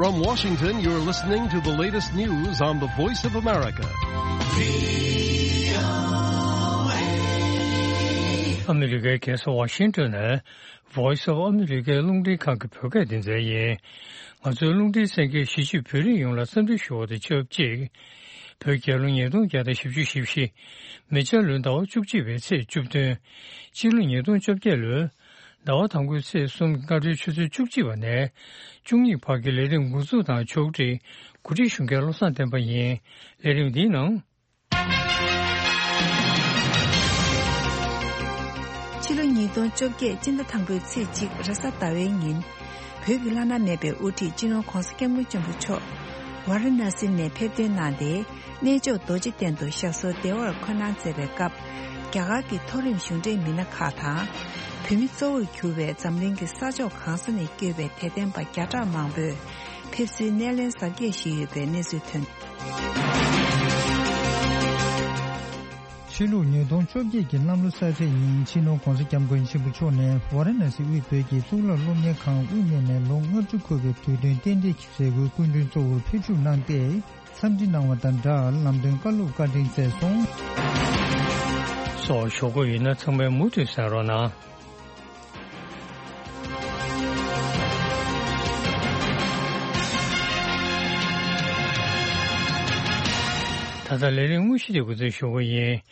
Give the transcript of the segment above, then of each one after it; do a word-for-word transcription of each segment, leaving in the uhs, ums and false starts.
From Washington, you're listening to the latest news on the Voice of America. ཨ་མི་རི་ཀའི་རྒྱལ་ས་ཝ་ཤིང་ཏོན་ནས་Voice of America རླུང་འཕྲིན་ཁང་གི་བོད་སྐད་སྡེ་ཚན་ཡིན། ང་ཚོའི་རླུང་འཕྲིན་གསན་མཁན་གཞིས་བྱེས་བོད་རིགས་ཡོངས་ལ་འཚམས་འདྲི་ཞུ་བ་དང་ཆབས་ཅིག་བོད་རྒྱལ་ལོ་ཉིས་སྟོང་བརྒྱ་དང་བཞི་བཅུ་ཞེ་བཞི། མེ་བྱ་ལོའི་ཟླ་བ་བཅུ་གཅིག་པའི་ཚེས་བཅུ་བདུན། སྤྱི་ལོ་ཉིས་སྟོང་བཅོ་བརྒྱད་ལོའི་ཟླ་བ་དང་པོའི་ཚེས་གསུམ། སྔ་དྲོའི་ཆུ་ཚོད་བཅུ་གཅིག་པ་ནས་བཅུ་གཉིས་བར་གྱི་ལས་རིམ་འགོ་འཛུགས་དང་ཕྱོགས་སྒྲིག་གོ་སྒྲིག་ཞུ་མཁན་བློ་བཟང་བསྟན་པ་ཡིན། ལས་རིམ་འདིའི་ནང་། ཕྱི་ལོ་ཉིས་སྟོང་བཅོ་བརྒྱད་སྤྱི་ཟླ་དང་པོའི་ཚེས་གཅིག་རེས་གཟའ་ཟླ་བའི་ཉིན། བོད་ཀྱི་བླ་ན་མེད་པའི་དབུ་ཁྲིད་སྤྱི་ནོར་༧གོང་ས་༧སྐྱབས་མགོན་ཆེན་པོ་མཆོག་ཝཱ་ར་ཎ་སི་ནས་ཕེབས་ཐོན་གནང་སྟེ། གནས་མཆོག་རྡོ་རྗེ་གདན་དུ་ཞབས་སོར་བདེ་བར་འཁོད་གནང་མཛད་པའི་སྐབས། རྒྱ་གར་གྱི་མཐོ་རིམ་གཞུང་འབྲེལ་མི་སྣ་ཁག་དང་། བོད་མི་གཙོ་བོར་གྱུར་པའི་འཛམ་གླིང་གི་ས་ཕྱོགས་གང་ས་ནས་བསྐྱོད་པའི་དད་ལྡན་པ་བརྒྱ་ཕྲག་མང་པོས་ཕེབས་བསུའི་སྣེ་ལེན་གཟབ་རྒྱས་ཞུས་ཡོད་པའི་གནས་ཚུལ་ཐོན། ཕྱི་ལུགས་ཉིས་སྟོང་བཅོ་བརྒྱད་ཀྱི་གནམ་ལོ་གསར་ཚེས་ཉིན། སྤྱི་ནོར་༧གོང་ས་༧སྐྱབས་མགོན་ཆེན་པོ་མཆོག་ནས་ཝཱ་ར་ཎ་སི་དབུས་བོད་ཀྱི་གཙུག་ལག་སློབ་གཉེར་ཁང་དབུ་བརྙེས་ནས་ལོ་ལྔ་བཅུ་འཁོར་བའི་དུས་སྟོན་རྟེན་འབྲེལ་གྱི་མཛད་སྒོའི་སྐུ་མགྲོན་གཙོ་བོར་ཕེབས་ཞུགས་གནང་སྟེ། འཚམས་འདྲི་གནང་བ་དང་སྦྲགས། ལམ་སྟོན་བཀའ་སློབ་བཀའ་དྲིན་སྩལ་སོང་། སོགས་ཞུ་དགོས་ཡིན་ན་ཚང་མས་མུ་མཐུད་གསན་རོགས་གནང་། ད་ལྟ་ལས་རིམ་དངོས་གཞི་དེ་འགོ་འཛུགས་ཞུ་གི་ཡིན།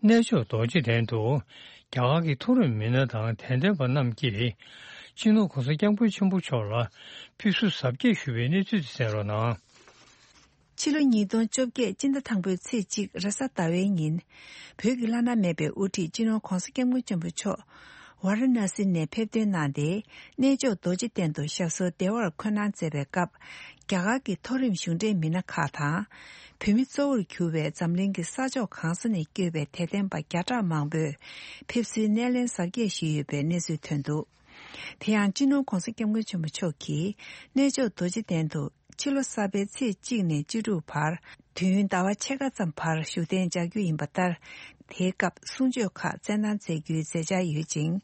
གནས་མཆོག་རྡོ་རྗེ་གདན་དུ་རྒྱ་གར་གྱི་མཐོ་རིམ་མི་སྣ་དང་དད་ལྡན་པ་རྣམས་ཀྱིས་སྤྱི་ནོར་༧གོང་ས་༧སྐྱབས་མགོན་ཆེན་པོ་མཆོག་ལ་ཕེབས་བསུ་གཟབ་རྒྱས་ཞུས་པའི་གནས་ཚུལ་དེ་གསན་རོགས་གནང་། ཕྱི་ལོ་ཉིས་སྟོང་བཅོ་བརྒྱད་སྤྱི་ཟླ་དང་པོའི་ཚེས་གཅིག་རེས་གཟའ་ཟླ་བའི་ཉིན། བོད་ཀྱི་བླ་ན་མེད་པའི་དབུ་ཁྲིད་སྤྱི་ནོར་༧གོང་ས་༧སྐྱབས་མགོན་ཆེན་པོ་མཆོག་ཝཱ་ར་ཎ་སི་ནས་ཕེབས་ཐོན་གནང་སྟེ། གནས་མཆོག་རྡོ་རྗེ་གདན་དུ་ཞབས་སོར་བདེ་བར་འཁོད་གནང་མཛད་པའི་སྐབས། རྒྱ་གར་གྱི་མཐོ་རིམ་གཞུང་འབྲེལ་མི་སྣ་ཁག་དང་། བོད་མི་གཙོ་བོར་གྱུར་པའི་འཛམ་གླིང་གི་ས་ཕྱོགས་གང་ས་ནས་བསྐྱོད་པའི་དད་ལྡན་པ་བརྒྱ་ཕྲག་མང་པོས་ཕེབས་བསུའི་སྣེ་ལེན་གཟབ་རྒྱས་ཞུས་ཡོད་པའི་གནས་ཚུལ་ཐོན་འདུག་དེ་ཡང་སྤྱི་ནོར་༧གོང་ས་༧སྐྱབས་མགོན་ཆེན་པོ་མཆོག་གིས་གནས་མཆོག་རྡོ་རྗེ་གདན་དུ་ཕྱི་ལོ་གསར་པའི་ཚེས་གཅིག་ནས་བཅུ་དྲུག་བར། དུས་ཡུན་ཟླ་བ་ཕྱེད་ཀ་ཙམ་བར་བཞུགས་གདན་འཇགས་རྒྱུ་ཡིན་པ་ལྟར། དེའི་སྐབས་གསུང་ཆོས་ཁག་སྩལ་གནང་མཛད་རྒྱུའི་མཛད་འཆར་ཡོད་ཅིང་།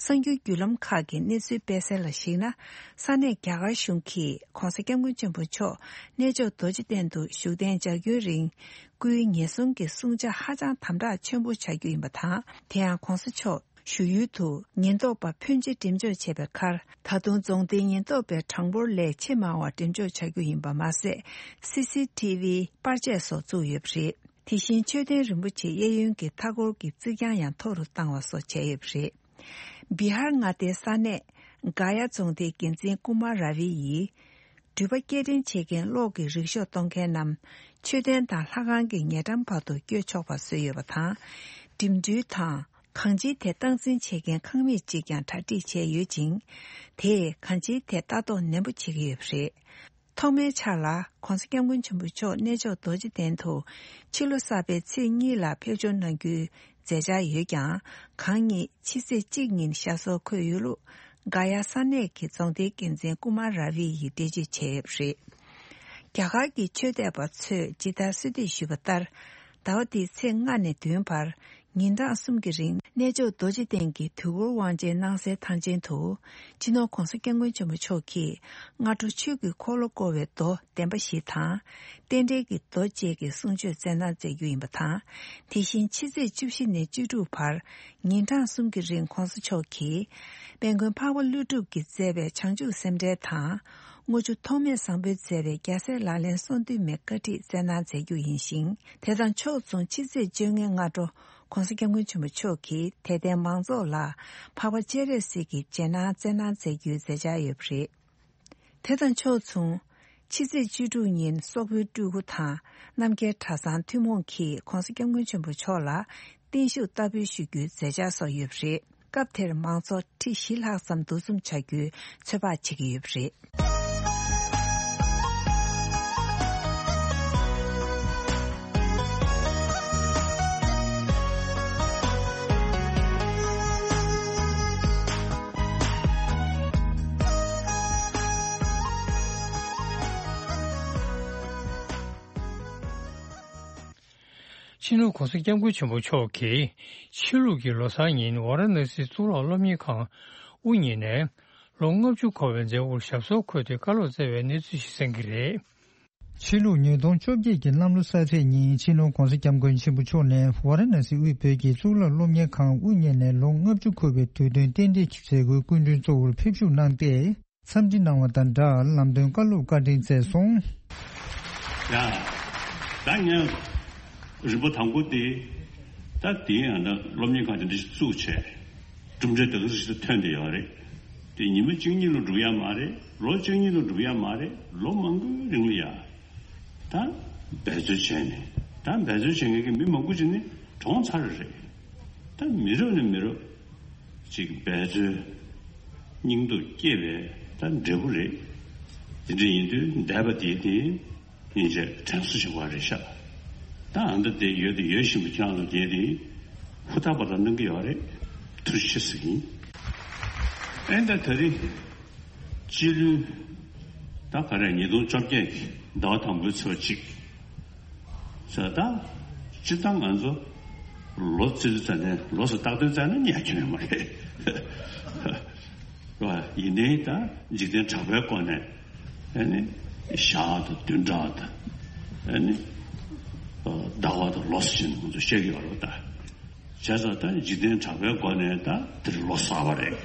གསར་འགྱུར་བརྒྱུད་ལམ་ཁག་གི་གནས་ཚུལ་སྤེལ་གསལ་ལ་གཞིགས་ན། ས་གནས་རྒྱ་གར་གཞུང་གིས་༧གོང་ས་༧སྐྱབས་མགོན་ཆེན་པོ་མཆོག་གནས་མཆོག་རྡོ་རྗེ་གདན་དུ་བཞུགས་གདན་འཇགས་རྒྱུན་རིང་སྐུའི་ཉེན་སྲུང་གི་བསྲུང་བྱ་ཧ་ཅང་དམ་དྲག་ཆེན་པོ་བྱ་རྒྱུ་ཡིན་པ་དང་། དེ་ཡང་༧གོང་ས་མཆོག་བཞུགས་ཡུལ་དུ་ཉེན་རྟོག་པ་ཕོན་ཆེ་འགྲེམས་འཇོག་བྱས་པའི་ཁར། ད་དུང་རྫོང་སྡེའི་ཉེན་རྟོག་པའི་གྲངས་འབོར་ལས་ཆེས་མང་བ་འགྲེམས་འཇོག་བྱ་རྒྱུ་ཡིན་པ་མ་ཟད། སི་སི་ཊི་ཝི་པར་ཆས་སོགས་བཙུགས་ཡོད་པ་རེད། དེ་བཞིན་མཆོད་རྟེན་རིན་པོ་ཆེ་གཡས་གཡོན་གྱི་མཐའ་འཁོར་གྱི་རྩིག་གྱང་ཡང་མཐོ་རུ་བཏང་བ་སོགས་བྱས་ཡོད་པ་རེད། བི་ཧར་མངའ་སྡེའི་ས་གནས་ག་ཡ་རྫོང་སྡེའི་འགན་འཛིན་ཀུ་མཱ་ར་ཝི་ཡིས། འགྲུལ་པ་སྐྱེལ་འདྲེན་བྱེད་མཁན་གློག་གི་རིག་ཤོག་གཏོང་མཁན་རྣམས་མཆོད་རྟེན་དང་ལྷ་ཁང་གི་ཉེ་འགྲམ་བར་དུ་བསྐྱོད་ཆོག་པ་བཟོས་ཡོད་པ་དང་། འགྲིམ་འགྲུལ་དང་གང་ཅིའི་ཐད་སྟངས་འཛིན་བྱེད་མཁན་ཁང་མིག་ཅིག་ཀྱང་གྲ་སྒྲིག་བྱས་ཡོད་ཅིང་། དེས་གང་ཅིའི་ཐད་ལྟ་རྟོག་ནན་པོ་བྱེད་ཀྱི་ཡོད་པ་རེད། ཐོག་མའི་ཆར་ལ་༧གོང་ས་༧སྐྱབས་མགོན་ཆེན་པོ་མཆོག་གནས་མཆོག་རྡོ་རྗེ་གདན་དུ་ཕྱི་ལོ་གསར་པའི་ཚེས་གཉིས་ལ་ཕེབས་འབྱོར་གནང་རྒྱུའི་མཛད་འཆར་ཡོད་ཀྱང་། གང་ཉིད་ཕྱི་ཚེས་གཅིག་ཉིན་ཞབས་སོར་འཁོད་ཡོད་ལུགས་ག་ཡ་ས་གནས་ཀྱི་རྫོང་སྡེའི་འགན་འཛིན་ཀུ་མཱ་ར་ཝི་ཡིས་འགྲེལ་བརྗོད་བྱས་ཡོད་པ་རེད། རྒྱ་གར་གྱི་ཆོས་དད་པ་ཚོས་ཇི་ལྟར་གསོལ་འདེབས་ཞུས་པ་ལྟར། ཟླ་བ་འདིའི་ཚེས་ལྔ་ནས་བདུན་བར། ཉིན་གྲངས་གསུམ་གྱི་རིང་གནས་མཆོག་རྡོ་རྗེ་གདན་གྱི་དུས་འཁོར་དབང་ཆེན་གནང་སའི་ཐང་ཆེན་དུ། སྤྱི་ནོར་༧གོང་ས་༧སྐྱབས་མགོན་ཆེན་པོ་མཆོག་གིས་སྔ་དྲོ་ཆོས་ཀྱི་འཁོར་ལོ་བསྐོར་བའི་མདོ་བདེན་པ་བཞི་དང་། རྟེན་འབྲེལ་གྱི་མདོ་བཅས་ཀྱི་གསུང་ཆོས་སྩལ་གནང་མཛད་རྒྱུ་ཡིན་པ་དང་། དེ་བཞིན་ཕྱི་ཚེས་བཅུ་བཞི་ནས་བཅུ་དྲུག་བར། ཉིན་གྲངས་གསུམ་གྱི་རིང་༧གོང་ས་མཆོག་གིས། དཔལ་མགོན་འཕགས་པ་ཀླུ་སྒྲུབ་ཀྱིས་མཛད་པའི་བྱང་ཆུབ་སེམས་འགྲེལ་དང་། དངུལ་ཆུ་ཐོགས་མེད་བཟང་པོས་མཛད་པའི་རྒྱལ་སྲས་ལག་ལེན་གསུང་བདུན་མའི་བཀའ་ཁྲིད་སྩལ་གནང་མཛད་རྒྱུ་ཡིན་ཞིང་། དེ་དང་ཕྱོགས་མཚུངས་ཕྱི་ཚེས་བཅོ་ལྔའི་སྔ་དྲོ། ༧གོང་ས་༧སྐྱབས་མགོན་ཆེན་པོ་མཆོག་གིས་དད་ལྡན་མང་ཚོགས་ལ་འཕགས་པ་སྤྱན་རས་གཟིགས་ཀྱི་རྗེས་གནང་སྩལ་གནང་མཛད་རྒྱུའི་མཛད་འཆར་ཡོད་པ་རེད། དེ་དང་ཕྱོགས་མཚུངས། ཕྱི་ཚེས་བཅུ་དྲུག་ཉིན་སོག་པོའི་སྤྲུལ་སྐུ་དང་རྣམ་རྒྱལ་གྲྭ་ཚང་ཐུན་མོང་གིས་༧གོང་ས་༧སྐྱབས་མགོན་ཆེན་པོ་མཆོག་ལ་བརྟན་བཞུགས་བསྟར་འབུལ་ཞུ་རྒྱུའི་མཛད་འཆར་སོགས་ཡོད་པ་རེད། སྐབས་དེར་མང་ཚོགས་ཁྲི་བཞི་ལྷག་ཙམ་འདུ་འཛོམས་བྱ་རྒྱུའི་ཚོད་དཔག་བྱེད་ཀྱི་ཡོད་པ་རེད། སྤྱི་ནོར་༧གོང་ས་༧སྐྱབས་མགོན་ཆེན་པོ་མཆོག་གིས་ཕྱི་ལུགས་ཀྱི་ལོ་གསར་ཉིན་ཝཱ་ར་ཎ་སི་གཙུག་ལག་སློབ་གཉེར་ཁང་དབུ་བརྙེས་ནས། ལོ་ལྔ་བཅུ་འཁོར་བའི་མཛད་སྒོར་ཞབས་སོར་འཁོད་དེ་བཀའ་སློབ་སྩལ་བའི་གནས་ཚུལ་ཞིག་གསན་གྱི་རེད། ཕྱི་ལུགས་ཉིས་སྟོང་བཅོ་བརྒྱད་ཀྱི་གནམ་ལོ་གསར་ཚེས་ཉིན་སྤྱི་ནོར་༧གོང་ས་༧སྐྱབས་མགོན་ཆེན་པོ་མཆོག་ནས་ཝཱ་ར་ཎ་སི་དབུས་བོད་ཀྱི་གཙུག་ལག་སློབ་གཉེར་ཁང་དབུ་བརྙེས་ནས་ལོ་ལྔ་བཅུ་འཁོར་བའི་དུས་སྟོན་རྟེན་འབྲེལ་གྱི་མཛད་སྒོའི་སྐུ་མགྲོན་གཙོ་བོར་ཕེབས་ཞུགས་གནང་སྟེ། འཚམས་འདྲི་གནང་བ་དང་སྦྲགས་ལམ་སྟོན་བཀའ་སློབ་བཀའ་དྲིན་སྩལ་སོང་། ཡ། ད་ངས་རིམ་པ་དང་པོ་དེ། ད་དེའི་ཡང་ད་སློབ་གཉེར་ཁང་དེ་འདྲ་ཞིག་བཙུགས་བྱས། གྲུབ་འབྲས་དེ་ག་ཚོད་ཞིག་ཐོན་བསྡད་ཡོད་རེད། དེ་ཉི་མ་གཅིག་གཉིས་ལ་འགྲུབ་ཡ་མ་རེད། ལོ་གཅིག་གཉིས་ལ་འགྲུབ་ཡ་མ་རེད། ལོ་མང་པོའི་རིང་ལ་ཡ། ད་འབད་རྩོལ་བྱས་ནས། ད་འབད་རྩོལ་བྱེད་མཁན་གྱི་མི་མང་པོ་ཅིག་ནི་གྲོངས་ཚར་རེད། ད་མི་རབས་ནས་མི་རབས་ཅིག་འབད་རྩོལ་སྙིང་སྟོབས་སྐྱེད་པའི་ད་འབྲས་བུ་རེད། དེ་འདྲ་ཡིན་དུས་འདས་པ་དེ་དེ་སྙིང་རྗེ་དྲན་གསོ་ཞིག་པ་རེད་ཤག་ད་ཨ་མདའ་དེ་ཡོད་དེ་ཡོད་བཞིན་པ་ཁྱེད་རང་ཚོ་དེ་དེ་ཧུར་ཐག་པ་དང་གནང་གི་ཡོད་རེད། ཐུགས་རྗེ་ཆེ་ཟེར་གྱི་ཡིན། ཨེ་ད་དེ་རིང་སྤྱི་ལོའི་ད་ག་རེ་ཉིས་སྟོང་བཅོ་བརྒྱད་ཀྱི་ཟླ་བ་དང་པོའི་ཚེས་པ་གཅིག་ཟེར། ད་སྤྱིར་བཏང་ང་ཚོ་ལོ་རྩིས་རྩ་ནས་ལོ་སུ་རྟག་དོན་རྩ་ནས་ཉར་གྱི་མེད་མ་རེད། ཡིན་ནའི་ད་འཇིག་རྟེན་གྲགས་པའི་སྒོ་ནས་ཨ་ནི་ཞག་དང་བདུན་ཕྲག་དང་ཨ་ནི་ཟླ་བ་དང་ལོ་སུ་ཞིག་ང་ཚོ་བཤད་ཀྱི་ཡོད་རེད་ད། བྱས་ཙང་ད་འཇིག་རྟེན་གྲགས་པའི་སྒོ་ནས་ད་དེར་ལོ་གསར་པ་རེད།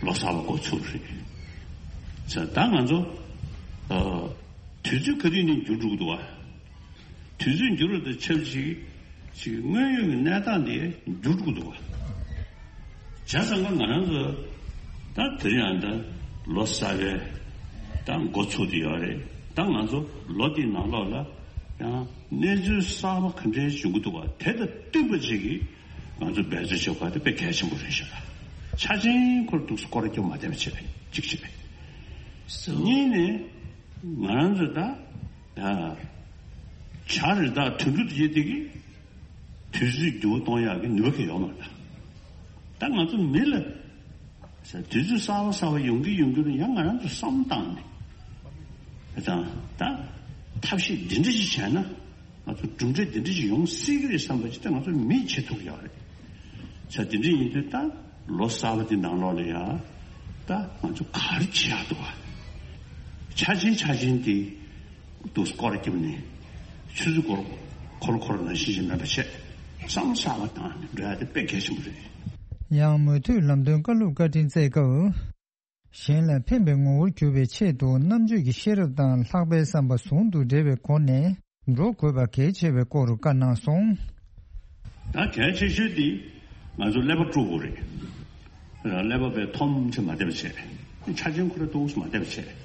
ལོ་གསར་པ་འགོ་ཚུགས་རེད། བྱས་ད་ང་ཚོ་ཨ་དུས་ཚོད་ག་དུས་ནས་འགྱུར་འགྲོ་གི་འདུག་བ། དུས་ཚོད་འགྱུར་བ་དང་ཆབས་ཅིག་ཅིག་དངོས་ཡོད་ཀྱི་གནས་སྟངས་དེ་འགྱུར་འགྲོ་གི་འདུག་བ། བྱས་ཙང་ང་ང་རང་ཚོ་ད་དེ་རིང་ཡང་ད་ལོ་གསར་པའི་ད་འགོ་ཚུགས་བསྡད་ཡོད་རེད། ད་ང་ཚོ་ལོ་འདིའི་ནང་ལོགས་ལ་ཡང་གནས་ཚུལ་གསར་པ་ག་འདྲའི་བྱུང་གི་འདུག་བ། དེ་དང་བསྟུན་པ་ཅིག་གིས་ང་ཚོ་འབད་རྩོལ་བྱེད་དགོས་པ་དེ་དཔེ་གལ་ཆེན་པོ་རེད་ཤག་ཆ་ཆེན་ཁོར་འདུག་སྐོར་སྐྱོད་མ་བསྡད་པ་བྱེད་པ་གཅིག་བྱེད་པ། གཉིས་ནས་ང་རང་ཚོ་ད་ད་བྱ་རི་དྭགས་དུད་འགྲོ་དེ་དེ་གི་དུས་ཚོད་འགྱུར་བ་གཏོང་ཡག་གི་ནུས་པ་གང་ཡོད་མ་རེད། ད་ང་ཚོ་མི་ལ་དུས་ཚོད་གསར་པ་གསར་པ་ཡོང་གི་ཡོང་གི་རུ་ཡང་ང་རང་ཚོ་བསམ་བཏང་ནས་དང་ད་ཐབས་ཤེས་འདི་འདྲ་ཞིག་བྱས་ན་ང་ཚོ་གྲུབ་འབྲས་འདི་འདྲ་ཞིག་ཡོང་སྲིད་ཀྱི་རེད་བསམ་པ་ཅིག་ད་ང་ཚོ་མིས་བྱེད་ཐུབ་ཡོད་རེད། ས་འདི་འདྲ་ཡིན་དུས་ད་ལོ་གསར་པ་འདི་ནང་ལོགས་ལ་ཡང་ད་ང་ཚོ་ག་རེ་བྱེད་ཡག་འདུག་བ། ཆ་ཆེན་ཆ་ཆེན་དེ། དུ་སྐོར་རྒྱབ་ནས་ཆུ་ཚོད་འཁོར་འཁོར་འཁོར་ནང་བཞིན་ཞིག་མེད་པ་བྱས། བསམ་གསར་པ་བཏང་ནས་འགྲོ་ཡ་དེ་དཔེ་གལ་ཆེན་པོ་རེད། ཡང་མུ་མཐུད་ལམ་སྟོན་བཀའ་སློབ་བཀའ་དྲིན་སྩལ་སྐབས། གཞན་ལ་ཕན་པའི་ངོ་བོར་གྱུར་པའི་ཆེད་དུ་རྣམ་དཔྱོད་ཀྱི་ཤེས་རབ་དང་ལྷག་པའི་བསམ་པ་ཟུང་དུ་འབྲེལ་བའི་སྒོ་ནས་འགྲོ་དགོས་པ་གལ་ཆེ་བའི་སྐོར་བཀའ་གནང་སོང་། ད་གལ་ཆེ་ཤོས་དེ་ང་ཚོ་ཀླད་པ་དཀྲུག་དགོས་རེད། ཀླད་པ་པའི་མཐོང་ཆེ་མ་བསྡད་པ་བྱས། ཆ་རྐྱེན་ཁོ་ར་འདུག་སེ་མ་བསྡད་པ་བྱས།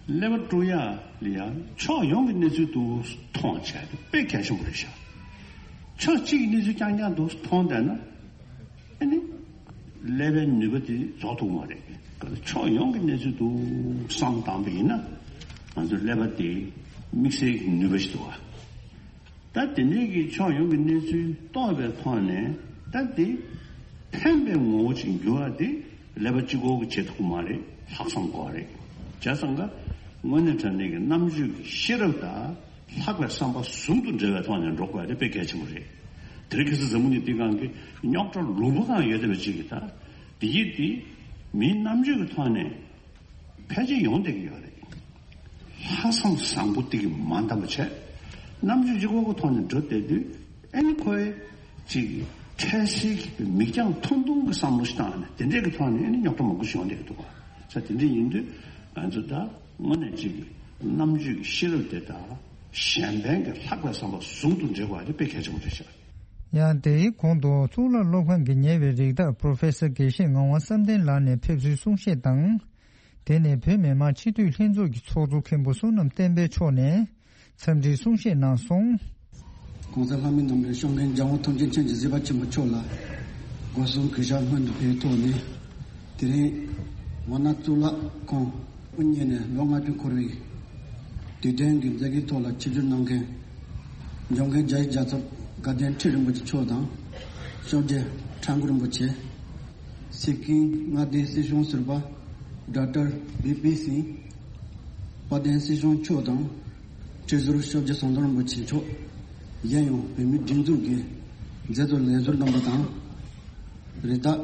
ཀླད་པ་དཀྲུག་ཡག་ལ་ཡང་ཕྱོགས་ཡོངས་ཀྱི་གནས་ཚུལ་འདུག་སེ་མཐོང་བྱས་ཏེ་དཔེ་གལ་ཆེན་པོ་རེད་ཤག་ཕྱོགས་གཅིག་གི་གནས་ཚུལ་རྐྱང་རྐྱང་འདུག་སེ་མཐོང་བསྡད་ན་ཨ་ནི་ཀླད་པའི་ནུས་པ་དེ་རྫོགས་ཐུབ་མ་རེད། ཕྱོགས་ཡོངས་ཀྱི་གནས་ཚུལ་འདུག་སེ་བསམ་བཏང་པ་ཡིན་ན་ང་ཚོའི་ཀླད་པ་དེ་དམིགས་བསལ་གྱི་ནུས་པ་ཞིག་འདུག་བ། ད་དེ་འདྲའི་གི་ཕྱོགས་ཡོངས་ཀྱི་གནས་ཚུལ་རྟོགས་པའི་ཐོག་ནས་ད་དེ་ཕན་པའི་ངོ་བོ་ཅིག་འགྱུར་བ་དེ་ཀླད་པ་གཅིག་པོ་གིས་བྱེད་ཐུབ་ཀྱི་མ་རེད། ལྷག་བསམ་དགོས་རེད། བྱས་ཙང་ཀ་དངོས་གནས་དྲང་གནས་ཀྱི་རྣམ་དཔྱོད་ཀྱི་ཤེས་རབ་དང་ལྷག་པའི་བསམ་པ་ཟུང་དུ་འབྲེལ་བའི་ཐོག་ནས་འགྲོ་དགོས་པ་དེ་དཔེ་གལ་ཆེན་པོ་རེད། དེ་རིང་ཁ་སང་འཛམ་བུ་གླིང་འདིའི་སྒང་གི་རྙོག་དྲ་ལུང་པ་སྒང་ཡོད་བསྡད་པ་ཅིག་གིས་ད་དེ་ཡིན་དེ་མིའི་རྣམ་དཔྱོད་ཀྱི་ཐོག་ནས། ཕལ་ཆེར་ཡོང་བསྡད་ཀྱི་ཡོད་རེད། ལྷག་བསམ་བཟང་པོ་དེ་གིས་མ་འདང་བ་བྱས། རྣམ་དཔྱོད་གཅིག་པོ་གི་ཐོག་ནས་འགྲོ་བསྡད་དུས་ཨ་ནི་ཁོའི་ཅིག་འཕྲལ་སེལ་གྱི་མིག་རྒྱང་ཐུང་ཐུང་གི་བསམ་བློ་ཞིག་བཏང་ནས་དེ་འདྲས་ཀྱི་ཐོག་ནས་ཨ་ནི་རྙོག་དྲ་མང་པོ་ཞིག་ཡོང་བསྡད་ཀྱི་འདུག་ག་ས་དེ་འདྲས་ཡིན་དུས་ང་ཚོ་ད་དངོས་གནས་ཅིག་རྣམ་དཔྱོད་ཀྱི་ཤེས་རབ་དེ་དང་གཞན་ཕན་གྱི་ལྷག་པའི་བསམ་པ་ཟུང་དུ་འབྲེལ་བ་དེ་དཔེ་གལ་ཆེན་པོ་རེད་ཤག་ཡང་དེའི་གོང་དུ་གཙུག་ལག་སློབ་ཁང་གི་ཉེ་བའི་རིགས་བདག་པོ་རོ་ཕེ་སར་དགེ་བཤེས་ངག་དབང་བསམ་གཏན་ལགས་ནས་ཕེབས་བསུའི་གསུང་བཤད་དང་། དེ་ནས་བོད་མི་མང་སྤྱི་འཐུས་ལྷན་ཚོགས་ཀྱི་ཚོགས་གཙོ་མཁན་པོ་བསོད་ནམས་བསྟན་འཕེལ་མཆོག་ནས་འཚམས་འདྲིའི་གསུང་བཤད་གནང་སོང་། ༸གོང་ས་ལྷ་མིའི་རྣམ་པའི་སྐྱོང་མཁན་རྒྱལ་དབང་ཐམས་ཅད་མཁྱེན་ཅིང་གཟིགས་པ་ཆེན་པོ་མཆོག་ལ་སྒོ་གསུམ་གུས་ཞབས་སྔོན་དུ་འཕེལ་ཐོག་ནས། དེ་རིང་ཝཱ་ཎ་གཙུག་ལག་ཁང་དབུ་བརྙེས་ནས་ལོ་ལྔ་བཅུ་འཁོར་བའི་དུས་དྲན་གྱི་མཛད་སྒོའི་ཐོག་ལ་ཆིབས་བསྒྱུར་གནང་མཁན་འབྱོར་མཁན་རྒྱ་ཡིག་རྒྱལ་ཚབ་དགའ་ལྡན་ཁྲི་རིན་པོ་ཆེ་མཆོག་དང་། ཤོག་རྗེ་ཁྲ་འགུ་རིན་པོ་ཆེ། སི་ཀིམ་མངའ་སྡེའི་སྲིད་གཞུང་ཟུར་པ་ཌོག་ཊར་བི་པི་སིང་། དཔལ་ལྡན་སྲིད་གཞུང་མཆོག་དང་། ཁྲི་ཟུར་ཤོག་རྗེ་ཟམ་གདོང་རིན་པོ་ཆེ་མཆོག། གཞན་ཡང་བོད་མིའི་སྒྲིག་འཛུགས་ཀྱི་མཛད་གཙོ་ལས་ཟུར་རྣམ་པ་དང་། རི་དྭགས་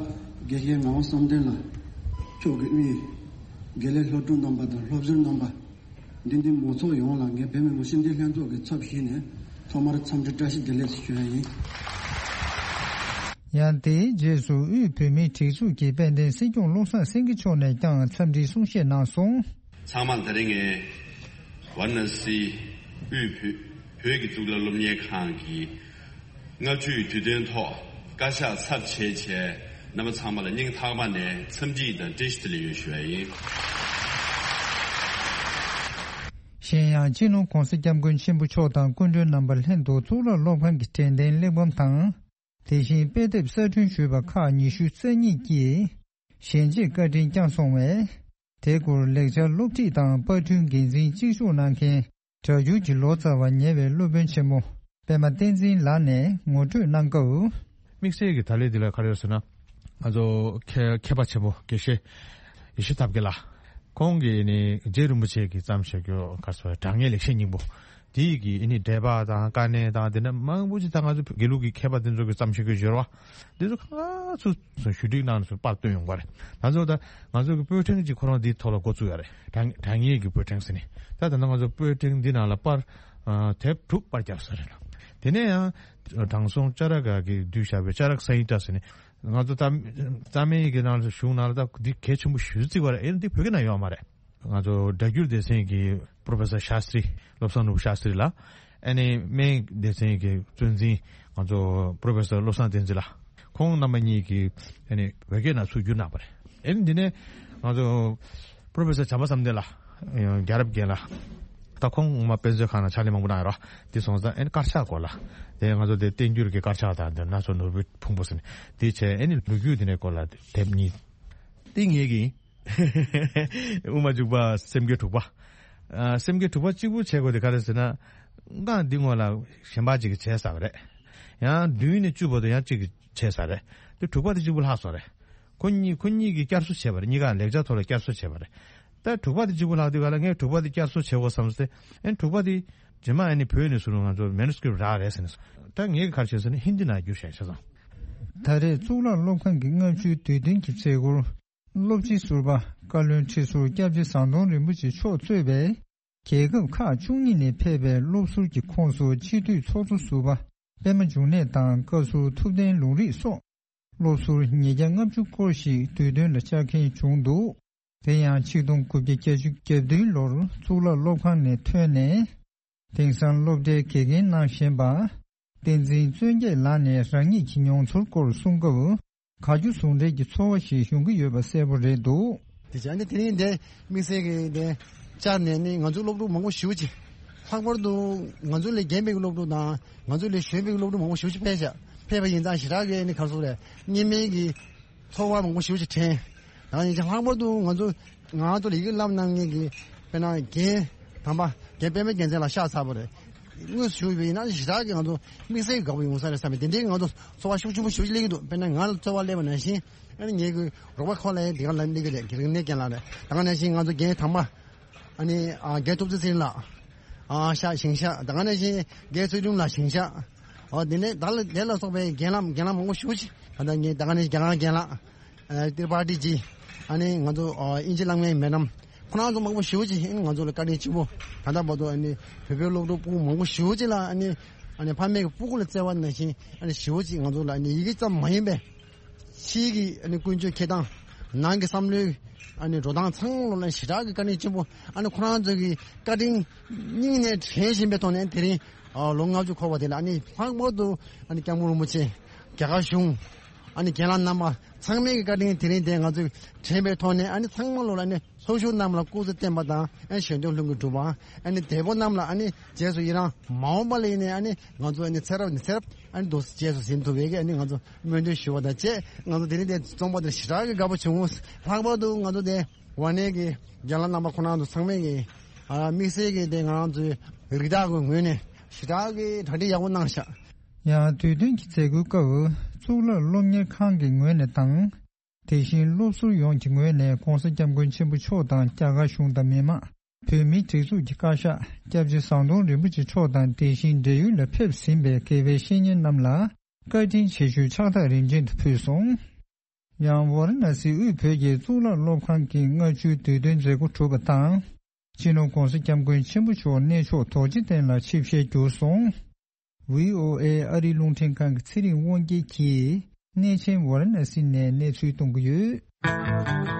དགེ་བཤེས་ངག་དབང་བསམ་གཏན་ལགས། ཕྱོགས་ཀྱི་དབུས་དགེ་ལས་སློབ་ཕྲུག་རྣམ་པ་དང་སློབ་ཟུར་རྣམ་པ། འདི་འདི་མང་ཚོགས་ཡོངས་ལ་ངས་བོད་མི་མི་སེར་འདི་ལྷན་ཚོགས་ཀྱི་ཚབ་ཞུས་ནས་ཐོག་མར་འཚམས་འདྲི་བཀྲ་ཤིས་བདེ་ལེགས་ཞུ་ཡ་ཡིན། ཡང་དེའི་རྗེས་སུ་དབུས་བོད་མིའི་སྒྲིག་འཛུགས་ཀྱི་དཔལ་ལྡན་སྲིད་སྐྱོང་བློ་བཟང་སེང་གེ་མཆོག་ནས་ཀྱང་འཚམས་འདྲིའི་གསུང་བཤད་གནང་སོང་། ཚང་མ་ལ་ད་རིང་ངས་ཝཱ་ར་ཎ་སིའི་དབུས་བོད་བོད་ཀྱི་གཙུག་ལག་སློབ་གཉེར་ཁང་གི་ལྔ་བཅུའི་དུས་སྟོན་ཐོག་བཀའ་ཤག་ཚབ་བྱས་བྱས་རྣམ་པ་ཚང་མ་ལ་སྙིང་ཐག་པ་ནས་འཚམས་འདྲི་དང་བཀྲ་ཤིས་བདེ་ལེགས་ཡོད་ཞུ་བ་ཡིན། གཞན་ཡང་སྤྱི་ནོར་༸གོང་ས་༸སྐྱབས་མགོན་ཆེན་པོ་མཆོག་དང་སྐུ་མགྲོན་རྣམ་པ་ལྷན་དུ་གཙུག་ལག་སློབ་ཁང་གི་དྲན་རྟེན་གླེགས་བམ་དང་། དེ་བཞིན་དཔེ་དེབ་གསར་སྐྲུན་ཞུས་པ་ཁག་ཉི་ཤུ་རྩ་གཉིས་ཀྱིས་ཞལ་འབྱེད་བཀའ་དྲིན་བསྐྱངས་སོང་བས། དེ་སྐོར་ལེགས་སྦྱར་སློབ་ཁྲིད་དང་པར་སྐྲུན་འགན་འཛིན་གཅིག་ལྕོགས་གནང་མཁན་སྒྲ་སྒྱུར་གྱི་ལོ་ཙཱ་བ་ཉེ་བའི་སློབ་དཔོན་ཆེན་མོ་པད་མ་བསྟན་འཛིན་ལགས་ནས་ངོ་སྤྲོད་གནང་སྐབས། དམིགས་བསལ་གྱི་ད་ལན་འདི་ལ་ག་རེ་ཡོད་ཟེར་ན། ང་ཚོ་མཁས་མཁས་པ་ཆེན་པོ་དགེ་བཤེས་ཡེ་ཤེས་ཐབས་མཁས་ལགས། ཁོང་གིས་ནི་རྗེ་རིན་པོ་ཆེ་གིས་བརྩམས་བཞག་རྒྱུ་ག་རེ་ཟེར་དྲང་ངེས་ལེགས་བཤད་སྙིང་པོ། དེ་ཡི་གི་ཨ་ནི་འགྲེལ་པ་དང་དཀའ་གནད་དང་དེ་འདྲ་མང་པོ་ཅིག་ད་ང་ཚོ་དགེ་ལུགས་ཀྱི་མཁས་པ་དེ་ཚོ་གིས་བརྩམས་བཞག་རྒྱུ་སྦྱོར་བ་འདི་ཚོ་ག་ཚོད་ཞུ་སྒྲིག་གནང་ནས་པར་བཏོན་ཡོང་བ་རེད། ད་ཚོ་ད་ང་ཚོ་གི་པོད་ཕྲེང་གཅིག་ཁོ་རང་འདིའི་ཐོག་ལ་འགོ་བཙུགས་ཡོད་རེད། དྲང་དྲང་ངེས་ཀྱི་པོད་ཕྲེང་ཟེར་ནས། ད་ད་ལྟ་ང་ཚོ་པོད་ཕྲེང་འདི་ནང་ལ་པར་ཨ་དེབ་དྲུག་པར་བརྒྱབ་ས་རེད། དེ་ནས་ཡང་དྲང་སྲོང་ལྕགས་ར་ག་གིས་བསྡུས་བཞག་པའི་ལྕགས་ར་སཾ་ཡུ་ཏྲ་ཟེར་ནས། ང་ཚོ་རྩ་རྩ་མེད་ཀྱི་ནང་ལ་གཞུང་ནང་ལ་ད་འདི་གལ་ཆེན་པོ་ཞེ་པོ་བརྩི་བ་རེད། ཨེ་འདི་བོད་སྐད་ནང་ཡོད་མ་རེད། ང་ཚོ་སྒྲ་སྒྱུར་སྡེ་ཚན་གྱི་པོ་རོ་ཕེ་སར་ཤཱ་སྟྲི། བློ་བཟང་ནོར་བུ་ཤཱ་སྟྲི་ལགས། ཨ་ནི་སྨན་སྡེ་ཚན་གྱི་གཙོ་འཛིན་ང་ཚོ་པོ་རོ་ཕེ་སར་བློ་བཟང་བསྟན་འཛིན་ལགས། ཁོང་རྣམ་པ་གཉིས་ཀྱིས་ཨ་ནི་བོད་སྐད་ནང་ཚུར་བསྒྱུར་གནང་བ་རེད། ཨ་ནི་འདི་ནས་ང་ཚོ་པོ་རོ་ཕེ་སར་བྱམས་པ་བསམ་གཏན་ལགས། རྒྱལ་རབས་རྒན་ལགས། ད་ཁོང་ངོ་མ་དཔེ་མཛོད་ཁང་ནང་ཕྱག་ལས་མང་པོ་གནང་ཡོད་རེད། དེ་སོང་ཙང་ཨ་ནི་དཀར་ཆག་སྐོར་ལ། དེ་ང་ཚོ་དེ་བསྟན་འགྱུར་གྱི་དཀར་ཆག་དང་དེ་སྣ་ཚོགས་ནོར་བུའི་ཕུང་པོ་ཟེར་ནས་དེ་བྱས། ཨ་ནི་ལོ་རྒྱུས་དེ་འདྲའི་སྐོར་ལ་དེབ་གཉིས། དེ་ངེད་ཀྱི་དབུ་མ་འཇུག་པ་སེམས་བསྐྱེད་དྲུག་པ། ཨ་སེམས་བསྐྱེད་དྲུག་པ་གཅིག་པུ་བྱེད་དགོས་དེ་ག་རེ་ཟེར་ན། སྔགས་འདི་སྔོན་ལ་གཞན་པ་ཅིག་གིས་བྱས་ཚར་བ་རེད། ཡང་བདུན་ནས་བཅུ་བར་དུ་ཡང་གཅིག་གིས་བྱས་ཚར་རེད། དེ་དྲུག་པ་དེ་གཅིག་པུ་ལྷག་སོང་རེད། ཁོ་གཉིས་ཁོ་གཉིས་ཀྱིས་བསྐྱར་གསོ་བྱས་པ་རེད། གཉིས་ཀ་ལེགས་སྦྱར་ཐོག་ལ་བསྐྱར་གསོ་བྱས་པ་རེད། ད་དྲུག་པ་དེ་གཅིག་པུ་ལྷག་དུས་ག་ལ་ངས་དྲུག་པ་དེ་བསྐྱར་གསོ་བྱེད་དགོས་བསམ་སྟེ། ཨེ་དྲུག་པ་དེ་རྗེས་མ་ཨ་ནི་བོད་ནས་ཟུར་ང་ཚོ་མེ་ནུ་སི་ཀི་རིབ་རག་རེད་ཟེར་ནས། ད་ངས་ག་རེ་བྱས་ཟེར་ན་ཧིན་དི་ནང་བསྒྱུར་བཞག་བྱས་ཙང་། ད་རེས་གཙུག་ལག་སློབ་ཁང་གི་ལྔ་བཅུའི་དུས་སྟོན་གྱི་མཛད་སྒོར། སློབ་སྤྱི་ཟུར་པ་བཀའ་བློན་ཁྲི་ཟུར་སྐྱབས་རྗེ་ཟམ་གདོང་རིན་པོ་ཆེ་མཆོག་གཙོས་པའི་རྒྱལ་ཁབ་ཁག་བཅུ་གཉིས་ནས་ཕེབས་པའི་སློབ་ཟུར་གྱི་ཁོངས་སུ་སྤྱི་འཐུས་ཚོགས་གཙོ་ཟུར་པ་པད་མ་འབྱུང་གནས་དང་བཀའ་ཟུར་ཐུབ་བསྟན་ལུང་རིགས་སོགས་སློབ་ཟུར་ཉིས་བརྒྱ་ལྔ་བཅུ་སྐོར་ཞིག་དུས་སྟོན་ལ་བཅར་མཁན་བྱུང་འདུག་དེ་ཡང་ཆིག་སྟོང་དགུ་བརྒྱ་བརྒྱད་ཅུ་གྱ་བདུན་ལོར་གཙུག་ལག་སློབ་ཁང་ནས་ཐོན་ནས། དེང་སང་སློབ་གྲྭའི་དགེ་རྒན་གནང་བཞིན་པ། བསྟན་འཛིན་བརྩོན་རྒྱས་ལགས་ནས་རང་ཉིད་ཀྱི་མྱོང་ཚོར་སྐོར་གསུང་སྐབས། དགའ་སྐྱོ་ཟུང་འབྲེལ་གྱི་ཚོར་བ་ཞིག་ཡོང་གི་ཡོད་པ་གསལ་པོ་རེད་འདུག་དེ་བྱས་ནས་དེ་རིང་འདི་དམིགས་བསལ་གྱི་འདི་བཅར་ནས་ནི་ང་ཚོ་སློབ་ཕྲུག་མང་པོ་ཞེ་པོ་ཅིག་ལྷག་པར་དུ་ང་ཚོ་ལས་རྒན་པའི་སློབ་ཕྲུག་དང་ང་ཚོ་ལས་གཞོན་པའི་སློབ་ཕྲུག་མང་པོ་ཞེ་པོ་ཅིག་ཕེབས་ཤག་ཕེབས་པ་ཡིན་ཙང་ཞེ་དྲག་གི་ནི་ག་རེ་ཟེར་དགོས་རེད། སྙན་མིན་གྱི་ཚོར་བ་མང་པོ་ཞེ་པོ་ཅིག་དྲན། ད་ཡིན་ཙང་ལྷག་པར་དུ་ང་ཚོ་ང་ཚོ་ལ་ཡི་གེ་བསླབ་གནང་མཁན་གྱི་དཔེར་ན་རྒན་དམ་པ་རྒན་པད་མ་རྒྱལ་མཚན་ལགས་གཤེགས་ཚར་བ་རེད། དངོས་སུ་ཞུས་པ་ཡིན་ན་ཞེ་དྲག་གི་ང་ཚོ་དམིགས་བསལ་གྱི་དགའ་པོ་ཡོང་ས་རེད་བསམ་པའི་དེ་འདྲའི་ང་ཚོ་ཚོར་བ་ཤུགས་ཆེན་པོ་ཞེ་པོ་ཅིག་སླེབས་ཀྱི་འདུག་དཔེར་ན་ང་ལ་ཚོར་བ་སླེབས་པ་ནང་བཞིན་ཨ་ནི་ངེད་ཀྱི་རོགས་པ་ཁོ་ལ་ཡང་དེ་ག་ལ་སླེབས་ཀྱི་རེད། རིག་གནས་རྒན་ལགས་རེད། ད་ག་ནང་བཞིན་ང་ཚོ་རྒན་དམ་པ་ཨ་ནི་ཨ་རྒན་ཐུབ་བསྟན་ཚེ་རིང་ལགས་ཨ་གཤེགས་ཞིང་གཤེགས། ད་ག་ནང་བཞིན་རྒན་ཚུལ་ཁྲིམས་ལགས་ཞིང་གཤེགས། ཨོ་དེ་ནས་ད་ལ་དེ་ལ་སོགས་པའི་རྒན་ལགས་རྒན་ལགས་མང་པོ་ཞེ་པོ་ཅིག་ད་ལྟ་ངས་ད་ག་ནས་རྒན་ལགས་རྒན་ལགས་ཨ་ཏི་པ་ཏི་ཇི། ཨ་ནི་ང་ཚོ་ཨ་དབྱིན་ཇི་བསླབ་མཁན་མེ་ཌམ། ཁོ་རང་ཚོ་མང་པོ་ཞེ་པོ་ཅིག་ཨ་ནི་ང་ཚོ་ལ་བཀའ་དྲིན་ཆེན་པོ། ད་ལྟ་བར་དུ་ཨ་ནི་བོད་པའི་སློབ་ཕྲུག་སྤུ་གུ་མང་པོ་ཞེ་པོ་ཅིག་ལ་ཨ་ནི་ཨ་ནི་ཕ་མེས་ཀྱི་སྤུ་གུ་ལ་བརྩེ་བ་ནང་བཞིན་ཨ་ནི་ཞེ་པོ་ཅིག་ང་ཚོ་ལ་ཨ་ནི་ཡི་གེ་ཙམ་མ་ཡིན་པའི་ཕྱིའི་གི་ཨ་ནི་ཀུན་སྤྱོད་འཁྱེར་སྟངས། ནང་གི་བསམ་བློའི་ཨ་ནི་འགྲོ་སྟངས་ཚང་མ་ལ་ཞེ་དྲག་གི་བཀའ་དྲིན་ཆེན་པོ། ཨ་ནི་ཁོ་རང་ཚོ་གི་བཀའ་དྲིན་སྙིང་ནས་དྲན་བཞིན་པའི་ཐོག་ནས་དེ་རིང་ཨ་ལོ་ལྔ་བཅུ་འཁོར་བ་དེ་ལ་ཨ་ནི་ལྷག་པར་དུ་ཨ་ནི་སྐྱབས་མགོན་རིན་པོ་ཆེ། རྒྱ་གར་གཞུང་། ཨ་ནི་རྒན་ལགས་རྣམ་པ་ཚང་མའི་གི་བཀའ་དྲིན་དེ་རིང་དེ་ང་ཚོས་དྲན་པའི་ཐོག་ནས་ཨ་ནི་ཚང་མ་ལོ་ལ་ཨ་ནི་ཚོགས་ཞུགས་རྣམས་ལ་སྐུ་ཚེ་བརྟན་པ་དང་ཨ་ནི་གཞན་དོན་ལྷུན་གྱིས་གྲུབ་པ། ཨ་ནི་འདས་པོ་རྣམས་ལ་ཨ་ནི་རྗེས་སུ་ཡི་རང་མ་འོངས་པ་ལ་ཡིན་ནའི་ཨ་ནི་ང་ཚོ་ཨ་ནི་ཚེ་རབས་ནས་ཚེ་རབས་ཨ་ནི་འདུག་སེ་རྗེས་སུ་ཟིན་ཐུབ་པའི་གི་ཨ་ནི་ང་ཚོ་སྨོན་འདུན་ཞུ་བ་དང་བཅས། ང་ཚོ་དེ་རིང་དེ་རྩོམ་པ་དེར་ཞེ་དྲག་གི་དགའ་པོ་བྱུང་། ལྷག་པར་དུ་ང་ཚོ་དེ་ཝཱ་ཎའི་གི་རྒན་ལགས་རྣམ་པ་ཁོ་རང་ཚོ་ཚང་མས་གི་ཨ་དམིགས་བསལ་གི་དེ་ང་རང་ཚོའི་རིགས་བདག་གི་ངོས་ནས་ཞེ་དྲག་གི་གྲ་སྒྲིག་ཡག་པོ་གནང་ཤག་ཡང་དུས་སྟོན་གྱི་མཛད་སྒོའི་སྐབས་གཙུག་ལག་སློབ་གཉེར་ཁང་གི་ངོས་ནས་དང་། དེ་བཞིན་སློབ་ཟུར་ཡོངས་ཀྱི་ངོས་ནས་༸གོང་ས་༸སྐྱབས་མགོན་ཆེན་པོ་མཆོག་དང་རྒྱ་གར་གཞུང་དང་མི་དམངས་བོད་མིའི་སྒྲིག་འཛུགས་ཀྱི་བཀའ་ཤག་སྐྱབས་རྗེ་ཟམ་གདོང་རིན་པོ་ཆེ་མཆོག་དང་དེ་བཞིན་བགྲེས་ཡོལ་ལ་ཕེབས་ཟིན་པའི་དགེ་བའི་བཤེས་གཉེན་རྣམས་ལ་བཀའ་དྲིན་ཆེ་ཞུའི་ཕྱག་རྟགས་རིམ་བྱོན་དུ་ཕུལ་སོང་། ཡང་ཝཱ་ར་ཎ་སིའི་དབུས་བོད་ཀྱི་གཙུག་ལག་སློབ་ཁང་གི་ལྔ་བཅུའི་དུས་སྟོན་མཛད་སྒོ་གྲུབ་པ་དང་། སྤྱི་ནོར་༧གོང་ས་༧སྐྱབས་མགོན་ཆེན་པོ་མཆོག་གནས་མཆོག་རྡོ་རྗེ་གདན་ལ་ཆིབས་ཞལ་བསྒྱུར་སོང་། ཝི་ཨོ་ཨེ་ཨ་རིའི་རླུང་འཕྲིན་ཁང་གི་ཚེ་རིང་དབང་རྒྱལ་གྱིས་གནས་ཆེན་ཝཱ་ར་ཎ་སི་ནས་གནས་ཚུལ་གཏོང་གི་ཡོད།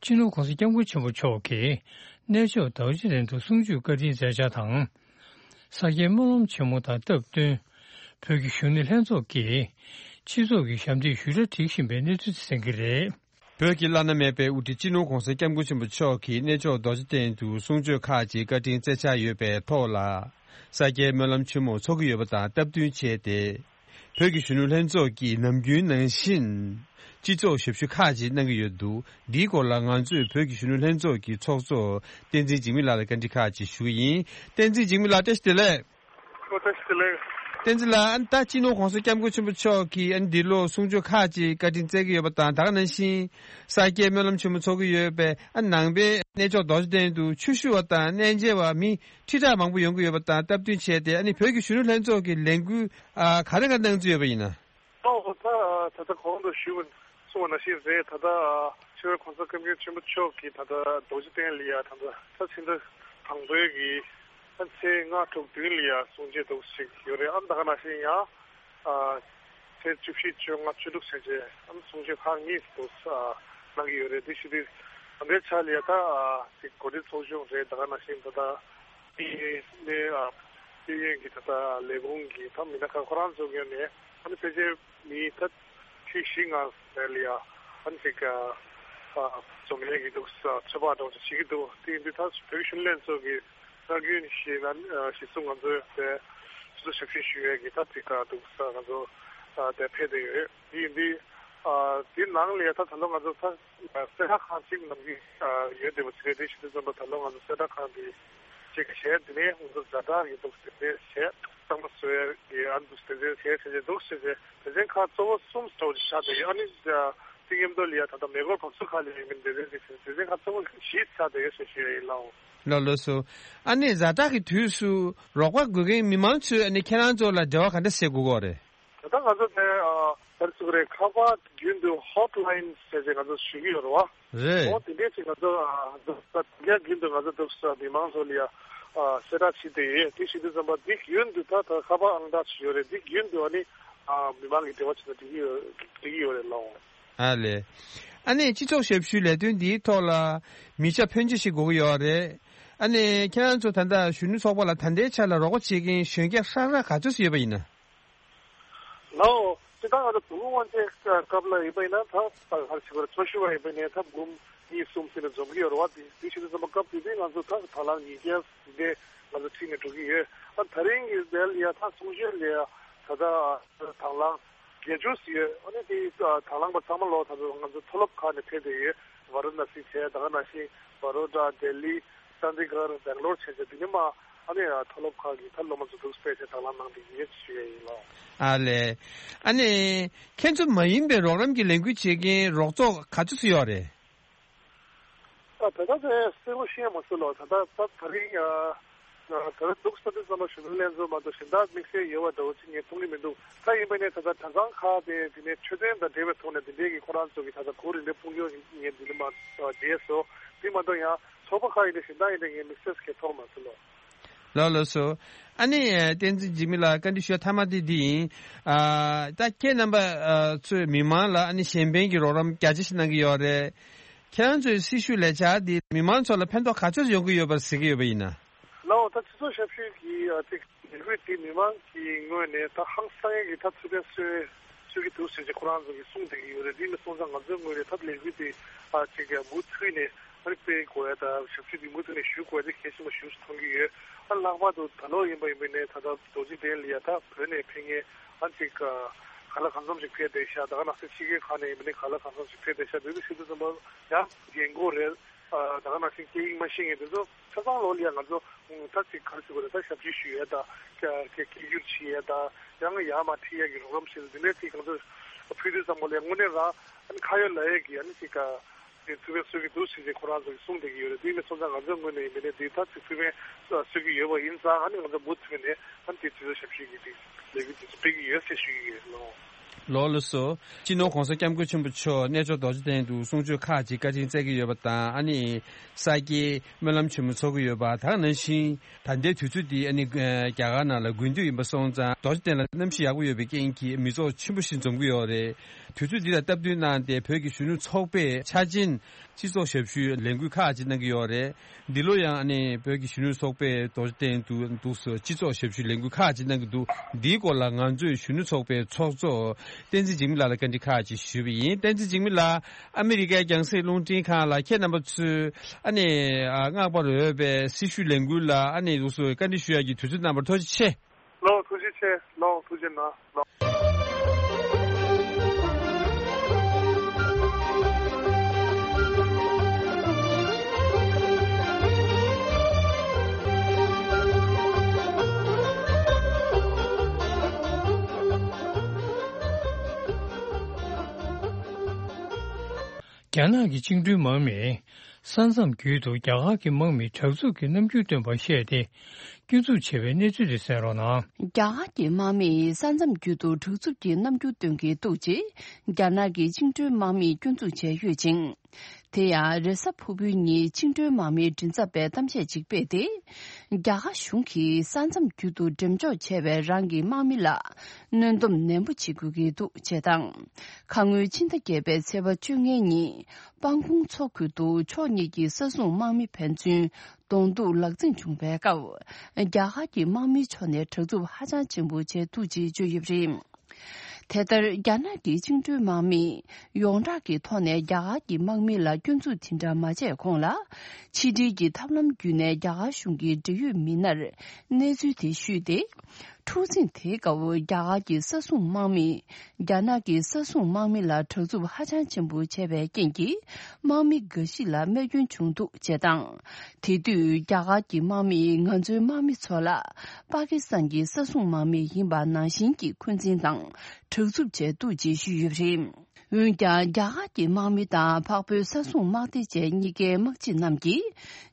སྤྱི་ནོར་༧གོང་ས་༧སྐྱབས་མགོན་ཆེན་པོ་མཆོག་གིས་གནས་མཆོག་རྡོ་རྗེ་གདན་དུ་གསུང་ཆོས་བཀའ་དྲིན་སྩལ་འཆར་དང་། ས་སྐྱའི་སྨོན་ལམ་ཆེན་མོ་དང་སྟབས་བསྟུན། བོད་ཀྱི་གཞོན་ནུ་ལྷན་ཚོགས་ཀྱིས་སྤྱི་ཚོགས་ཀྱི་ཞབས་འདེགས་ཞུ་གྲྭ་སྒྲིག་བཞིན་པའི་གནས་ཚུལ་དེ་གསན་གྱི་རེད། བོད་ཀྱི་བླ་ན་མེད་པའི་དབུ་ཁྲིད་སྤྱི་ནོར་༧གོང་ས་༧སྐྱབས་མགོན་ཆེན་པོ་མཆོག་གིས་གནས་མཆོག་རྡོ་རྗེ་གདན་དུ་གསུང་ཆོས་ཁག་ཅིག་བཀའ་དྲིན་སྩལ་འཆར་ཡོད་པའི་ཐོག་ལ། ས་སྐྱའི་སྨོན་ལམ་ཆེན་མོ་འཚོགས་ཀྱི་ཡོད་པ་དང་སྟབས་བསྟུན་བྱས་ཏེ། བོད་ཀྱི་གཞོན་ནུ་ལྷན་ཚོགས་ཀྱིས་ནམ་རྒྱུན་ནང་བཞིན། སྤྱི་ཚོགས་ཞབས་ཞུ་ཁག་ཅིག་གནང་གི་ཡོད་འདུག་འདིའི་སྐོར་ལ་ང་ཚོས་བོད་ཀྱི་གཞོན་ནུ་ལྷན་ཚོགས་ཀྱི་ཚོགས་གཙོ་བསྟན་འཛིན་འཇིགས་མེད་ལགས་ལ་བཀའ་འདྲི་ཁག་ཅིག་ཞུ་གི་ཡིན། བསྟན་འཛིན་འཇིགས་མེད་ལགས་བཀྲ་ཤིས་བདེ་ལེགས། ཨོ་བཀྲ་ཤིས་བདེ་ལེགས། བསྟན་འཛིན་ལགས། ཨ་ནི་ད་སྤྱི་ནོར་༧གོང་ས་༧སྐྱབས་མགོན་ཆེན་པོ་མཆོག་གིས་ཨ་ནི་འདི་ལོ་གསུང་ཆོས་ཁག་ཅིག་བཀའ་དྲིན་སྩལ་གྱི་ཡོད་པ་དང་། ད་ག་ནང་བཞིན་ས་སྐྱའི་སྨོན་ལམ་ཆེན་མོ་འཚོགས་ཀྱི་ཡོད་པས། ཨ་ནང་པའི་གནས་མཆོག་རྡོ་རྗེ་གདན་དུ་ཆོས་ཞུ་བ་དང་གནས་མཇལ་བ་མི་ཁྲི་ཕྲག་མང་པོ་ཡོང་གི་ཡོད་པ་དང་སྟབས་བསྟུན་བྱས་ཏེ། ཨ་ནི་བོད་ཀྱི་གཞོན་ནུ་ལྷན་ཚོགས་ཀྱི་ལས་འགུལ་ཨ་ག་རེ་ག་རེ་གནང་རྩིས་ཡོད་པ་ཡིན་ན། ཨོ་ད་ད་ལྟ་གོང་དུ་ཞུས་པ་གསུངས་པ་ནང་བཞིན་རེད། ད་ལྟ་ཆེ་བའི་གོང་ས་སྐྱབས་མགོན་ཆེན་པོ་མཆོག་གིས་ད་ལྟ་རྡོ་རྗེ་གདན་ལ་ཡ་ད་ལྟ་ད་ཕྱི་ཟླ་དང་པོའི་གི་ད་ཚེས་ལྔ་དྲུག་བདུན་ལ་ཡ་གསུང་ཆོས་འདུག་ཞིག་ཡོད་རེད། ཨ་ནི་ད་ག་ནང་བཞིན་ཡང་ཨ་ཚེས་བཅུ་བཞི་བཅོ་ལྔ་བཅུ་དྲུག་བྱས་རྗེས་ཨ་ནི་གསུང་ཆོས་ཁག་གཉིས་འདུག་ཨ་གནང་གི་ཡོད་རེད། དེ་བཞིན་དུ་ད་ལྟའི་ཆ་ལ་ཡ་ད་ཨ་ཅིག་གོ་སྒྲིག་ཚོགས་ཆུང་རེད། ད་ག་ནང་བཞིན་ད་ལྟ་ནས་ཨ་ཤེས་ཡོན་གྱི་ད་ལྟ་ལས་ཁུངས་ཀྱི་ད་མི་སྣ་ཁག་ཁོ་རང་ཚོ་ངོས་ནས་ཨ་ནི་ཕལ་ཆེར་མི་ད་ཁྲི་བཞི་ལྔ་རེད་ལ་ཡ་ཨ་ནི་ཅིག་ཨ་འཛོམས་ཡས་ཀྱི་འདུག་ཚོད་དཔག་འདྲ་བོ་ཅིག་བྱེད་ཀྱི་འདུག་དེ་ཡིན་དུས་ད་བོད་ཀྱི་གཞོན་ནུ་ལྷན་ཚོགས་ཀྱི་སྲོལ་རྒྱུན་བཞིན་ཨ་ནི་གཞི་བཟུང་ང་ཚོའི་དེ་སོ་སོ་ཞབས་ཞུ་ཞུ་ཡས་ཀྱི་ད་ཅིག་ཨ་འདུག་ས་ང་ཚོ་ཨ་དེ་ཕེབས་བསྡད་ཡོད། དེ་ཡིན་དུས་ཨ་དེ་ནང་ལ་ཡ་ད་ད་ལོ་ང་ཚོ་ད་གསལ་བསྒྲགས་ཁང་གཅིག་ནང་གི་ཡོད་བསྡད་པ་ཟེར་རེད། དེ་བཞིན་དུ་ཙམ་པ་ད་ལོ་ང་ཚོ་གསལ་བསྒྲགས་ཁང་དེ་གཅིག་གི་གཞས་དེ་ནས་ང་ཚོ་ཛ་དྲག་ཡོད་འདུག་ཟེར་ཏེ་གཞས་གཙང་མ་བཟོ་ཡ་གི་ཨ་འདུག་ཟེར་ཏེ་གཞས་བྱས་བྱས་འདུག་ཟེར་ཏེ་སྡེ་ཚན་ཁག་གཙོ་བོ་གསུམ་ཙམ་ཞིག་ཆགས་བསྡད་ཡོད། ཨ་ནི་དེ་མཉམ་དུ་ལ་ཡ་ད་ལྟ་མེ་འཁོར་བབས་ཚུགས་ཁག་ལ་ཡོད་མིན་སྡེ་ཚན་དེ་སྡེ་ཚན་ཁག་གཙོ་བོ་བཞི་ཆགས་བསྡད་ཡོད་ཟེར་ཞུ་ཡ་ཡིན་ལགས། ལགས་ལགས་སོ། ཨ་ནི་ཛ་དྲག་གི་དུས་སུ་རོགས་པ་དགོས་མཁན་མི་མང་ཚོས་ཨ་ནི་ཁྱེད་རང་ཚོ་ལ་འབྲེལ་བ་ག་འདྲ་བྱེད་དགོས་ཀྱི་ཡོད་རེད། ད་ལྟ་ང་ཚོ་དེ་ཨ་ག་རེ་ཟེར་དགོས་རེད། ཁ་པར་རྒྱུན་དུ་ཧོཊ་ལ་ཡིན་ཟེར་བྱས་ང་ཚོ་ཞུ་གི་ཡོད་རེད་བ། རེད། འོ་དེ་འདྲས་ཅིག་ང་ཚོ་ཨ་ད་ལྟ་རྒྱུན་དུ་ང་ཚོ་འདུག་ས་མི་མང་ཚོ་ལ་ཡ་ཨ་གསལ་བསྒྲགས་བྱེད་བསྡད་ཡོད། དེ་བྱེད་དུས་ཙམ་པ་འདི་རྒྱུན་དུ་ད་ད་ཁ་པར་ཨང་གྲངས་ཅིག་ཡོད་རེད། འདི་རྒྱུན་དུ་ཨ་ནི་ཨ་མི་མང་གི་འབྲེལ་བ་བྱེད་ན་འགྲིག་གི་ཡོད་འགྲིག་གི་ཡོད་རེད་ལགས། ཨ་ལས། ཨ་ནི་སྤྱི་ཚོགས་ཞབས་ཞུའི་ལས་དོན་འདིའི་ཐོག་ལ་མི་ཆ་ཕོན་ཆེ་ཞིག་དགོས་ཀྱི་ཡོད་རེད། ཨ་ནི་ཁྱེད་རང་ཚོ་ད་ལྟ་གཞོན་ནུ་ཚོགས་པ་ལ་ད་ལྟའི་ཆ་ལ་རོགས་པ་བྱེད་མཁན་གཞོན་སྐྱེས་ཧྲག་ཧྲག་ག་ཚོད་ཅིག་ཡོད་པ་ཡིན་ན། ལའོ། སྤྱིར་བཏང་ང་ཚོ་དུས་འཁོར་དབང་ཆེན་སྐབས་ལ་ཡིན་པ་ཡིན་ན་ད་ད་ག་རེ་ཞུ་དགོས་རེད། ཚོགས་ཞུགས་པ་ཡིན་པ་ཡིན་ན་ད་འབུམ་གཉིས་གསུམ་ཟིན་ནས་འཛོམས་ཀྱི་ཡོད་རེད་བ། དེ་དེ་བྱེད་དུས་ཙམ་པ་སྐབས་དེ་དུས་ང་ཚོ་ད་དང་བླངས་ཉིས་བརྒྱ་ཟིན་ཏེ་ང་ཚོ་ཁྲིད་ནས་འགྲོ་གི་ཡོད། ཨ་ད་རིང་གི་དེ་ལ་ཡ་ད་གསུང་ཆོས་ལ་ཡ་ད་ལྟ་དང་བླངས་བརྒྱད་ཅུ་ཟིན་ཡོད། ཨ་ནི་དེ་དང་བླངས་པ་ཚང་མ་ལོ་ད་ང་ཚོ་མཐོ་སློབ་ཁག་ནས་ཕེབས་བསྡད་ཡོད། ཝ་ར་ཎ་སི་བྱས། ད་ག་ནང་བཞིན་བ་རོ་ཌ། ལྡི་ལི། ཅན་དི་གྷར། སྦེང་ལོར་བྱས་བྱས་དེ་ནས་མ་ཨ་ནི་མཐོ་སློབ་ཁག་གི་ད་སློབ་མ་ཚོ་འདུག་སྤེལ་བྱས་དང་བླངས་གནང་བསྡད་ཀྱི་ཡོད་ཅེས་ཞུ་ཡ་ཡིན་ལགས། ཨ་ལས། ཨ་ནི་ཁྱེད་ཚོ་མ་ཡིན་པའི་རོགས་རམ་གྱི་ལས་འགུལ་བྱེད་མཁན་རོགས་ཚོགས་ག་ཚོད་ཙམ་ཡོད་རེད། ཨ་ད་ལྟ་དེ་གསལ་པོ་ཤེས་མ་སོང་ལགས། ད་ལྟ་ད་ད་རིང་ཨ་ད་ལྟ་འདུག་ས་དེ་ཙམ་ལ་གཞོན་ནུ་ལྷན་ཚོགས་མ་གཏོགས་གཞན་དག་དམིགས་བསལ་ཡོད་པ་འདྲ་བོ་ཅིག་ངས་མཐོང་གི་མི་འདུག་ད་ཡིན་པ་ནས་ད་ལྟ་གྲྭ་ཚང་ཁག་དེ་དེ་ནས་འཕྲོད་བསྟེན་དང་འབྲེལ་བའི་ཐོག་ནས་དེ་འདྲའི་གི་ཁོ་རང་ཚོ་གི་ད་ལྟ་གོ་རིམ་ལས་དཔུང་སྐྱོད་ངས་འདི་ནས་མ་བྱས་སོ། དེ་མ་གཏོགས་ཡང་ཚོགས་པ་ཁག་ཡིན་ན་གཞན་དག་ཡིན་ན་ངས་དམིགས་བསལ་གྱི་མཐོང་མ་སོང་ལགས། ལགས་ལགས་སོ། ཨ་ནི་བསྟན་འཛིན་འཇིགས་མེད་ལགས་བཀའ་འདྲི་ཞུ་ཡ་མཐའ་མ་དེ་འདི་ཡིན། ཨ་ད་ཁྱེད་རྣམ་པ་ཨ་ཚོས་མི་མང་ལ་ཨ་ནི་གཞན་ཕན་གྱི་རོགས་རམ་རྒྱ་ཆེ་ཞིག་གནང་གི་ཡོད་རེད། ཁྱེད་རང་ཚོའི་སྲི་ཞུ་ལས་འཆར་འདི་མི་མང་ཚོ་ལ་ཕན་ཐོགས་ག་ཚོད་ཡོང་གི་ཡོད་པར་གཟིགས་ཀྱི་ཡོད་པ་ཡིན་ན། ལགས་འོ། ད་སྤྱི་ཚོགས་ཞབས་ཞུ་གི་ཨ་ཅིག་ལས་འགུལ་འདི་མི་མང་གི་ངོས་ནས་ད་ཧང་སང་ཡས་ཀྱི་ད་ཚུལ་ཁྲིམས་སྲོལ་སྲོལ་གྱི་འདུག་ཟེར་གྱི་ཁོ་རང་ཚོ་གིས་གསུངས་བསྡད་ཀྱི་ཡོད་རེད། འདི་མི་སོང་ཙང་ང་ཚོའི་ངོས་ནས་ད་ལས་འགུལ་འདི་ཨ་ཅིག་མུ་མཐུད་ནས་ཨ་ནི་སྤེལ་དགོས་ཡ་ད་ཞབས་ཞུ་འདི་མུ་མཐུད་ནས་ཞུ་དགོས་ཡ་འདི་གལ་ཆེན་པོ་ཞིག་མཐོང་གི་ཡོད། ཨ་ལྷག་པར་དུ་ད་ལོ་ཡིན་པ་ཡིན་པ་ནས་ད་ལྟ་རྡོ་རྗེ་གདན་ལ་ཡ་ད་བོད་ནས་ཕེབས་མཁན་ཨ་ཅིག་ག་ལ་གང་འཚམ་ཞིག་ཕེབས་བསྡད་ཤག་ད་ག་ནང་བཞིན་ཕྱི་རྒྱལ་ཁག་ནས་ཡིན་པ་ནས་ག་ལ་གང་འཚམ་ཞིག་ཕེབས་བསྡད་ཤག་འདི་འདྲ་ཞིག་དུས་ཙམ་པ་ཡང་རྒན་གོག་རེད། ད་ག་ནང་བཞིན་སྐད་ཡིག་མ་ཤེས་མཁན་དེ་ཚོ་ཆ་ཚང་ལོག་ལ་ཡ་ང་ཚོ་ད་ཅིག་ག་རེ་ཟེར་དགོས་རེད། ད་ཞབས་ཕྱི་ཞུ་ཡས་དང་སྐད་སྐད་སྒྱུར་བྱེད་ཡས་དང་ཡང་ཡར་མར་ཁྲིད་ཡས་ཀྱི་རོགས་རམ་བྱེད་ཡས་འདི་འདྲའི་ཅིག་ང་ཚོ་ཕུལ་དུས་ཙམ་པ་ལ་ཡ་དངོས་གནས་རང་ཨ་ནི་ཁ་ཡོད་ལག་ཡོད་ཀྱི་ཨ་ནི་ཅིག་ག་དེ་ཚུལ་ཁའི་གསོལ་གྱི་འདུག་ཟེར་ཅིག་ཁོ་རང་ཚོ་གིས་གསུངས་བསྡད་ཀྱི་ཡོད་རེད། དེ་ཡིན་པའི་སོང་ཙང་ང་ཚོའི་ངོས་ནས་ཡིན་མིན་ནས་འདི་ད་ཅིག་ཚུལ་ཁའི་གསོལ་གྱི་ཡོད་པ་ཡིན་ཙང་ཨ་ནི་ང་ཚོ་མུ་མཐུད་ནས་ཨ་ནི་དེ་ཚུལ་ཁའི་ཞབས་ཞུ་གི་དེ་ལས་འགུལ་དེ་ཚོ་སྤེལ་གྱི་ཡོད་ཟེར་ཞུ་གི་ཡོད་ལོ། ལགས་སོ། སྤྱི་ནོར་༸གོང་ས་༸སྐྱབས་མགོན་ཆེན་པོ་མཆོག་གནས་མཆོག་རྡོ་རྗེ་གདན་དུ་གསུང་ཆོས་ཁག་ཅིག་བཀའ་དྲིན་སྩལ་གྱི་ཡོད་པ་དང་ཨ་ནི་ས་སྐྱའི་སྨོན་ལམ་ཆེན་མོ་ཚོགས་ཀྱི་ཡོད་པ། ད་ག་ནང་བཞིན་ད་ལྟའི་དུས་ཚོད་འདི་ཨ་ནི་རྒྱ་གར་ནང་ལ་དགུན་དུས་ཡིན་པ་སོང་ཙང་རྡོ་རྗེ་གདན་ལ་གནམ་གཤིས་ཡག་པོ་ཡོད་པའི་རྐྱེན་གྱིས་མི་ཚོགས་ཆེན་པོ་ཞིག་འཛོམས་ཀྱི་ཡོད་རེད། དུས་ཚོད་འདི་ལ་སྟབས་བསྟུན་གནང་སྟེ་བོད་ཀྱི་གཞོན་ནུ་ཚོགས་པས་འཆར་ཅན་སྤྱི་ཚོགས་ཞབས་ཞུའི་ལས་འགུལ་ཁག་ཅིག་གནང་གི་ཡོད་རེད། འདི་ལོ་ཡང་ཨ་ནི་བོད་ཀྱི་གཞོན་ནུ་ཚོགས་པས་རྡོ་རྗེ་གདན་དུ་འདུག་སེ་སྤྱི་ཚོགས་ཞབས་ཞུའི་ལས་འགུལ་ཁག་ཅིག་གནང་གི་འདུག་འདིའི་སྐོར་ལ་ང་ཚོས་གཞོན་ནུ་ཚོགས་པའི་ཚོགས་གཙོ་བསྟན་འཛིན་འཇིགས་མེད་ལགས་ལ་བཀའ་འདྲི་ཁག་ཅིག་ཞུས་པ་ཡིན། བསྟན་འཛིན་འཇིགས་མེད་ལགས། ཨ་མི་རི་ཀའི་རྒྱང་སྲིང་རླུང་འཕྲིན་ཁང་ལ་ཁྱེད་རྣམ་པ་ཚོས་ཨ་ནི་ཨ་སྔགས་པ་རོལ་པའི་སྲི་ཞུའི་ལས་འགུལ་ལ་ཨ་ནི་འདུག་སེ་བཀའ་འདྲི་ཞུ་ཡག་གི་དུས་ཚོད་གནང་བར་ཐུགས་རྗེ་ཆེ། ལགས་ཐུགས་རྗེ་ཆེ། ལགས་ཐུགས་རྗེ་གནང་། ལགས། རྒྱ་ནག་གི་བཅིངས་འགྲོལ་དམག་མིས་ས་མཚམས་བརྒྱུད་དུ་རྒྱ་གར་གྱི་དམག་མིས་དྲག་རྩུབ་ཀྱི་རྣམ་འགྱུར་སྟོན་པར་བཤད་དེ། སྐྱོན་འཛུགས་བྱས་པའི་གནས་ཚུལ་དེ་གསན་རོགས་གནང་། རྒྱ་གར་གྱི་དམག་མིས་ས་མཚམས་བརྒྱུད་དུ་དྲག་རྩུབ་ཀྱི་རྣམ་འགྱུར་སྟོན་གྱི་འདུག་ཅེས་རྒྱ་ནག་གི་བཅིངས་འགྲོལ་དམག་མིས་སྐྱོན་འཛུགས་བྱས་ཡོད་ཅིང་། དེ་ཡང་རེས་གཟའ་ཕུར་བུའི་ཉིན་བཅིངས་འགྲོལ་དམག་མིའི་མགྲིན་ཚབ་པས་གཏམ་བཤད་ཅིག་སྤེལ་ཏེ། རྒྱ་གར་གཞུང་གིས་ས་མཚམས་བརྒྱུད་དུ་འགྲེམས་འཇོག་བྱས་པའི་རང་གི་དམག་མི་ལ་གནོན་སྡོམ་ནན་པོ་བྱེད་དགོས་ཀྱི་འདུག་ཅེས་དང་། ཁ་སྔོན་ཕྱི་ཟླ་བརྒྱད་པའི་ཚེས་པ་བཅོ་ལྔའི་ཉིན་སྤང་གོང་མཚོ་ཁུལ་དུ་ཕྱོགས་གཉིས་ཀྱི་ས་སྲུང་དམག་མི་ཕན་ཚུན་གདོང་ཐུག་ལག་འཛིང་བྱུང་བའི་སྐབས། རྒྱ་གར་གྱི་དམག་མིའི་ཕྱོགས་ནས་དྲག་རྩུབ་ཧ་ཅང་ཆེན་པོ་བྱས་འདུག་ཅེས་བརྗོད་ཡོད་པ་རེད། དེ་ལྟར་རྒྱ་ནག་གི་བཅིངས་འགྲོལ་དམག་མིས་ཡོངས་གྲགས་ཀྱི་ཐོག་ནས་རྒྱ་གར་གྱི་དམག་མི་ལ་སྐྱོན་འཛུགས་དེ་འདྲ་མ་བྱས་གོང་ལ། ཕྱི་འབྲེལ་གྱི་ཐབས་ལམ་བརྒྱུད་ནས་རྒྱ་གར་གཞུང་གི་འབྲེལ་ཡོད་མི་སྣར་གནས་ཚུལ་དེ་ཞུས་ཏེ། འཁྲུག་འཛིང་དེའི་སྐབས་རྒྱ་གར་གྱི་ས་སྲུང་དམག་མིས་རྒྱ་ནག་གི་ས་སྲུང་དམག་མི་ལ་དྲག་རྩུབ་ཧ་ཅང་ཆེན་པོ་བྱས་པའི་རྐྱེན་གྱིས་དམག་མི་འགའ་ཞིག་ལ་རྨས་སྐྱོན་བྱུང་འདུག་ཅེས་དང་། དེ་དུས་རྒྱ་གར་གྱི་དམག་མིས་ང་ཚོའི་དམག་མི་ཚོ་ལ་པ་ཀི་སི་ཐན་གྱི་ས་སྲུང་དམག་མི་ཡིན་པ་ནང་བཞིན་གྱི་འཁོན་འཛིན་དང་དྲག་རྩུབ་བྱས་འདུག་ཅེས་ཞུས་ཡོད་པ་རེད། འོན་ཀྱང་རྒྱ་གར་གྱི་དམག་མི་དང་འཕགས་བོད་ས་སྲུང་དམག་སྡེ་བཅས་གཉིས་ཀའི་དམག་སྤྱི་རྣམས་ཀྱིས་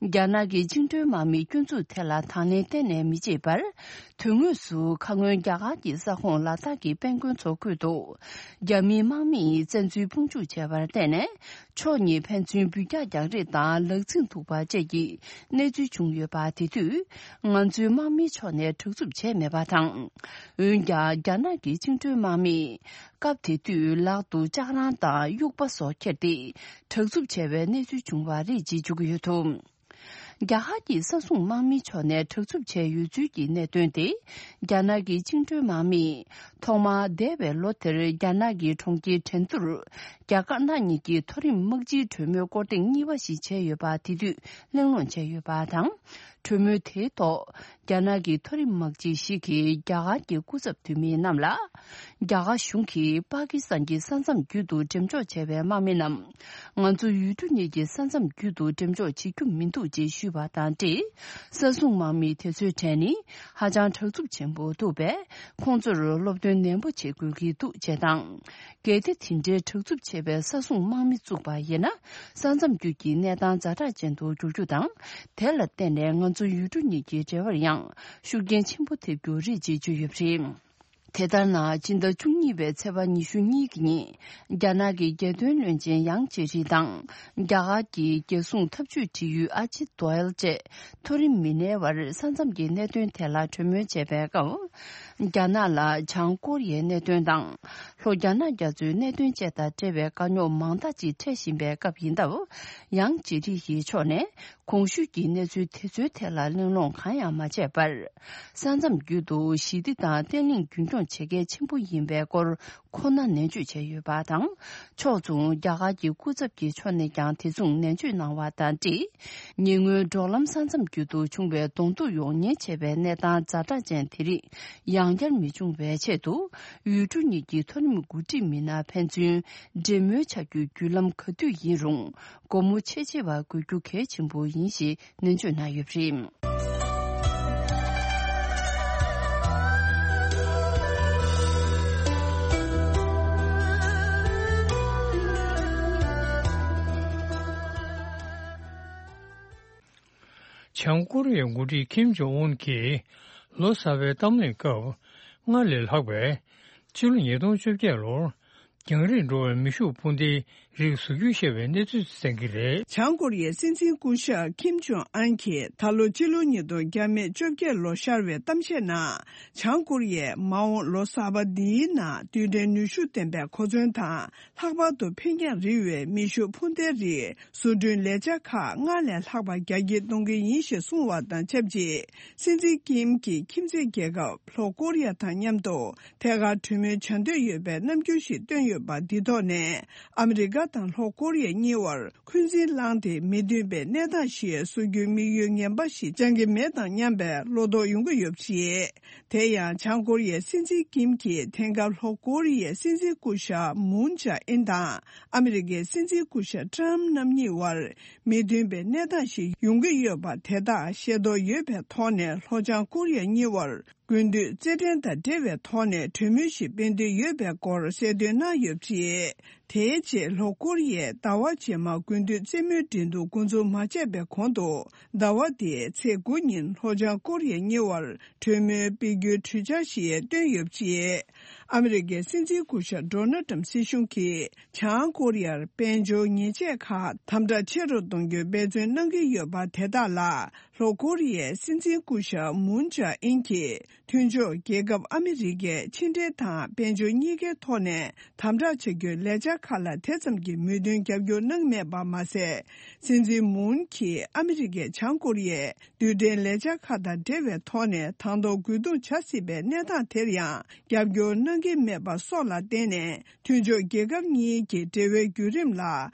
རྒྱ་ནག་གི་བཅིངས་འགྲོལ་དམག་མིའི་སྐྱོན་འཛུགས་ཐད་ལ་དང་ལེན་གཏན་ནས་མི་བྱེད་པར། དོན་དངོས་སུ་ཁ་སྔོན་རྒྱ་གར་གྱི་ས་ཁོངས་ལ་དྭགས་ཀྱི་དཔལ་མགོན་མཚོ་ཁུལ་དུ་རྒྱ་མིའི་དམག་མིས་བཙན་འཛུལ་དཔུང་འཇུག་བྱས་པར་བརྟེན་ནས། ཕྱོགས་གཉིས་ཕན་ཚུན་འབུད་རྒྱག་རྒྱག་རེས་དང་ལག་འཛིང་འདུག་པ་བཅས་ཀྱི་གནས་ཚུལ་བྱུང་ཡོད་པ། དེ་དུས་ང་ཚོའི་དམག་མིའི་ཕྱོགས་ནས་དྲག་རྩུབ་བྱས་མེད་པ་དང་། འོན་ཀྱང་རྒྱ་ནག་གི་བཅིངས་འགྲོལ་དམག་མིས་སྐབས་དེ་དུས་ལག་ཏུ་ལྕགས་རང་དང་དབྱུག་པ་སོགས་ཁྱེར་ཏེ་དྲག་རྩུབ་བྱས་པའི་གནས་ཚུལ་བྱུང་བ་རེད་ཅེས་བརྗོད་ཀྱི་ཡོད་འདུག་རྒྱ་གར་གྱི་ས་སྲུང་དམག་མིའི་ཕྱོགས་ནས་དྲག་རྩུབ་བྱས་ཡོད་ཚུལ་གྱི་གནད་དོན་དེ། རྒྱ་ནག་གི་བཅིངས་འགྲོལ་དམག་མིས་ཐོག་མར་འདས་པའི་ལོ་དེར་རྒྱ་ནག་གི་གྲོང་ཁྱེར་ཁྲེན་ཏུར། རྒྱ་དཀར་ནག་གཉིས་ཀྱི་མཐོ་རིམ་དམག་སྤྱིའི་གྲོས་མོལ་སྐོར་ཐེངས་གཉིས་པ་ཞིག་བྱས་ཡོད་པ་དེ་དུས་གླེང་སློང་བྱས་ཡོད་པ་དང་། གྲོས་མོལ་དེའི་ཐོག་རྒྱ་ནག་གི་མཐོ་རིམ་དམག་སྤྱི་ཞིག་གིས་རྒྱ་གར་གྱི་སྐུ་ཚབ་འཐུས་མི་རྣམས་ལ། རྒྱ་གར་གཞུང་གིས་པ་ཀི་སི་ཐན་གྱི་ས་མཚམས་བརྒྱུད་དུ་འགྲེམས་འཇོག་བྱས་པའི་དམག་མི་རྣམས། ང་ཚོ་ཡུལ་གྲུ་གཉིས་ཀྱི་ས་མཚམས་བརྒྱུད་དུ་འགྲེམས་འཇོག་བྱེད་རྒྱུ་མི་འདུག་ཅེས་ཞུས་པ་དང་འབྲེལ། ས་སྲུང་དམག་མི་དེ་ཚོའི་གྲས་ནི་ཧ་ཅང་དྲག་རྩུབ་ཆེན་པོ་འདུག་པས། ཁོང་ཚོར་སློབ་སྟོན་ནན་པོ་བྱེད་དགོས་ཀྱི་འདུག་ཅེས་དང་། གལ་ཏེ་དེ་འདྲའི་དྲག་རྩུབ་ཆེ་བའི་ས་སྲུང་དམག་མི་བཙུགས་པ་ཡིན་ན། ས་མཚམས་བརྒྱུད་ཀྱི་གནས་སྟངས་ཛ་དྲག་ཅན་དུ་འགྱུར་རྒྱུ་དང་། དེ་ལ་བརྟེན་ནས་ང་ཚོ་ཡུལ་གྲུ་གཉིས་ཀྱི་འབྲེལ་བར་ཡང་ཤུགས་རྐྱེན་ཆེན་པོ་ཐེབས་རྒྱུ་རེད་ཅེས་བརྗོད་ཡོད་པ་རེད། དེ་ལྟར་ན། སྤྱི་ཟླ་བཅུ་གཉིས་པའི་ཚེས་པ་ཉི་ཤུ་གཉིས་ཀྱི་ཉིན། རྒྱ་ནག་གི་རྒྱལ་དོན་བློན་ཆེན་ཡང་ཅེ་ཧྲི་དང་། རྒྱ་གར་གྱི་རྒྱལ་སྲུང་འཐབ་ཇུས་དྲི་ཡུལ་ཨ་ཇིད་དོ་ཨེལ་བཅས་མཐོ་རིམ་མི་སྣའི་བར་ས་མཚམས་ཀྱི་གནད་དོན་ཐད་ལ་གྲོས་མོལ་བྱས་པའི་སྐབས། རྒྱ་ནག་ལ་བྱང་ཀོ་རི་ཡའི་གནད་དོན་དང་། ལྷོ་རྒྱ་ནག་རྒྱ་མཚོའི་གནད་དོན་བཅས་དང་འབྲེལ་བའི་དཀའ་རྙོག་མང་དག་ཅིག་འཕྲད་བཞིན་པའི་སྐབས་ཡིན་སྟབས། ཡང་ཅེ་ཧྲི་ཡི་ཕྱོགས་ནས། གོང་ཞུས་ཀྱི་གནས་ཚུལ་དེ་ཚོའི་ཐད་ལ་གླེང་སློང་གང་ཡང་མ་བྱས་པར། ས་མཚམས་བརྒྱུད་དུ་ཞི་བདེ་དང་བརྟན་ལྷིང་རྒྱུན་འཁྱོངས་བྱེད་གལ་ཆེན་པོ་ཡིན་པའི་སྐོར་ཁོ་ན་ནན་བརྗོད་བྱས་ཡོད་པ་དང་། ཕྱོགས་མཚུངས་རྒྱ་གར་གྱི་སྐུ་ཚབ་ཀྱི་ཕྱོགས་ནས་ཀྱང་དེ་མཚུངས་ནན་བརྗོད་གནང་བ་དང་འབྲེལ། ཉེ་སྔོན་འབྲོག་ལམ་ས་མཚམས་བརྒྱུད་དུ་བྱུང་བའི་གདོང་ཐུག་ཡོང་ཉེན་ཆེ་བའི་གནས་སྟངས་ཛ་དྲག་ཅན་དེ་རིགས་ཡང་ ཡང་བསྐྱར་མི་འབྱུང་བའི་ཆེད་དུ། ཡུལ་གྲུ་གཉིས་ཀྱི་མཐོ་རིམ་འགོ་ཁྲིད་མི་སྣ་ཕན་ཚུན་འབྲེལ་མོལ་བྱ་རྒྱུའི་བརྒྱུད་ལམ་ག་དུས་ཡིན་རུང་། སྒོ་མོ་ཕྱེ་བྱེད་པ་དགོས་རྒྱུ་གལ་ཆེན་པོ་ཡིན་ཞེས་ནན་བརྗོད་གནང་ཡོད་པ་རེད། བྱང་ཀོ་རི་ཡའི་འགོ་ཁྲིད་ཁིམ་ཇོང་ཨུན་གྱིས་ལོ་གསར་པའི་གཏམ་གླེང་སྐབས། སྔར་ལས་ལྷག་པའི་ཕྱི་ལོ་ཉིས་སྟོང་བཅོ་བརྒྱད་ལོར་རྒྱང་རིང་འགྲོ་བའི་མེ་ཤུགས་འཕུར་མདེལ་རིགས་བཟོ་རྒྱུ་ཞེས་པའི་གནས་ཚུལ་གསན་གྱི་རེད། བྱང་ཀོ་རི་ཡའི་སྲིད་འཛིན་སྐུ་ཞབས་ཁིམ་ཇོང་ཨན་གྱིས་ད་ལོ་ཕྱི་ལོ་ཉིས་སྟོང་བཅོ་བརྒྱད་ལོ་ཤར་བའི་གཏམ་བཤད་ནང་། བྱང་ཀོ་རི་ཡས་མ་འོངས་ལོ་གསར་པ་འདིའི་ནང་རྡུལ་ཕྲན་ནུས་ཤུགས་ལྡན་པའི་གོ་མཚོན་དང་། ལྷག་པར་དུ་འཕེན་རྒྱང་རིང་བའི་མེ་ཤུགས་འཕུར་མདེལ་རིགས་བཟོ་སྐྲུན་ལས་འཆར་ཁག་སྔར་ལས་ལྷག་པ་རྒྱ་སྐྱེད་གཏོང་གི་ཡིན་ཞེས་གསུངས་བ་དང་ཆབས་ཅིག་སྲིད་འཛིན་ཀིམ་གྱིས་ཁྱིམ་མཚེས་རྒྱལ་ཁབ་ལྷོ་ཀོ་རི་ཡ་དང་མཉམ་དུ་ཐད་ཀར་གྲོས་མོལ་བྱ་འདོད་ཡོད་པའི་རྣམ་འགྱུར་ཞིག་བཏོན་ཡོད་པ་འདི་ཐོག་ནས། ཨ་མི་རི་ཀ་དང་ལྷོ་ཀོ་རི་ཡ་གཉིས་བར་འཁོན་འཛིན་བསླངས་ཏེ་མི་མཐུན་པའི་གནས་སྟངས་ཤིག་བཟོ་རྒྱུའི་དམིགས་ཡུལ་ངན་པ་ཞིག་བཅང་གི་མེད་དང་མཉམ་པའི་བློ་དོགས་ཡོང་གི་ཡོད་པ་རེད། དེ་ཡང་། བྱང་ཀོ་རི་ཡའི་སྲིད་འཛིན་ཀིམ་གྱིས་དེང་སྐབས་ལྷོ་ཀོ་རི་ཡའི་སྲིད་འཛིན་སྐུ་ཞབས་མུན་ཇཱ་ཨིན་དང་ཨ་མི་རི་ཀའི་སྲིད་འཛིན་སྐུ་ཞབས་ཏྲམ་རྣམ་གཉིས་བར་མི་མཐུན་པའི་གནས་སྟངས་ཤིག་ཡོང་གི་ཡོད་པ་དེ་དག་ཤེས་རྟོགས་ཡོད་པའི་ཐོག་ནས། ལྷོ་བྱང་ཀོ་རི་ཡ་གཉིས་བར་དགུན་དུས་རྩེད་འགྲན་དང་འབྲེལ་བའི་ཐོག་ནས་གྲོས་མོལ་ཞིག་སྤེལ་འདོད་ཡོད་པའི་སྐོར་གསལ་སྟོན་གནང་ཡོད་པ་རེད། དེའི་རྗེས་ལྷོ་ཀོ་རི་ཡས་ཟླ་བ་རྗེས་མར་དགུན་དུས་རྩེད་མོའི་འགྲན་བསྡུར་འགོ་འཛུགས་མ་བྱས་པའི་གོང་དུ། ཟླ་བ་འདིའི་ཚེས་དགུ་ཉིན་ལྷོ་བྱང་ཀོ་རི་ཡ་གཉིས་བར་གྲོས་མོལ་སྤེལ་རྒྱུའི་གྲོས་འཆར་ཞིག་བཏོན་ཡོད་པ་རེད། ཨ་མི་རི་ཀའི་སྲིད་འཛིན་སྐུ་ཞབས་ཌོ་ནལ་ཏྲམ་སྲིད་གཞུང་གིས་བྱང་ཀོ་རི་ཡར་དཔལ་འབྱོར་ཉེས་ཆད་ཁག་དམ་དྲག་ཆེ་རུ་གཏོང་རྒྱུའི་འབད་བརྩོན་གནང་གི་ཡོད་པ་དེ་དག་ལ། ལྷོ་ཀོ་རི་ཡའི་སྲིད་འཛིན་སྐུ་ཞབས་མུན་ཇཱ་ཨིན་གྱིས། མཐུན་ཕྱོགས་རྒྱལ་ཁབ་ཨ་མི་རི་ཀས་ཕྱི་འབྲེལ་དང་དཔལ་འབྱོར་གཉིས་ཀའི་ཐོག་ནས་དམ་དྲག་བྱ་རྒྱུའི་ལས་འཆར་ཁག་ལ་དེ་ཙམ་གྱི་མོས་མཐུན་རྒྱབ་སྐྱོར་གནང་མེད་པ་མ་ཟད། སྲིད་འཛིན་མུན་གྱིས་ཨ་མི་རི་ཀས་བྱང་ཀོ་རི་ཡའི་རྡུལ་ཕྲན་ལས་འཆར་ཁག་དང་འབྲེལ་བའི་ཐོག་ནས་དང་ཐོག་རྒོལ་རྡུང་བྱ་སྲིད་པའི་གནས་སྟངས་དེར་ཡང་རྒྱབ་སྐྱོར་གནང་གི་མེད་པ་སོགས་ལ་བརྟེན་ནས། མཐུན་ཕྱོགས་རྒྱལ་ཁབ་གཉིས་ཀྱི་འབྲེལ་བའི་བརྒྱུད་རིམ་ལ་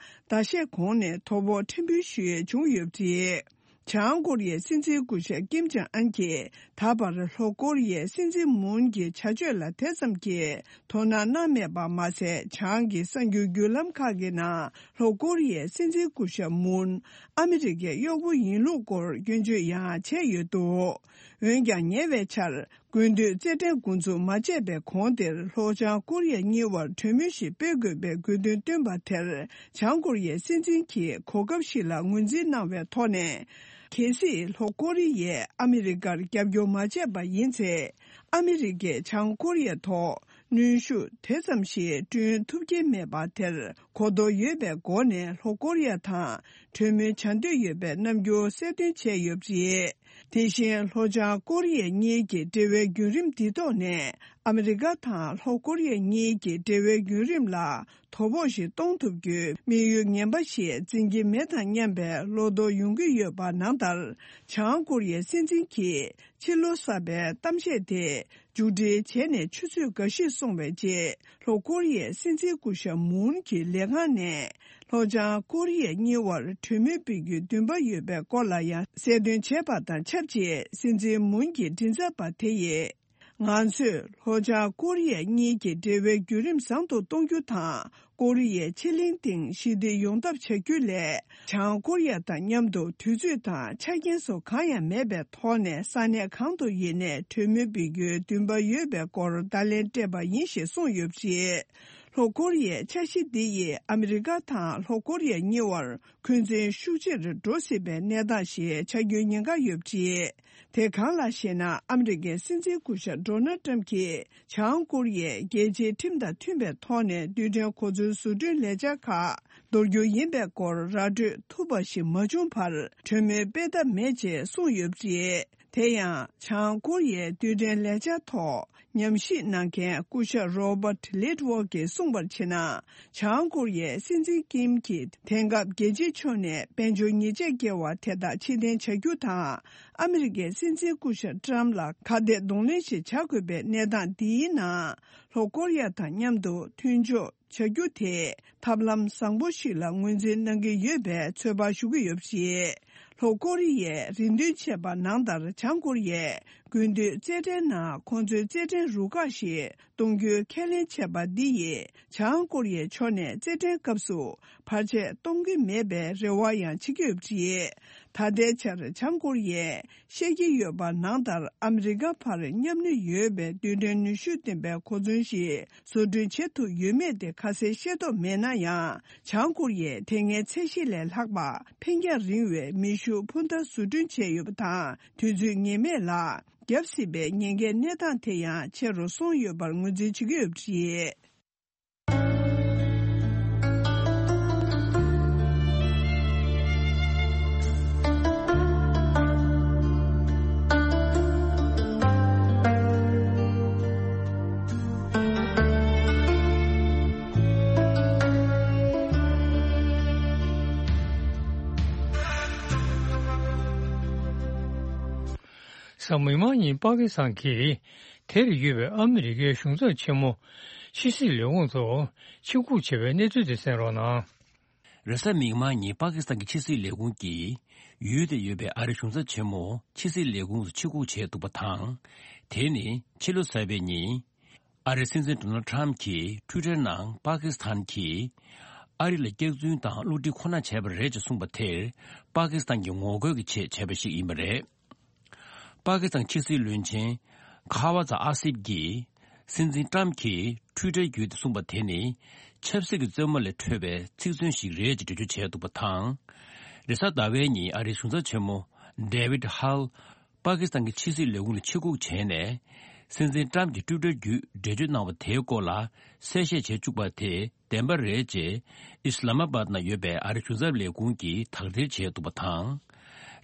ཟླ་ཤས་གོང་ནས་དོ་ཕོག་ཕྲན་བུ་ཞིག་བྱུང་ཡོད་པ་རེད། བྱང་ཀོ་རི་ཡའི་སྲིད་འཛིན་སྐུ་ཞབས་ཀིམ་ཅང་ཨན་གྱིས་ད་བར་ལྷོ་ཀོ་རི་ཡའི་སྲིད་འཛིན་མུན་གྱི་བྱ་སྤྱོད་ལ་དེ་ཙམ་གྱི་དོ་སྣང་གནང་མེད་པ་མ་ཟད། བྱང་གི་གསར་འགྱུར་བརྒྱུད་ལམ་ཁག་གི་ནང་ལྷོ་ཀོ་རི་ཡའི་སྲིད་འཛིན་སྐུ་ཞབས་མུན་ཨ་མི་རི་ཀའི་གཡོག་པོ་ཡིན་ལུགས་སྐོར་སྐྱོན་བརྗོད་ཡང་བྱས་ཡོད་འདུག་འོན་ཀྱང་། ཉེ་བའི་ཆར། དགུན་དུས་རྩེད་འགྲན་འགོ་འཛུགས་མ་བྱས་པའི་གོང་དེར། ལྷོ་བྱང་ཀོ་རི་ཡ་གཉིས་བར་གྲོས་མོལ་ཞིག་སྤེལ་དགོས་པའི་དགོས་འདུན་བཏོན་པ་དེར། བྱང་ཀོ་རི་ཡའི་སྲིད་འཛིན་གྱིས་གོ་སྐབས་ཤིག་ལ་ངོས་འཛིན་གནང་བའི་ཐོག་ནས། གལ་སྲིད་ལྷོ་ཀོ་རི་ཡས་ཨ་མི་རི་ཀར་རྒྱབ་སྐྱོར་མ་བྱས་པ་ཡིན་ཚེ། ཨ་མི་རི་ཀས་བྱང་ཀོ་རི་ཡའི་ཐོག་གནོན་ཤུགས་དེ་ཙམ་ཞིག་བསྐྲུན་ཐུབ་ཀྱི་མེད་པ་དེར། གོ་རྟོགས་ཡོད་པའི་སྒོ་ནས་ལྷོ་ཀོ་རི་ཡ་དང་གྲོས་མོལ་བྱ་འདོད་ཡོད་པའི་རྣམ་འགྱུར་གསལ་སྟོན་བྱས་ཡོད་པ་རེད། དེ་བཞིན་ལྷོ་བྱང་ཀོ་རི་ཡ་གཉིས་ཀྱི་འབྲེལ་བའི་བརྒྱུད་རིམ་འདི་ཐོག་ནས། ཨ་མི་རི་ཀ་དང་ལྷོ་ཀོ་རི་ཡ་གཉིས་ཀྱི་འབྲེལ་བའི་བརྒྱུད་རིམ་ལ་དོ་ཕོག་ཞིག་གཏོང་ཐུབ་རྒྱུའི་དམིགས་ཡུལ་ངན་པ་ཞིག་འཛིན་གྱི་མེད་དང་མཉམ་པའི་བློ་དོགས་ཡོང་གི་ཡོད་པ་ནང་ལྟར། བྱང་ཀོ་རི་ཡའི་སྲིད་འཛིན་གྱིས་ཕྱི་ལོ་གསར་པའི་གཏམ་བཤད་དེ། མཇུག་སྒྲིལ་བྱས་ནས་ཆུ་ཚོད་འགའ་ཞིག་སོང་བའི་རྗེས། ལྷོ་ཀོ་རི་ཡའི་སྲིད་འཛིན་སྐུ་ཞབས་མུན་གྱི་ལས་ཁང་ནས། ལྷོ་བྱང་ཀོ་རི་ཡ་གཉིས་བར་གྲོས་མོལ་སྤེལ་རྒྱུའི་འདུན་པ་ཡོད་པའི་སྐོར་ལ་ཡང་གསལ་སྟོན་བྱས་པ་དང་ཆབས་ཅིག་སྲིད་འཛིན་མུན་གྱི་མགྲིན་ཚབ་པ་དེ་ཡིས། ང་ཚོས་ལྷོ་བྱང་ཀོ་རི་ཡ་གཉིས་ཀྱི་འབྲེལ་བའི་བརྒྱུད་རིམ་བཟང་དུ་གཏོང་རྒྱུ་དང་། ཀོ་རི་ཡའི་ཕྱེད་གླིང་སྟེང་ཞི་བདེ་ཡོང་ཐབས་བྱ་རྒྱུ་ལས། བྱང་ཀོ་རི་ཡ་དང་མཉམ་དུ་དུས་ཚོད་དང་ཆ་རྐྱེན་སོགས་གང་ཡང་མེད་པའི་ཐོག་ནས། ས་གནས་གང་དུ་ཡིན་ནའི་གྲོས་མོལ་སྤེལ་རྒྱུའི་འདུན་པ་ཡོད་པའི་སྐོར་བརྡ་ལན་སྤྲད་པ་ཡིན་ཞེས་གསུངས་ཡོད་པ་རེད། ལྷོ་ཀོ་རི་ཡའི་འཆར་གཞི་འདི་ཡིས་ཨ་མི་རི་ཀ་དང་ལྷོ་ཀོ་རི་ཡ་གཉིས་བར་འཁོན་འཛིན་ཤུགས་ཆེ་རུ་འགྲོ་སྲིད་པའི་གནས་སྟངས་ཤིག་ཆགས་རྒྱུའི་ཉེན་ཁ་ཡོད་པ་རེད། དེ་གང་ལགས་ཤེ་ན། ཨ་མི་རི་ཀའི་སྲིད་འཛིན་སྐུ་ཞབས་ཌོ་ནལ་ཏྲམ་གྱིས་བྱང་ཀོ་རི་ཡས་རྒྱལ་སྤྱིའི་ཁྲིམས་དང་མཐུན་པའི་ཐོག་ནས་རྡུལ་ཕྲན་གོ་མཚོན་བཟོ་སྐྲུན་ལས་འཆར་ཁག་འདོར་རྒྱུ་ཡིན་པའི་སྐོར་ར་སྤྲོད་ཐུབ་པ་ཞིག་མ་བྱུང་བར་གྲོས་མོལ་སྤེལ་ཐབས་མེད་ཅེས་གསུངས་ཡོད་པ་རེད། དེ་ཡང་། བྱང་ཀོ་རི་ཡའི་རྡུལ་ཕྲན་ལས་འཆར་ཐོག་ཉམས་ཞིབ་གནང་མཁན་སྐུ་ཞབས་རོ་བར་ལིད་ཝོག་གིས་གསུངས་པར་བྱས་ན། བྱང་ཀོ་རི་ཡའི་སྲིད་འཛིན་ཀིམ་གྱིས་དེང་སྐབས་རྒྱལ་སྤྱིའི་ཕྱོགས་ནས་དཔལ་འབྱོར་ཉེས་ཆད་བཀལ་བ་དེ་དག་ཕྱིར་འཐེན་བྱ་རྒྱུ་དང་། ཨ་མི་རི་ཀའི་སྲིད་འཛིན་སྐུ་ཞབས་ཏྲམ་ལ་ཁ་གཏད་གདོང་ལེན་ཞིག་བྱ་དགོས་པའི་གནས་སྟངས་འདིའི་ནང་། ལྷོ་ཀོ་རི་ཡ་དང་མཉམ་དུ་མཐུན་ཕྱོགས་ བྱ་རྒྱུ་དེ་ཐབས་ལམ་བཟང་པོ་ཞིག་ལ་ངོས་འཛིན་གནང་གི་ཡོད་པའི་ཚོད་དཔག་ཞུ་གི་ཡོད་པ་རེད། ལྷོ་ཀོ་རི་ཡས་རེ་འདུན་བྱས་པ་ནང་ལྟར་བྱང་ཀོ་རི་ཡས་དགུན་དུས་རྩེད་འགྲན་ནང་ཁོང་ཚོའི་རྩེད་འགྲན་རུ་ཁག་ཞིག་གཏོང་རྒྱུའི་ཁས་ལེན་བྱས་པ་འདི་ཡིས་བྱང་ཀོ་རི་ཡའི་ཕྱོགས་ནས་རྩེད་འགྲན་སྐབས་སུ་བར་ཆད་གཏོང་གི་མེད་པའི་རེ་བ་ཡང་བྱེད་ཀྱི་ཡོད་པ་རེད། ད་ལྟའི་ཆར་བྱང་ཀོ་རི་ཡས་བཤད་ཀྱི་ཡོད་པ་ནང་ལྟར་ཨ་མི་རི་ཀ་བར་མཉམ་ནུས་ཡོད་པའི་རྡུལ་ཕྲན་ནུས་ཤུགས་ལྡན་པའི་གོ་མཚོན་ཞིག་བཟོ་སྐྲུན་བྱེད་ཐུབ་ཡོད་མེད་དེ་ཁ་གསལ་ཤེས་རྟོགས་མེད་ན་ཡང་། བྱང་ཀོ་རི་ཡས་དེ་སྔའི་ཚད་གཞི་ལས་ལྷག་པ་འཕེན་རྒྱང་རིང་བའི་མེ་ཤུགས་འཕུར་མདའ་བཟོ་སྐྲུན་བྱས་ཡོད་པ་དང་། དུས་ཚོད་ངེས་མེད་ལ་བརྒྱབ་སྲིད་པའི་ཉེན་ཁའི་གནས་སྟངས་དེ་ཡང་ཆེ་རུ་སོང་ཡོད་པར་ངོས་འཛིན་བྱེད་ཀྱི་ཡོད་པ་རེད། གཟའ་མིག་དམར་ཉིན་པ་ཀི་སི་ཐན་གྱིས་དེར་ཡོད་པའི་ཨ་མི་རི་ཀའི་གཞུང་ཚབ་ཆེན་མོ་ཕྱི་སྲིད་ལས་ཁུངས་ཐོག་ཕྱིར་འགུག་བྱས་པའི་གནས་ཚུལ་དེ་གསན་རོགས་གནང་། རེས་གཟའ་མིག་དམར་ཉིན་པ་ཀི་སི་ཐན་གྱི་ཕྱི་སྲིད་ལས་ཁུངས་ཀྱིས་ཡུལ་དེར་ཡོད་པའི་ཨ་རིའི་གཞུང་ཚབ་ཆེན་མོ་ཕྱི་སྲིད་ལས་ཁུངས་སུ་ཕྱིར་འགུག་བྱས་འདུག་པ་དང་། དེ་ནི་ཕྱི་ལོ་གསར་པའི་ཉིན། ཨ་རིའི་སྲིད་འཛིན་ཌོ་ནལ་ཌི་ཊརམ་གྱིས་ཊུའི་ཊར་ནང་པ་ཀི་སི་ཐན་གྱིས་ཨ་རི་ལ་སྐྱག་རྫུན་དང་བསླུ་བྲིད་ཁོ་ན་བྱས་པ་རེད་ཅེས་གསུངས་པ་དེར་པ་ཀི་སི་ཐན་གྱི་ངོ་རྒོལ་གྱི་ཆེད་བྱས་པ་ཞིག་ཡིན་པ་རེད། པ་ཀི་སི་ཐན་ཕྱི་སྲིད་བློན་ཆེན་ཁ་ཝ་ཛ་ཨ་སིབ་ཀྱིས་སྲིད་འཛིན་ཊརམ་གྱིས་ཊུའི་ཊར་བརྒྱུད་དེ་གསུངས་པ་དེ་ནི་ཆབ་སྲིད་ཀྱི་རྩེད་མོ་ལས་འཕྲོས་པའི་ཚིག་མཚོན་ཞིག་རེད་ཅེས་འགྲེལ་བརྗོད་བྱས་འདུག་པ་དང་། རེས་གཟའ་ཟླ་བའི་ཉིན་ཨ་རིའི་གཞུང་ཚབ་ཆེན་མོ་ཌེ་ཝིད་ཧལ། པ་ཀི་སི་ཐན་གྱི་ཕྱི་སྲིད་ལས་ཁུངས་ལ་ཕྱིར་འགུག་བྱས་ནས། སྲིད་འཛིན་ཊརམ་གྱིས་ཊུའི་ཊར་བརྒྱུད་འགྲེལ་བརྗོད་གནང་བ་དེའི་སྐོར་ལ་གསལ་བཤད་བྱེད་བཅུག་པ་དེ་བདེན་པ་རེད་ཅེས་ཨིས་ལ་མ་བཱད་ནང་ཡོད་པའི་ཨ་རིའི་གཞུང་ཚབ་ལས་ཁུངས་ཀྱིས་དག་ཐེར་བྱས་འདུག་པ་དང་།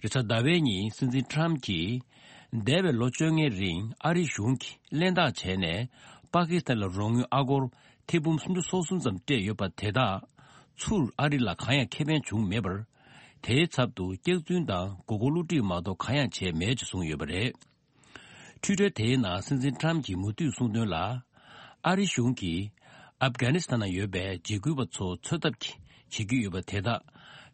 རེས་གཟའ་ཟླ་བའི་ཉིན་སྲིད་འཛིན་ཊརམ་གྱིས་འདས་པའི་ལོ་བཅོ་ལྔའི་རིང་ཨ་རིའི་གཞུང་གིས་གླེན་རྟགས་བྱས་ནས་པ་ཀི་སི་ཐན་ལ་རོགས་དངུལ་ཨ་སྒོར་ཐེར་འབུམ་སུམ་ཅུ་སོ་གསུམ་ཙམ་སྤྲད་ཡོད་པ་དེ་དག་ཚུར་ཨ་རི་ལ་གང་ཡང་ཁེ་ཕན་བྱུང་མེད་པར། དེའི་ཚབ་ཏུ་སྐྱག་རྫུན་དང་མགོ་སྐོར་བསླུ་བྲིད་མ་གཏོགས་གང་ཡང་བྱས་མེད་ཅེས་གསུངས་ཡོད་པ་རེད། ཊུའི་ཊར་དེའི་ནང་སྲིད་འཛིན་ཊརམ་གྱིས་མུ་མཐུད་གསུངས་དོན་ལ། ཨ་རི་གཞུང་གིས་ཨབ་གྷ་ནི་སི་ཐན་ནང་ཡོད་པའི་འཇིགས་སྐུལ་བ་ཚོ་འཚོལ་ཐབས་ཀྱི་བྱེད་ཀྱི་ཡོད་པ་དེ་དག་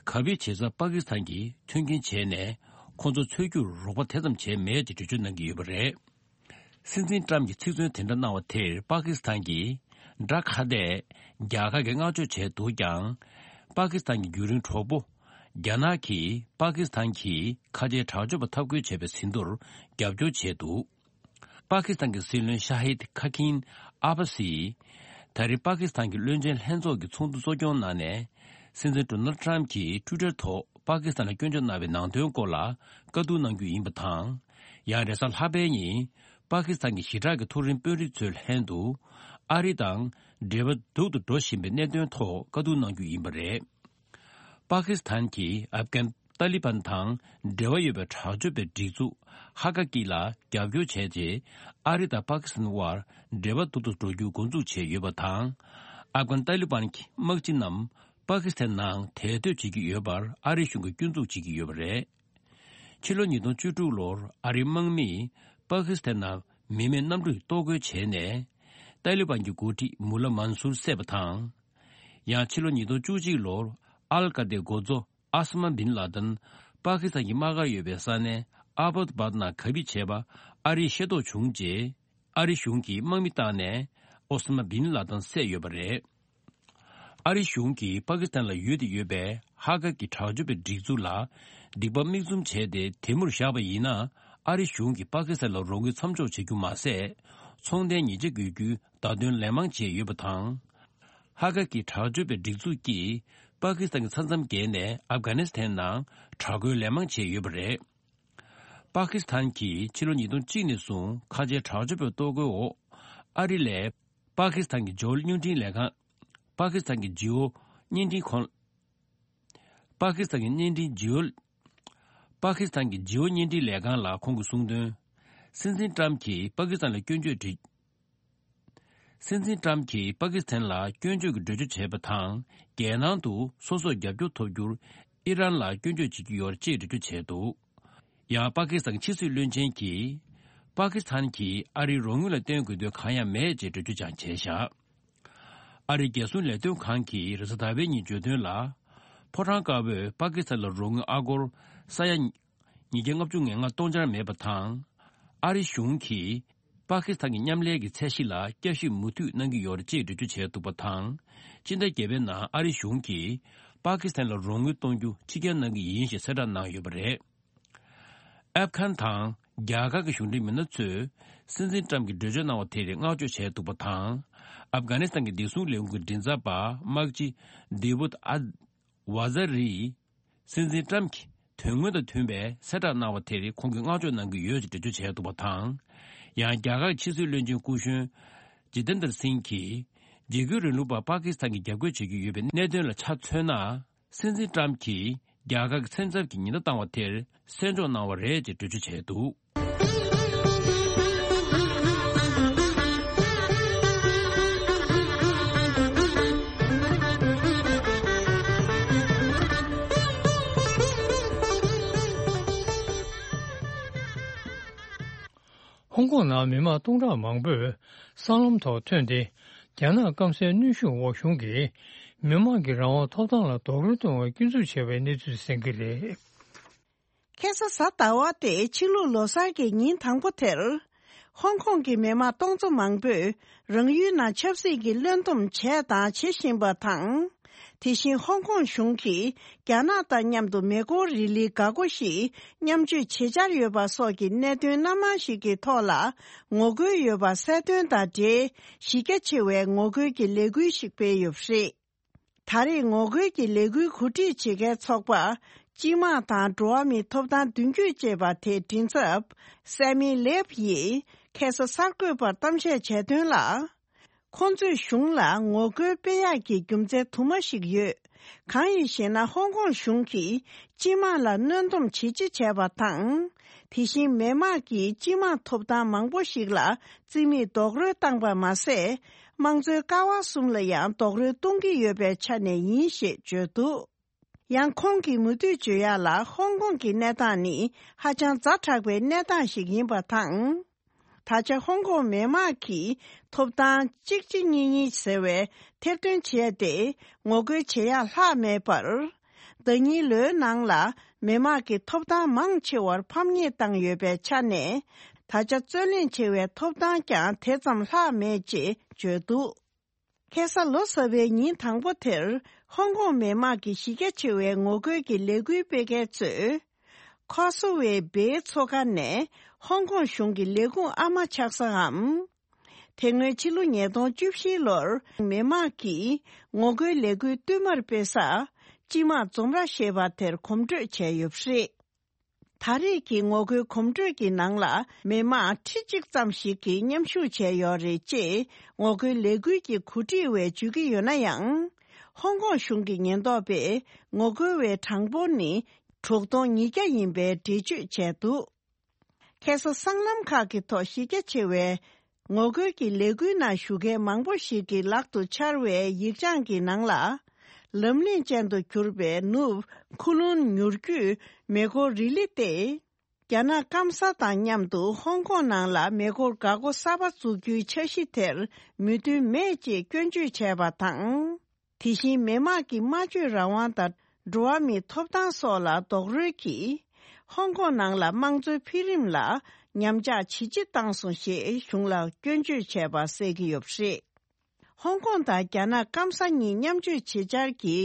གབ་སྦས་བྱེད་སར་པ་ཀི་སི་ཐན་གྱིས་མཐུན་རྐྱེན་བྱས་ནས་ཁོང་ཚོ་འཚོལ་རྒྱུར་རོགས་པ་དེ་ཙམ་བྱས་མེད་ཅེས་འགྲེལ་བརྗོད་གནང་གི་ཡོད་པ་རེད། སྲིད་འཛིན་ཊརམ་གྱིས་ཚིག་མཚོན་དེ་འདྲ་གནང་བ་དེར་པ་ཀི་སི་ཐན་གྱིས་དགྲ་ཁ་གཏད་རྒྱལ་ཁ་གིས་བསྔགས་བརྗོད་བྱས་འདུག་ཀྱང་། པ་ཀི་སི་ཐན་གྱི་རྒྱུན་རིང་གྲོགས་པོ་རྒྱ་ནག་གིས་པ་ཀི་སི་ཐན་གྱིས་ཁ་ཆེའི་དྲག་སྤྱོད་པ་འཐབ་རྒོལ་བྱས་པའི་ཟིན་ཐོར་རྒྱབ་སྐྱོར་བྱས་འདུག་པ་ཀི་སི་ཐན་གྱི་སྲིད་བློན་ཤ་ཧིད་ཁ་ཁིན་ཨ་བྷ་སིས་ད་རེས་པ་ཀི་སི་ཐན་གྱི་བློན་ཆེན་ལྷན་ཚོགས་ཀྱི་ཚོགས་འདུ་གཙོ་སྐྱོང་གནང་ནས། སྲིད་འཛིན་ཌོ་ནལ་ཊརམ་གྱིས་ཊུའི་ཊར་ཐོག་པ་ཀི་སི་ཐན་ལ་སྐྱོན་བརྗོད་གནང་བའི་ནང་དོན་སྐོར་ལ་བཀའ་བསྡུར་གནང་རྒྱུ་ཡིན་པ་དང་། ཡང་རེས་གཟའ་ལྷག་པའི་ཉིན་པ་ཀི་སི་ཐན་གྱི་ཞི་དྲག་གི་མཐོ་རིམ་དཔོན་རིགས་ཚོའི་ལྷན་དུ་ཨ་རི་དང་འབྲེལ་བ་སྡུག་ཏུ་འགྲོ་བཞིན་པའི་གནད་དོན་ཐོག་བཀའ་བསྡུར་གནང་རྒྱུ་ཡིན་པ་རེད། པ་ཀི་སི་ཐན་གྱིས་ཨབ་གྷན་ཏཱ་ལི་བན་དང་འབྲེལ་བ་ཡོད་པའི་དྲག་སྤྱོད་པའི་སྒྲིག་འཛུགས་ཧ་ཀ་ཀི་ལ་རྒྱབ་སྐྱོར་བྱས་རྗེས། ཨ་རི་དང་པ་ཀི་སི་ཐན་དབར་འབྲེལ་བ་སྡུག་ཏུ་འགྲོ་རྒྱུ་འགོ་འཛུགས་བྱས་ཡོད་པ་དང་། ཨབ་གྷན་ཏཱ་ལི་བན་གྱི་དམག་སྤྱི་རྣམས་པ་ཀི་སི་ཐན་ནང་དེར་སྡོད་བྱེད་ཀྱི་ཡོད་པར་ཨ་རི་གཞུང་གིས་སྐྱོན་འཛུགས་བྱེད་ཀྱི་ཡོད་པ་རེད། ཕྱི་ལོ་ཉིས་སྟོང་བཅུ་དྲུག་ལོར་ཨ་རིའི་དམག་མིས་པ་ཀི་སི་ཐན་ནང་མི་མེད་གནམ་གྲུས་གཏོར་རྒོལ་བྱས་ནས། ཏཱ་ལི་བན་གྱི་འགོ་ཁྲིད་མུ་ལ་མན་སུར་བསད་པ་དང་། ཡང་ཕྱི་ལོ་ཉིས་སྟོང་བཅུ་གཅིག་ལོར་ཨལ་ཀ་ཏའི་འགོ་གཙོ་ཨ་ས་མ་བིན་ལ་དན་པ་ཀི་སི་ཐན་གྱི་དམག་སྒར་ཡོད་པའི་ས་གནས་ཨ་བྷོད་བཱད་ནང་གབ་སྦས་བྱས་པ་ཨ་རིས་ཤེས་རྟོགས་བྱུང་རྗེས། ཨ་རི་གཞུང་གིས་དམག་མི་བཏང་ནས་ཨོ་ས་མ་བིན་ལ་དན་བསད་ཡོད་པ་རེད། ཨ་རི་གཞུང་གིས་པ་ཀི་སི་ཐན་ལ་ཡོད་དེ་ཡོད་པའི་ཧ་ཀ་གི་དྲག་སྤྱོད་པའི་སྒྲིག་འཛུགས་ལ་སྡིག་པ་མིག་བཙུམ་བྱས་ཏེ་དེ་མུར་བཞག་པ་ཡིན་ན། ཨ་རི་གཞུང་གིས་པ་ཀི་སི་ཐན་ལ་རོགས་དངུལ་མཚམས་འཇོག་བྱེད་རྒྱུ་མ་ཟད། ཚོང་རྟེན་ཉེས་ཆད་དགོས་རྒྱུའི་བརྡ་དོན་ལན་མང་བྱས་ཡོད་པ་དང་། ཧ་ཀ་གི་དྲག་སྤྱོད་པའི་སྒྲིག་འཛུགས་ཀྱིས་པ་ཀི་སི་ཐན་གྱི་ས་མཚམས་བརྒལ་ནས་ཨབ་གྷ་ནི་སི་ཐན་ནང་དྲག་རྒོལ་ལན་མང་བྱས་ཡོད་པ་རེད། པ་ཀི་སི་ཐན་གྱིས་ཕྱི་ལོ་ཉིས་སྟོང་གཅིག་ནས་བཟུང་ཁ་ཆེའི་དྲག་སྤྱོད་པའི་གཏོར་རྒོལ་འོག་ཨ་རི་ལས་པ་ཀི་སི་ཐན་གྱི་ཇོ་བོ་བརྙན་འཕྲིན་ལས་ཁང་། པ་ཀི་སི་ཐན་གྱི་ཇོ་བོ་བརྙན་འཕྲིན་ཁང་། པ་ཀི་སི་ཐན་གྱི་བརྙན་འཕྲིན་ཇོ་བོ། པ་ཀི་སི་ཐན་གྱི་ཇོ་བོ་བརྙན་འཕྲིན་ལས་ཁང་ལ་ཁོང་གིས་གསུངས་དོན། སྲིད་འཛིན་ཊརམ་གྱིས་པ་ཀི་སི་ཐན་ལ་སྐྱོན་བརྗོད་བྱས། སྲིད་འཛིན་ཊརམ་གྱིས་པ་ཀི་སི་ཐན་ལ་སྐྱོན་བརྗོད་ཀྱི་འགྲེལ་བརྗོད་བྱས་པ་དང་། རྒྱལ་ནང་དུ་སོ་སོར་རྒྱབ་སྐྱོར་ཐོབ་རྒྱུར་ཨི་རན་ལ་སྐྱོན་བརྗོད་བྱེད་ཀྱི་ཡོད་ཅེས་འགྲེལ་བརྗོད་བྱས་འདུག་ཡང་པ་ཀི་སི་ཐན་ཕྱི་སྲིད་བློན་ཆེན་གྱིས། པ་ཀི་སི་ཐན་གྱིས་ཨ་རིའི་རོགས་དངུལ་ལ་བརྟེན་དགོས་དོན་གང་ཡང་མེད་ཅེས་འགྲེལ་བརྗོད་ཀྱང་བྱས་བཞག་ཨ་རིའི་རྒྱལ་སྲུང་ལས་དོན་ཁང་གིས་རེས་གཟའ་ཟླ་བའི་ཉིན་བརྗོད་དོན་ལ། ཕོ་བྲང་དཀར་པོས་པ་ཀི་སི་ཐན་ལ་རོགས་དངུལ་ཨ་སྒོར་ས་ཡ་ཉིས་བརྒྱ་ལྔ་བཅུ་ང་ལྔ་གཏོང་འཆར་མེད་པ་དང་། ཨ་རི་གཞུང་གིས་པ་ཀི་སི་ཐན་གྱི་མཉམ་ལས་ཀྱི་ཚད་གཞི་ལ་བསྐྱར་ཞིབ་མུ་མཐུད་གནང་གི་ཡོད་རེད་ཅེས་འགྲེལ་བརྗོད་བྱས་འདུག་པ་དང་། སྤྱི་ཟླ་བརྒྱད་པའི་ནང་ཨ་རི་གཞུང་གིས་པ་ཀི་སི་ཐན་ལ་རོགས་དངུལ་གཏོང་རྒྱུ་ཕྱིར་འགྱངས་གནང་གི་ཡིན་ཞེས་གསལ་བསྒྲགས་གནང་ཡོད་པ་རེད། ཨབ་གྷན་དང་རྒྱ་གར་གྱི་གཞུང་འབྲེལ་མི་སྣ་ཚོས་སྲིད་འཛིན་ཏྲམ་གྱིས་གྲོས་ཆོད་གནང་བ་དེར་བསྔགས་བརྗོད་བྱས་འདུག་པ་དང་། ཨབ་གྷ་ནི་སི་ཐན་གྱི་བདེ་སྲུང་ལས་ཁུངས་ཀྱི་མགྲིན་ཚབ་པ་དམག་སྤྱི་ཌེ་བུད་ཨ་ཝ་ཛ་རིས། སྲིད་འཛིན་ཏྲམ་གྱིས་དོན་དངོས་དང་མཐུན་པའི་གསལ་བསྒྲགས་གནང་བ་དེར་ཁོང་གིས་བསྔགས་བརྗོད་གནང་གི་ཡོད་ཅེས་འགྲེལ་བརྗོད་བྱས་འདུག་པ་དང་། ཡང་རྒྱ་གར་གྱི་ཕྱི་སྲིད་བློན་ཆེན་སྐུ་གཞོན་ཇི་ཏེན་དར་སིང་གིས། འཇིགས་སྐུལ་རིང་ལུགས་པར་པ་ཀི་སི་ཐན་གྱིས་རྒྱབ་སྐྱོར་བྱེད་ཀྱི་ཡོད་པའི་གནད་དོན་ལ་ཆ་མཚོན་ན། སྲིད་འཛིན་ཏྲམ་གྱིས་རྒྱ་གར་གྱི་མཚམས་ཚབ་ཀྱི་ཉེན་བརྡ་བཏང་བ་དེར་གསན་འཇོག་གནང་བ་རེད་ཅེས་འགྲེལ་བརྗོད་བྱས་འདུག། ཧོང་ཀོང་ནང་མི་མང་སྟོང་ཕྲག་མང་པོས་སྲང་ལམ་ཐོག་ཐོན་ཏེ། རྒྱ་ནག་སྐམ་སའི་གནོན་ཤུགས་འོག་གཞུང་གིས་མི་མང་གི་རང་དབང་ཐོབ་ཐང་ལ་རྡོག་རོལ་གཏོང་བའི་སྐྱོན་འཛུགས་བྱས་པའི་གནས་ཚུལ་གསན་གྱི་རེད། ཁ་སང་གཟའ་ཟླ་བ་སྟེ་ཕྱི་ལུགས་ལོ་གསར་གྱི་ཉིན་དང་པོ་དེར། ཧོང་ཀོང་གི་མི་མང་སྟོང་ཚོ་མང་པོས་རང་ཡུལ་ནང་ཆབ་སྲིད་ཀྱི་བློན་འདུམ་བྱས་དང་བྱེད་བཞིན་པ་དང་། དེ་བཞིན་ཧོང་ཀོང་གཞུང་གིས་རྒྱ་ནག་དང་མཉམ་དུ་མེ་འཁོར་རི་ལི་འགག་སྒོ་ཞིག་མཉམ་སྤྱོད་བྱེད་འཆར་ཡོད་པ་སོགས་ཀྱི་གནད་དོན་སྣ་མང་ཞིག་གི་ཐོག་ལ་ངོ་རྒོལ་ཡོད་པ་གསལ་སྟོན་དང་འབྲེལ་གཞི་རྒྱ་ཆེ་བའི་ངོ་རྒོལ་གྱི་ལས་འགུལ་ཞིག་སྤེལ་ཡོད་པ་རེད། ད་རེས་ངོ་རྒོལ་གྱི་ལས་འགུལ་གོ་སྒྲིག་བྱེད་མཁན་ཚོགས་པ། སྤྱི་དམངས་དང་འགྲོ་བ་མིའི་ཐོབ་ཐང་མདུན་སྐྱོད་ཅེས་པ་དེའི་མགྲིན་ཚབ། སེ་མི་ལེབ་ཡིས་ཁ་སང་གསར་འགོད་པར་གཏམ་བཤད་བྱས་དོན་ལ། ཁོང་ཚོས་གཞུང་ལ་ངོ་རྒོལ་སྤེལ་ཡག་གི་རྒྱུ་མཚན་དུ་མ་ཞིག་ཡོད། གང་ཡིན་ཞེ་ན། ཧོང་ཀོང་གཞུང་གིས་སྤྱི་དམངས་ལ་གནོན་སྡོམ་ཇི་ཆེ་བྱས་པ་དང་། དེ་བཞིན་མི་དམངས་ཀྱི་སྤྱི་དམངས་ཐོབ་ཐང་མང་པོ་ཞིག་ལ་རྩིས་མེད་རྡོག་རོལ་བཏང་པ་མ་ཟད། དམངས་གཙོའི་ཀ་བ་གསུམ་ལ་ཡང་རྡོག་རོལ་གཏོང་གི་ཡོད་པའི་ཆ་ནས་ཡིན་ཞེས་བརྗོད་འདུག། ཡང་ཁོང་གིས་མུ་མཐུད་བརྗོད་ཡག་ལ། ཧོང་ཀོང་གི་གནས་སྟངས་ནི་ཧ་ཅང་ཛ་དྲག་པའི་གནས་སྟངས་ཤིག་ཡིན་པ་དང་། ད་ཆ་ཧོང་ཀོང་མི་དམངས་ཀྱི་ཐོབ་ཐང་གཅིག་གཅིག་གཉིས་གཉིས་ཟེར་བའི་ཐེར་འདོན་བྱས་ཏེ་ངོ་རྒོལ་བྱེད་ཡག་ལྷག་མེད་པར། ཟླ་ཉིན་ལོའི་ནང་ལ་མི་དམངས་ཀྱི་ཐོབ་ཐང་མང་ཆེ་བར་ཕམ་ཉེས་བཏང་ཡོད་པའི་ཆ་ནས། ད་ཆ་རྩོད་གླེང་ཆེ་བའི་ཐོབ་ཐང་ཀྱང་དེ་ཙམ་ལྷག་མེད་ཅེས་བརྗོད་འདུག། ཁ་སང་ལོ་གསར་པའི་ཉིན་དང་པོ་དེར། ཧོང་ཀོང་མི་དམངས་ཀྱི་གཞི་རྒྱ་ཆེ་བའི་ངོ་རྒོལ་གྱི་ལས་འགུལ་སྤེལ་མཁན་ཚོས། ཁོ་སོ་ཝེ་སྦེའི་མཚོ་ཁ་ནས་ཧོང་ཀོང་གཞུང་གི་ལས་ཁུངས་ཨ་མ་ཆགས་སའམ། དེ་སྔོན་ཕྱི་ལོ་ཉིས་སྟོང་བཅུ་བཞི་ལོར་མི་དམངས་ཀྱིས་ངོ་རྒོལ་ལས་འགུལ་བསྟུད་མར་སྤེལ་ས། སྤྱི་དམངས་འཛོམས་ར་ཞེས་པ་དེར་གོམ་བགྲོད་བྱས་ཡོད་པ་རེད། ད་རེས་ཀྱི་ངོ་རྒོལ་གོམ་བགྲོད་ཀྱི་ནང་ལ་མི་མང་ཁྲི་གཅིག་ཙམ་ཞིག་གིས་མཉམ་ཞུགས་བྱས་ཡོད་རེད་ཅེས་ངོ་རྒོལ་ལས་འགུལ་གྱི་གོ་སྒྲིག་པས་བརྗོད་ཀྱི་ཡོད་ན་ཡང་། ཧོང་ཀོང་གཞུང་གི་ཉེན་རྟོག་པས་ངོ་རྒོལ་བའི་གྲངས་འབོར་ནི་དྲུག་སྟོང་ཉིས་བརྒྱ་ཡིན་པའི་འགྲེལ་བརྗོད་བྱས་འདུག། ཁ་སང་སྲང་ལམ་ཁག་གི་ཐོག་གཞི་རྒྱ་ཆེ་བའི་ངོ་རྒོལ་གྱི་ལས་འགུལ་ནང་ཞུགས་མཁན་མང་པོ་ཞིག་གི་ལག་ཏུ་འཆར་བའི་ཡིག་བྱང་གི་ནང་ལ། ལམ་རྙིང་ཅན་དུ་གྱུར་པའི་ནུབ་ཁུ་ལུན་མྱུར་སྐྱོད་མེ་འཁོར་རི་ལི་སྟེ། རྒྱ་ནག་སྐམ་ས་དང་མཉམ་དུ་ཧོང་ཀོང་ནང་ལ་མེ་འཁོར་འགག་སྒོ་གསར་པ་བཙུགས་རྒྱུའི་འཆར་གཞི་དེར་མོས་མཐུན་མེད་ཅེས་སྐྱོན་བརྗོད་བྱས་པ་དང་། དེ་བཞིན་མི་དམངས་ཀྱི་སྨྲ་བརྗོད་རང་དབང་དང་འགྲོ་བ་མིའི་ཐོབ་ཐང་སོགས་ལ་རྡོག་རོལ་གྱིས། ཧོང་ཀོང་ནང་ལ་དམངས་གཙོའི་འཕེལ་རིམ་ལ་ཉམས་ཆག་ཇེ་ཆེ་བཏང་སོང་ཞེས་གཞུང་ལ་སྐྱོན་བརྗོད་བྱས་པ་གསལ་གྱི་ཡོད་པ་རེད། ཧོང་ཀོང་དང་རྒྱ་ནག་སྐམ་ས་གཉིས་མཉམ་སྤྱོད་བྱེད་འཆར་གྱི་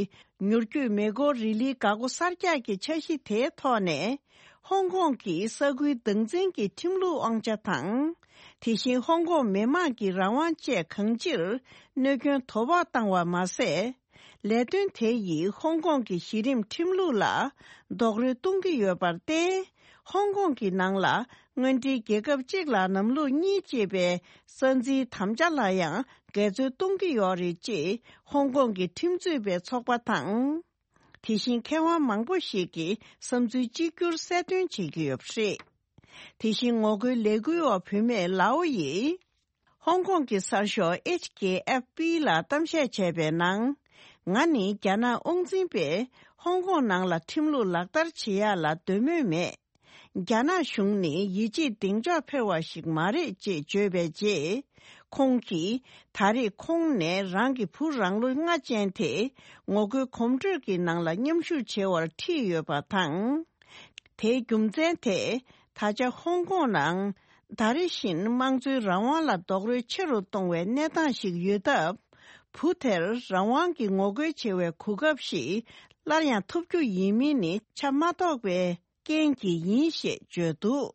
མྱུར་སྐྱོད་མེ་འཁོར་རི་ལིའི་འགག་སྒོ་གསར་རྒྱག་གི་འཆར་གཞི་དེའི་ཐོག་ནས། ཧོང་ཀོང་གི་ས་ཁུལ་སྡང་འཛིན་གྱི་ཁྲིམས་ལུགས་དབང་ཆ་དང་། དེ་བཞིན་ཧོང་ཀོང་མི་དམངས་ཀྱི་རང་དབང་བཅས་གང་ཅིར་གནོད་སྐྱོན་དོ་ཕོག་བཏང་བ་མ་ཟད། ལས་དོན་དེ་ཡིས་ཧོང་ཀོང་གི་གཞི་རིམ་ཁྲིམས་ལུགས་ལ་རྡོག་རོལ་གཏོང་གི་ཡོད་པར་བརྟེན། ཧོང་ཀོང་གི་ནང་ལ་དངོས་འབྲེལ་རྒྱལ་ཁབ་གཅིག་ལ་ལམ་ལུགས་གཉིས་ཅེས་པའི་ས་འཛིན་དམ་བཅའ་ལ་ཡང་འགལ་འཛོལ་གཏོང་གི་ཡོད་རེད་ཅེས་ཧོང་ཀོང་གི་ཁྲིམས་རྩོད་པའི་ཚོགས་པ་དང་། དེ་བཞིན་མཁས་དབང་མང་པོ་ཞིག་གིས་བསམ་ཚུལ་གཅིག་གྱུར་གསལ་སྟོན་བྱེད་ཀྱི་ཡོད་པ་རེད། དེ་བཞིན་ངོ་རྒོལ་ལས་འགུལ་འོག་བུད་མེད་ལའོ་ཡིས། ཧོང་ཀོང་གི་གསར་ཤོག་ཨེཆ་ཀེ་ཨེཕ་པི་ལ་གཏམ་བཤད་བྱས་པའི་ནང་། ང་ནི་རྒྱ་ནག་དབང་འཛིན་པས་ཧོང་ཀོང་ནང་ལ་ཁྲིམས་ལུགས་ལག་བསྟར་བྱེད་ཡག་ལ་འདོད་མོས་མེད། རྒྱ་ནག་གཞུང་ནི་ཡིད་ཆེས་གདེང་འཇོག་འཕེར་བ་ཞིག་མ་རེད་ཅེས་བརྗོད་པའི་རྗེས། ཁོང་གིས་ད་རེས་ཁོང་ནས་རང་གི་བུ་རང་ལོ་ལྔ་ཅན་དེ་ངོ་རྒོལ་གོམ་བགྲོད་ཀྱི་ནང་ལ་མཉམ་ཞུགས་བྱེད་པར་ཁྲིད་ཡོད་པ་དང་། དེའི་རྒྱུ་མཚན་དེ་ད་ཆ་ཧོང་ཀོང་ནང་ད་རེ་བཞིན་དམངས་གཙོའི་རང་དབང་ལ་རྡོག་རོལ་ཆེ་རུ་གཏོང་བའི་གནས་སྟངས་ཤིག་ཡོད་སྟབས། བུ་དེར་རང་དབང་གི་ངོ་རྒོལ་བྱེད་པའི་གོ་སྐབས་ཤིག་སླར་ཡང་ཐོབ་རྒྱུ་ཡིན་མིན་ནི་ཆ་མ་རྟོགས་པའི་རྐྱེན་གྱིས་ཡིན་ཞེས་བརྗོད་འདུག།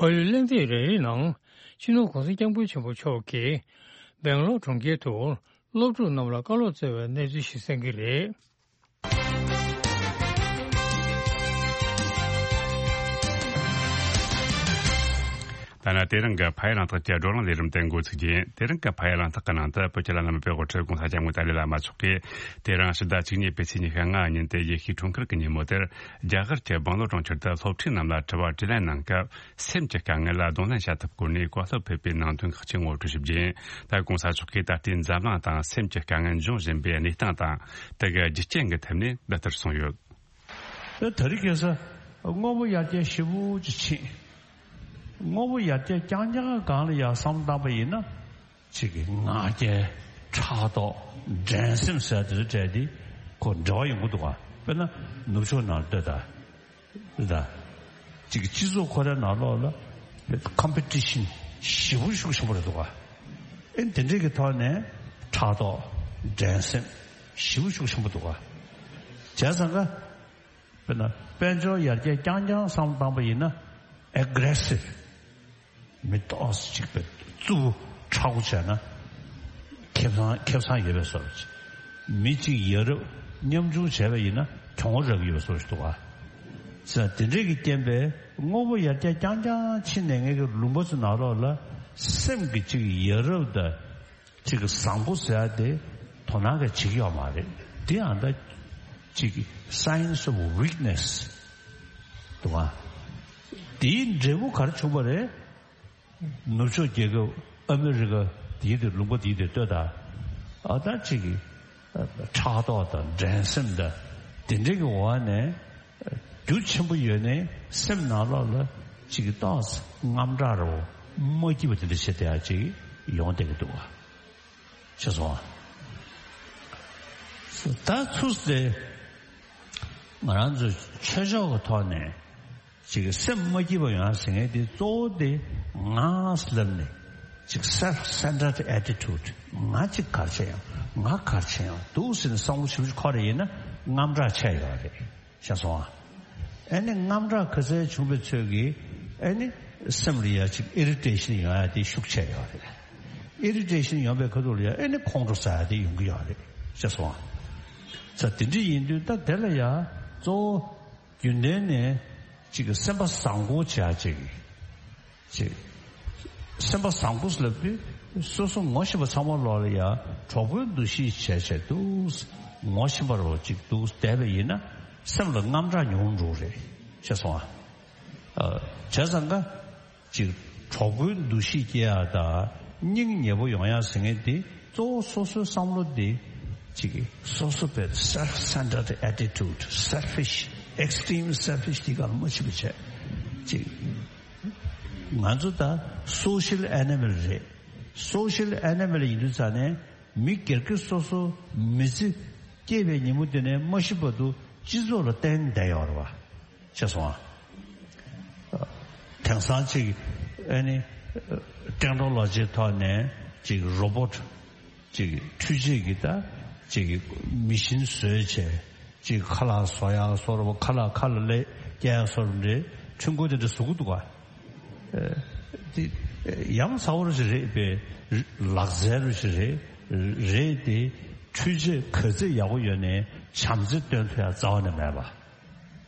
ཕ་ཡུལ་གླེང་སྟེགས་རེ་རེའི་ནང་སྤྱི་ནོར་༸གོང་ས་༸སྐྱབས་མགོན་ཆེན་པོ་མཆོག་གིས་སྦེང་ལོར་གྲོང་ཁྱེར་དུ་སློབ་ཕྲུག་རྣམས་ལ་བཀའ་སློབ་སྩལ་བའི་གནས་ཚུལ་ཞིག་གསན་གྱི་རེད། ད་ནི་དེ་རིང་གི་ཕ་ཡུལ་གླེང་སྟེགས་ཀྱི་བགྲོ་གླེང་ལས་རིམ་དེ་འགོ་ཚུགས་རྒྱུ་ཡིན། དེ་རིང་གི་ཕ་ཡུལ་གླེང་སྟེགས་ཀྱི་ནང་དུ་བོད་ཀྱི་བླ་ན་མེད་པའི་དབུ་ཁྲིད་༸གོང་ས་༸སྐྱབས་མགོན་ཏཱ་ལའི་བླ་མ་མཆོག་གིས་དེ་རིང་ཕྱི་ཟླ་བཅུ་གཉིས་པའི་ཚེས་ཉི་ཤུ་ལྔ་ཉིན་དེ་ཡེ་ཤུའི་འཁྲུངས་སྐར་གྱི་ཉིན་མོ་དེར་རྒྱ་གར་གྱི་སྦེང་ལོར་གྲོང་ཁྱེར་དུ་སློབ་ཕྲུག་རྣམས་ལ་དྲི་བ་དྲིས་ལན་གནང་སྐབས། སེམས་ཀྱི་དཀའ་ངལ་ལ་གདོང་ལེན་བྱ་ཐབས་སྐོར་ནས་བཀའ་སློབ་ཕེབས་པའི་ནང་དོན་ཁག་ཅིག་ངོ་སྤྲོད་ཞུ་རྒྱུ་ཡིན། ད་༸གོང་ས་མཆོག་གིས་ད་ལྟའི་འཛམ་གླིང་དང་སེམས་ཀྱི་དཀའ་ངལ་འབྱུང་བཞིན་པའི་གནས་སྟངས་དང་། དེ་གའི་རྒྱུ་རྐྱེན་གྱི་ཐད་ནས་འདི་ལྟར་གསུངས་ཡོད། ད་དེ་རིང་ཁ་སང་དངོས་པོ་ཡར་རྒྱས་ཞེ་པོ་ཅིག་ཕྱིན། དངོས་པོ་ཡར་རྒྱས་རྐྱང་རྐྱང་སྒང་ལ་ཡར་བསམ་བློ་བཏང་པ་ཡིན་ན། ཅིག་གི་ང་རྒྱལ། ཕྲག་དོག། འགྲན་སེམས་ཟེར་དེ་ཚོ་བྲལ་ཏེ་ཁོ་འབྲེལ་བ་ཡོང་གི་འདུག་ག་དཔེར་ན་ནུབ་ཕྱོགས་ནང་ལ་ལྟོས་དང་། ད་ཅིག་གི་སྤྱི་ཚོགས་ཁོ་རའི་ནང་ལོགས་ལ་ཀམ་པི་ཊི་ཤན་ཞེ་པོ་ཤུགས་ཆེན་པོ་རེད་འདུག་ག་ཨེ་དེ་འདྲས་ཀྱི་ཐོག་ནས་ཕྲག་དོག། འགྲན་སེམས་ཞེ་པོ་ཤུགས་ཆེན་པོ་འདུག་ག་བྱས་ཙང་ཀ་དཔེར་ན་དཔལ་འབྱོར་ཡར་རྒྱས་རྐྱང་རྐྱང་བསམ་བློ་བཏང་པ་ཡིན་ན་ཨེ་གྷི་རེ་སིབ། མི་ཏོག་ཙམ་ཅིག་པའི་རྩུབ་པོ་མཁྲེགས་པོ་བྱས་ན་ཁེ་བཟང་ཁེ་བཟང་ཡོད་པའི་བཟོ་འདྲ་ཅིག་མི་གཅིག་ཡ་རབས་མཉམ་ཆུང་བྱས་པ་ཡིན་ན་གྱོང་རག་གི་ཡོད་པའི་བཟོ་འདྲ་ཞིག་འདུག་ག་ཟེར་དེ་འདྲས་ཀྱི་རྐྱེན་པས་དངོས་པོ་ཡར་རྒྱས་རྐྱང་རྐྱང་ཕྱིན་ནས་ངེད་ཀྱི་ལུང་པ་ཚོ་ནང་ལོགས་ལ་སེམས་ཀྱི་གཅིག་ཡ་རབས་དང་གཅིག་བཟང་པོ་ཟེར་ཡ་དེ་དོ་སྣང་གི་བྱེད་ཀྱི་ཡོད་མ་རེད། དེ་ཡང་ད་གཅིག་signs of weakness་འདུག་ག་དེའི་འབྲས་བུ་ག་རེ་བྱུང་བ་རེད། ནུབ་ཕྱོགས་རྒྱལ་ཁབ་ཨ་མི་རི་ཀ་དེའི་དེ་ལུང་པ་དེའི་དེ་ལྟོས་དང་། ཨ་ད་ཅིག་གི་ཕྲག་དོག་དང་འགྲན་སེམས་དང་དེ་འདྲའི་གི་འོག་ནས་རྒྱུ་ཆེན་པོ་ཡོད་ནའི་སེམས་ནང་ལོགས་ལ་ཅིག་གི་ཏོག་ཙམ་དངངས་སྐྲག་རོ་མ་སྐྱིད་པ་དེ་འདྲ་བྱེད་བསྡད་ཡ་ཅིག་ཡོང་བསྡད་ཀྱི་འདུག་བ། ཤེས་སོང་ཨ། ད་ཚུར་ཟེར། ང་རང་ཚོའི་ཆོས་ཕྱོགས་ཀྱི་ཐོག་ནས་ཅིག་སེམས་མ་སྐྱིད་པ་ཡོང་ཟེར་མཁན་དེ་གཙོ་བོ་དེ་ང་ལབ་ནས་ཅིག་self-centered attitude། ང་ཅིག་ག་རེ་བྱས་ཡོང་། ང་ག་རེ་བྱས་ཡོང་འདུག་ཟེར་ནས་བསམ་བློ་ཞིབ་ཞིབ་འཁོར་རེ་ཡིན་ན་དངངས་སྐྲག་ཆེ་ཡོད་རེད། ཤེས་སོང་ཨ། ཨ་ནི་དངངས་སྐྲག་ག་ཚད་བྱུང་བའི་ཚོད་ཀྱིས་ཨ་ནི་སེམས་ལ་ཡ་ཅིག་ཨི་རི་ཊེ་ཤན་ཡོང་ཡ་དེ་ཤུགས་ཆེ་ཡོད་རེད། ཨི་རི་ཊེ་ཤན་ཡོང་བའི་ཁ་ཐུག་ལ་ཡ་ཨ་ནི་ཁོང་ཁྲོ་ཟ་ཡ་དེ་ཡོང་གི་ཡོད་རེད། ཤེས་སོང་ཨ། ས་དེ་འདྲ་ཡིན་དུས་ད་དེ་ལ་ཡ་གཙོ་བོ་རྒྱུན་ལྡན་ནས་ཅིག་སེམས་པ་བཟང་པོ་བྱ་ཅིག་ཅེས། སེམས་པ་བཟང་པོ་ལབ་དུས་སོ་སོ་ངོ་ཤེས་པ་ཚང་མ་ལོག་ལ་ཡ་གྲོགས་པོའི་འདུ་ཤེས་བྱས་བྱས་འདུག་ངོ་ཤེས་པ་རོ་ཅིག་འདུག་བསྡད་པ་ཡིན་ན་སེམས་ལ་དངངས་སྐྲག་ཉུང་འགྲོ་རེད། ཤེས་སོང་ཨ། ཨ། བྱས་ཙང་ཀ་ཅིག་གྲོགས་པོའི་འདུ་ཤེས་སྐྱེ་ཡ་དང་སྙིང་ཉེ་པོ་ཡོང་ཡ་ཟེར་མཁན་དེ་གཙོ་བོ་སོ་སོའི་བསམ་བློ་དེ་ཅིག་སོ་སོ་པའི་self-centered attitude, selfish, extreme selfish དེ་ག་ལ་མ་བྱེད་པ་བྱས་ཅིག་ང་ཚོ་ད་social animal་རེད། social animal་ཡིན་དུས་ཙང་ནས་མི་སྒེར་གྱི་སོ་སོ་མི་ཚེ་སྐྱེས་པའི་ཉིན་མོ་དེ་ནས་མ་ཤི་བར་དུ་སྤྱི་ཚོགས་ལ་བརྟེན་བསྡད་ཡོད་རེད་བ། ཤེས་སོང་ཨ། དེང་སང་ཅིག་ཨ་ནི་ཊེག་ནོ་ལོ་ཇིའི་ཐོག་ནས་ཅིག་རོ་བོ་ཊི་ཅིག་འཕྲུལ་ཆས་ཀྱི་ད་ཅིག་མི་ཤིན་བཟོས་བྱས། ཅིག་ཁ་ལག་བཟོ་ཡག་བཟོ་རུ་ཁ་ལག་ཁ་ལ་ལས་སྐྱེལ་ཡག་བཟོ་རུ་འདྲེ་ཁྲུན་ཀོ་དེ་འདྲ་བཟོ་གི་འདུག་ག་ཨེ། དེ་ཡ་མཚན་པོ་རུ་ཞིག་རེད་པས། ལག་རྩལ་རུ་ཞིག་རེད། རེད་དེ་འཕྲུལ་ཆས་ག་ཚད་ཡག་པོ་ཡོད་ནའི་བྱམས་བརྩེ་སྟོན་ཐུབ་ཡག་རྩ་བ་ནས་མེད་པ།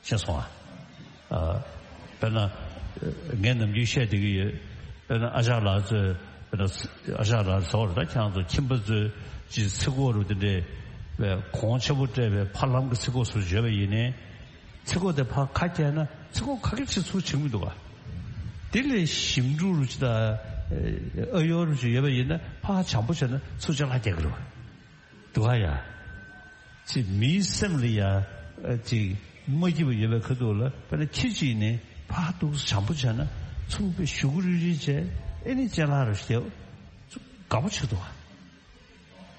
ཤེས་སོང་ཨ། ཨ། དཔེར་ན་ངས་ནམ་རྒྱུན་བཤད་བསྡད་ཀྱི་ཡོད། དཔེར་ན་ཨ་ཅག་ལགས་ཚོས་དཔེར་ན་ཨ་ཅག་ལགས་ཚོར་ད་ཁྱེད་རང་ཚོ་ཁྱིམ་པ་ཚོས་ཅིག་ཚིག་གོ་རུ་དེ་འདྲས་ བའི་གོང་ཆེན་པོ་སྤྲད་པའི་ཕ་ལམ་གྱི་ཚིག་གོ་སོགས་བརྗོད་པ་ཡིན་ནའི། ཚིག་གོ་དེ་ཕར་ཁ་བཀྱལ་ན་ཚིག་གོ་ཁ་སྐད་ཆེ་ཚུར་ཕྱིན་མི་འདུག་ག་དེ་ལས་ཞིམ་འབྲུ་རུ་ཅི་ད། ཨ་ཡོ་རུ་ཅི་ཡོད་པ་ཡིན་ན་ཕར་བྱམས་པོ་བྱས་ན་ཚུར་ཅ་ལག་རྒྱག་གི་རེད་བ། འདུག་ག་ཡ། ཅི་མིའི་སེམས་ལ་ཡ། ཅི་མ་སྐྱིད་པ་ཡོད་པའི་ཁ་ཐུག་ལ་དཔེར་ན་ཁྱི་གཅིག་ནི་ཕར་འདུག་བྱམས་པོ་བྱས་ན་ཚུར་པའི་གཞུག་གུ་རིལ་རིལ་བྱས་ཨེ་ནི་ཅ་ལག་རུ་ཞིག་དགའ་པོ་བྱེད་འདུག་ག་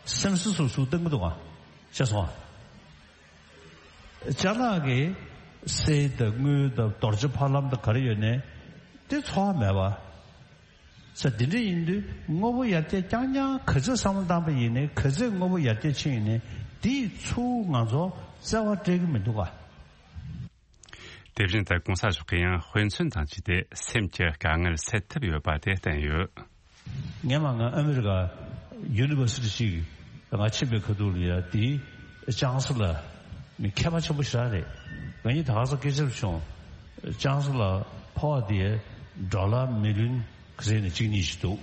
སེམས་སུ་སུ་སུ་སྟོན་གི་འདུག་ག་ཤེས་སོང་ཨ། ཅ་ལག་གི་གསེར་དང་དངུལ་དང་རྡོ་རྗེ་ཕ་ལམ་དང་ག་རེ་ཡོད་ནའི་དེ་འཚོ་བ་མེད་པ། ས་འདི་འདྲ་ཡིན་དུས་དངོས་པོ་ཡར་རྒྱས་རྐྱང་རྐྱང་ག་ཚོད་བསམ་བློ་བཏང་པ་ཡིན་ནའི་ག་ཚོད་དངོས་པོ་ཡར་རྒྱས་ཕྱིན་ཡིན་ནའི་དེས་ཚུར་ང་ཚོ་བརྩེ་བ་སྤྲད་ཀྱི་མི་འདུག་ག་དེ་བཞིན་དུ་གོང་ས་མཆོག་གིས་ཡང་དཔེ་མཚོན་དང་བཅས་ཏེ་སེམས་ཀྱི་དཀའ་ངལ་སེལ་ཐབས་ཡོད་པ་དེ་བསྟན་ཡོད། སྔོན་མ་ང་ཨ་མི་རི་ཀ་ཡུ་ནི་ཝར་སི་ཊི་ཞིག་ང་ཕྱིན་པའི་ཁ་ཐུག་ལ་ཡ་དེའི་ཅང་སི་ལར་མི་མཁས་པ་ཆེན་པོ་ཞིག་རང་རེད། ང་གཉིས་ད་ག་ས་སྐད་ཆ་བྱུང་། ཅང་སི་ལར་ཕོགས་དེ་ཌོ་ལར་མི་ལི་ཡོན་ག་ཚོད་ནས་གཅིག་གཉིས་ཤིག་འདུག་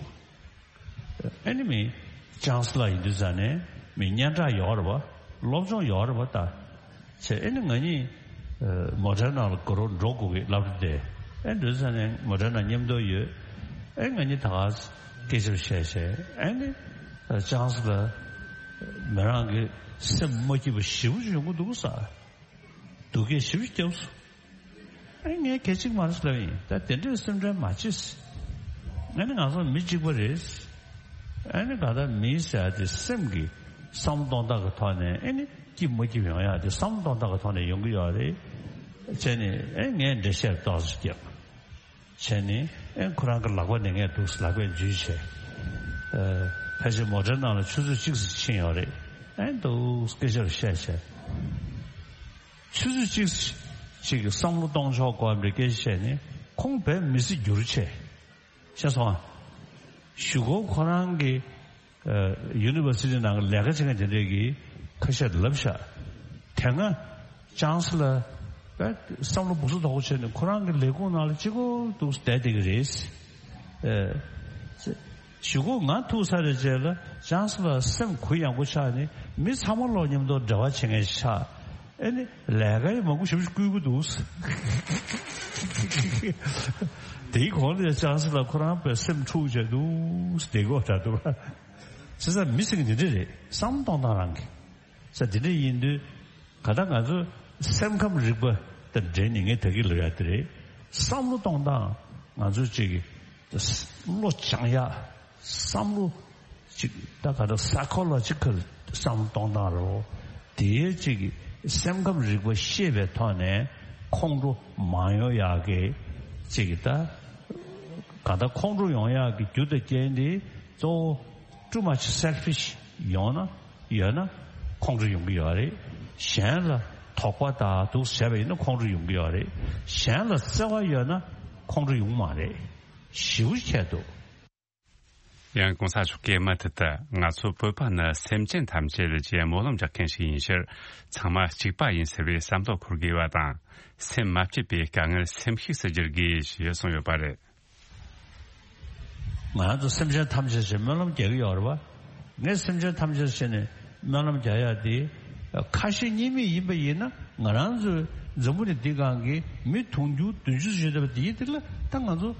ཨ་ནི་མི་ཅང་སི་ལར་ཡིན་དུས་ཙང་ནས་མི་སྙན་གྲགས་ཡོད་རེད་བ། སློབ་སྦྱོང་ཡོད་རེད་བ་ད། བྱས་ཨ་ནི་ང་གཉིས་མོ་ཊའི་ནང་ལ་འགྲོ་འགྲོ་དགོས་ཀྱི་སློབ་གྲྭ་དེ། ཨ་འདུས་ཙང་ནས་མོ་ཊའི་ནང་མཉམ་དུ་ཡོད། ཨ་ང་གཉིས་ད་ག་སྐད་ཆ་བཤད་བཤད་ཨ་ནི་ཅང་སི་ལར་མི་རང་གི་སེམས་མ་སྐྱིད་པ་ཞེ་པོ་ཅིག་ཡོང་གི་འདུག་ས། སྡུག་སྐད་ཞེ་པོ་ཅིག་བརྒྱབ་སོང་། ཨ་ངས་གལ་ཆེ་གི་མ་རེད་ལབ་ཡིན། ད་དེ་འདྲའི་སེམས་ཁྲལ་མ་བྱེད། ཨ་ནི་ང་ཚོ་མི་གཅིག་པ་རེད། ཨ་ནི་ག་ད་མི་ཟེར་ཡ་དེ་སེམས་ཀྱི་བསམ་བློ་གཏོང་སྟངས་ཀྱི་ཐོག་ནས་ཨ་ནི་སྐྱིད་མ་སྐྱིད་ཡོང་ཡ་དེ་བསམ་བློ་གཏོང་སྟངས་ཀྱི་ཐོག་ནས་ཡོང་གི་ཡོད་རེད། བྱས་ནས་ཨ་ངས་འགྲེལ་བཤད་ཏོག་ཙམ་བརྒྱབ། བྱས་ནས་ཨེ་ཁོ་རང་གི་ལག་པ་ནས་ངས་འདུག་ལག་པས་འཇུས་བྱས། ཨ་ཕལ་ཆེར་མོ་ཊའི་ནང་ལ་ཆུ་ཚོད་གཅིག་ཙམ་ཕྱིན་ཡོད་རེད། ཨེ་འདུག་སྐད་ཆ་རུ་བཤད་བྱས། ཆུ་ཚོད་གཅིག་ཅིག་གི་བསམ་བློ་གཏོང་ཆོག་གོ་བའི་སྐད་ཆ་བཤད་ནས་ཁོང་དཔེ་མི་སྲིད་འགྱུར་བྱས། ཤེས་སོང་ཨ། གཞུག་གུ་ཁོ་རང་གི་ཨ་ཡུ་ནི་ཝར་སི་ཊི་ནང་གི་ལས་ཀ་བྱེད་མཁན་དེ་འདྲས་ཀྱིས་ཁ་ཤས་ལབ་ཤག་དེ་སྔ་ཅང་སི་ལར་བསམ་བློ་སྦུག་སུ་དོག་པོ་བྱས་ནས་ཁོ་རང་གི་ལས་ཁུངས་ནང་ལ་གཅིག་པོ་འདུག་བསྡད་བསྡད་ཀྱི་རེད། ཨ་གཞུག་གུ་ང་ཐུག་ཚར་རེད་རྗེས་ལ་ཅང་སི་ལར་སེམས་གུ་ཡངས་པོ་ཆགས་ནས་མི་ཚང་མ་ལོག་མཉམ་དུ་འབྲེལ་བ་བྱེད་མཁན་ཞིག་ཆགས། ཨེ་ནི་ལས་ཀ་ཡི་མང་པོ་ཞེ་པོ་ཞིག་བསྐུལ་གྱི་འདུག་དེའི་གོང་ལ་ཅང་སི་ལར་ཁོ་རང་དཔེ་སེམས་འཁྲུག་བྱས་འདུག་དེ་གོ་ད་འདུག་བྱས་ཙང་མི་ཟེར་མཁན་འདི་འདྲ་རེད། བསམ་བློ་གཏོང་སྟངས་རང་གི་ས་འདི་འདྲ་ཡིན་དུས་ག་ད་ང་ཚོ་སེམས་ཁམས་རིག་པ་དང་འབྲེལ་ནས་ངས་ད་གིན་ལབ་ཡ་དེ་རེད། བསམ་བློ་གཏོང་སྟངས་ང་ཚོ་གཅིག་གི་བློ་སྦྱང་ཡ། བསམ་བློ་ཅིག་ད་ག་ད་སའི་ཁོ་ལོ་ཇི་ཀལ་བསམ་བློ་གཏོང་སྟངས་རེད། དེའི་ཅིག་སེམས་ཁམས་རིག་པ་ཤེས་པའི་ཐོག་ནས་ཁོང་ཁྲོ་མ་ཡོང་ཡག་གི་ཅིག་ད་ག་ད་ཁོང་ཁྲོ་ཡོང་ཡག་གི་རྒྱུ་དང་རྐྱེན་དེ་གཙོ་བོ་too much selfish ཡོང་ན་ཡོད་ན་ཁོང་ཁྲོ་ཡོང་གི་ཡོད་རེད། གཞན་ལ་དོགས་པ་དང་འདུག་བྱས་པ་ཡིན་ན་ཁོང་ཁྲོ་ཡོང་གི་ཡོད་རེད། གཞན་ལ་བརྩེ་བ་ཡོད་ན་ཁོང་ཁྲོ་ཡོང་མ་རེད། ཞེ་པོ་ཁྱད་འདུག་ཡང་གོང་ས་མཆོག་གིས་མུ་མཐུད་དུ་ང་ཚོ་བོད་པ་ནི་སེམས་ཅན་ཐམས་ཅད་ཀྱི་སྨོན་ལམ་རྒྱག་མཁན་ཞིག་ཡིན་ཕྱིར་ཚང་མ་གཅིག་པ་ཡིན་ཟེར་བའི་བསམ་བློ་འཁོར་དགོས་པ་དང་། སེམས་མ་སྐྱིད་པའི་དཀའ་ངལ་སེམས་ཤུགས་སུ་འགྱུར་དགོས་ཞེས་གསུངས་ཡོད་པ་རེད། ང་རང་ཚོ་སེམས་ཅན་ཐམས་ཅད་ཞེས་སྨོན་ལམ་རྒྱག་གི་ཡོད་རེད་བ། ངས་སེམས་ཅན་ཐམས་ཅད་ཞེས་ནས་སྨོན་ལམ་རྒྱག་ཡ་དེ། ཁ་ཞེ་གཉིས་མེད་ཡིན་པ་ཡིན་ན་ང་རང་ཚོའི་འཛམ་བུ་གླིང་འདི་སྒང་གི་མི་དུང་ཕྱུར་བདུན་ཅུ་ཙམ་ཡོད་བསྡད་པ་དེའི་དེ་ལ་ད་ང་ཚོ་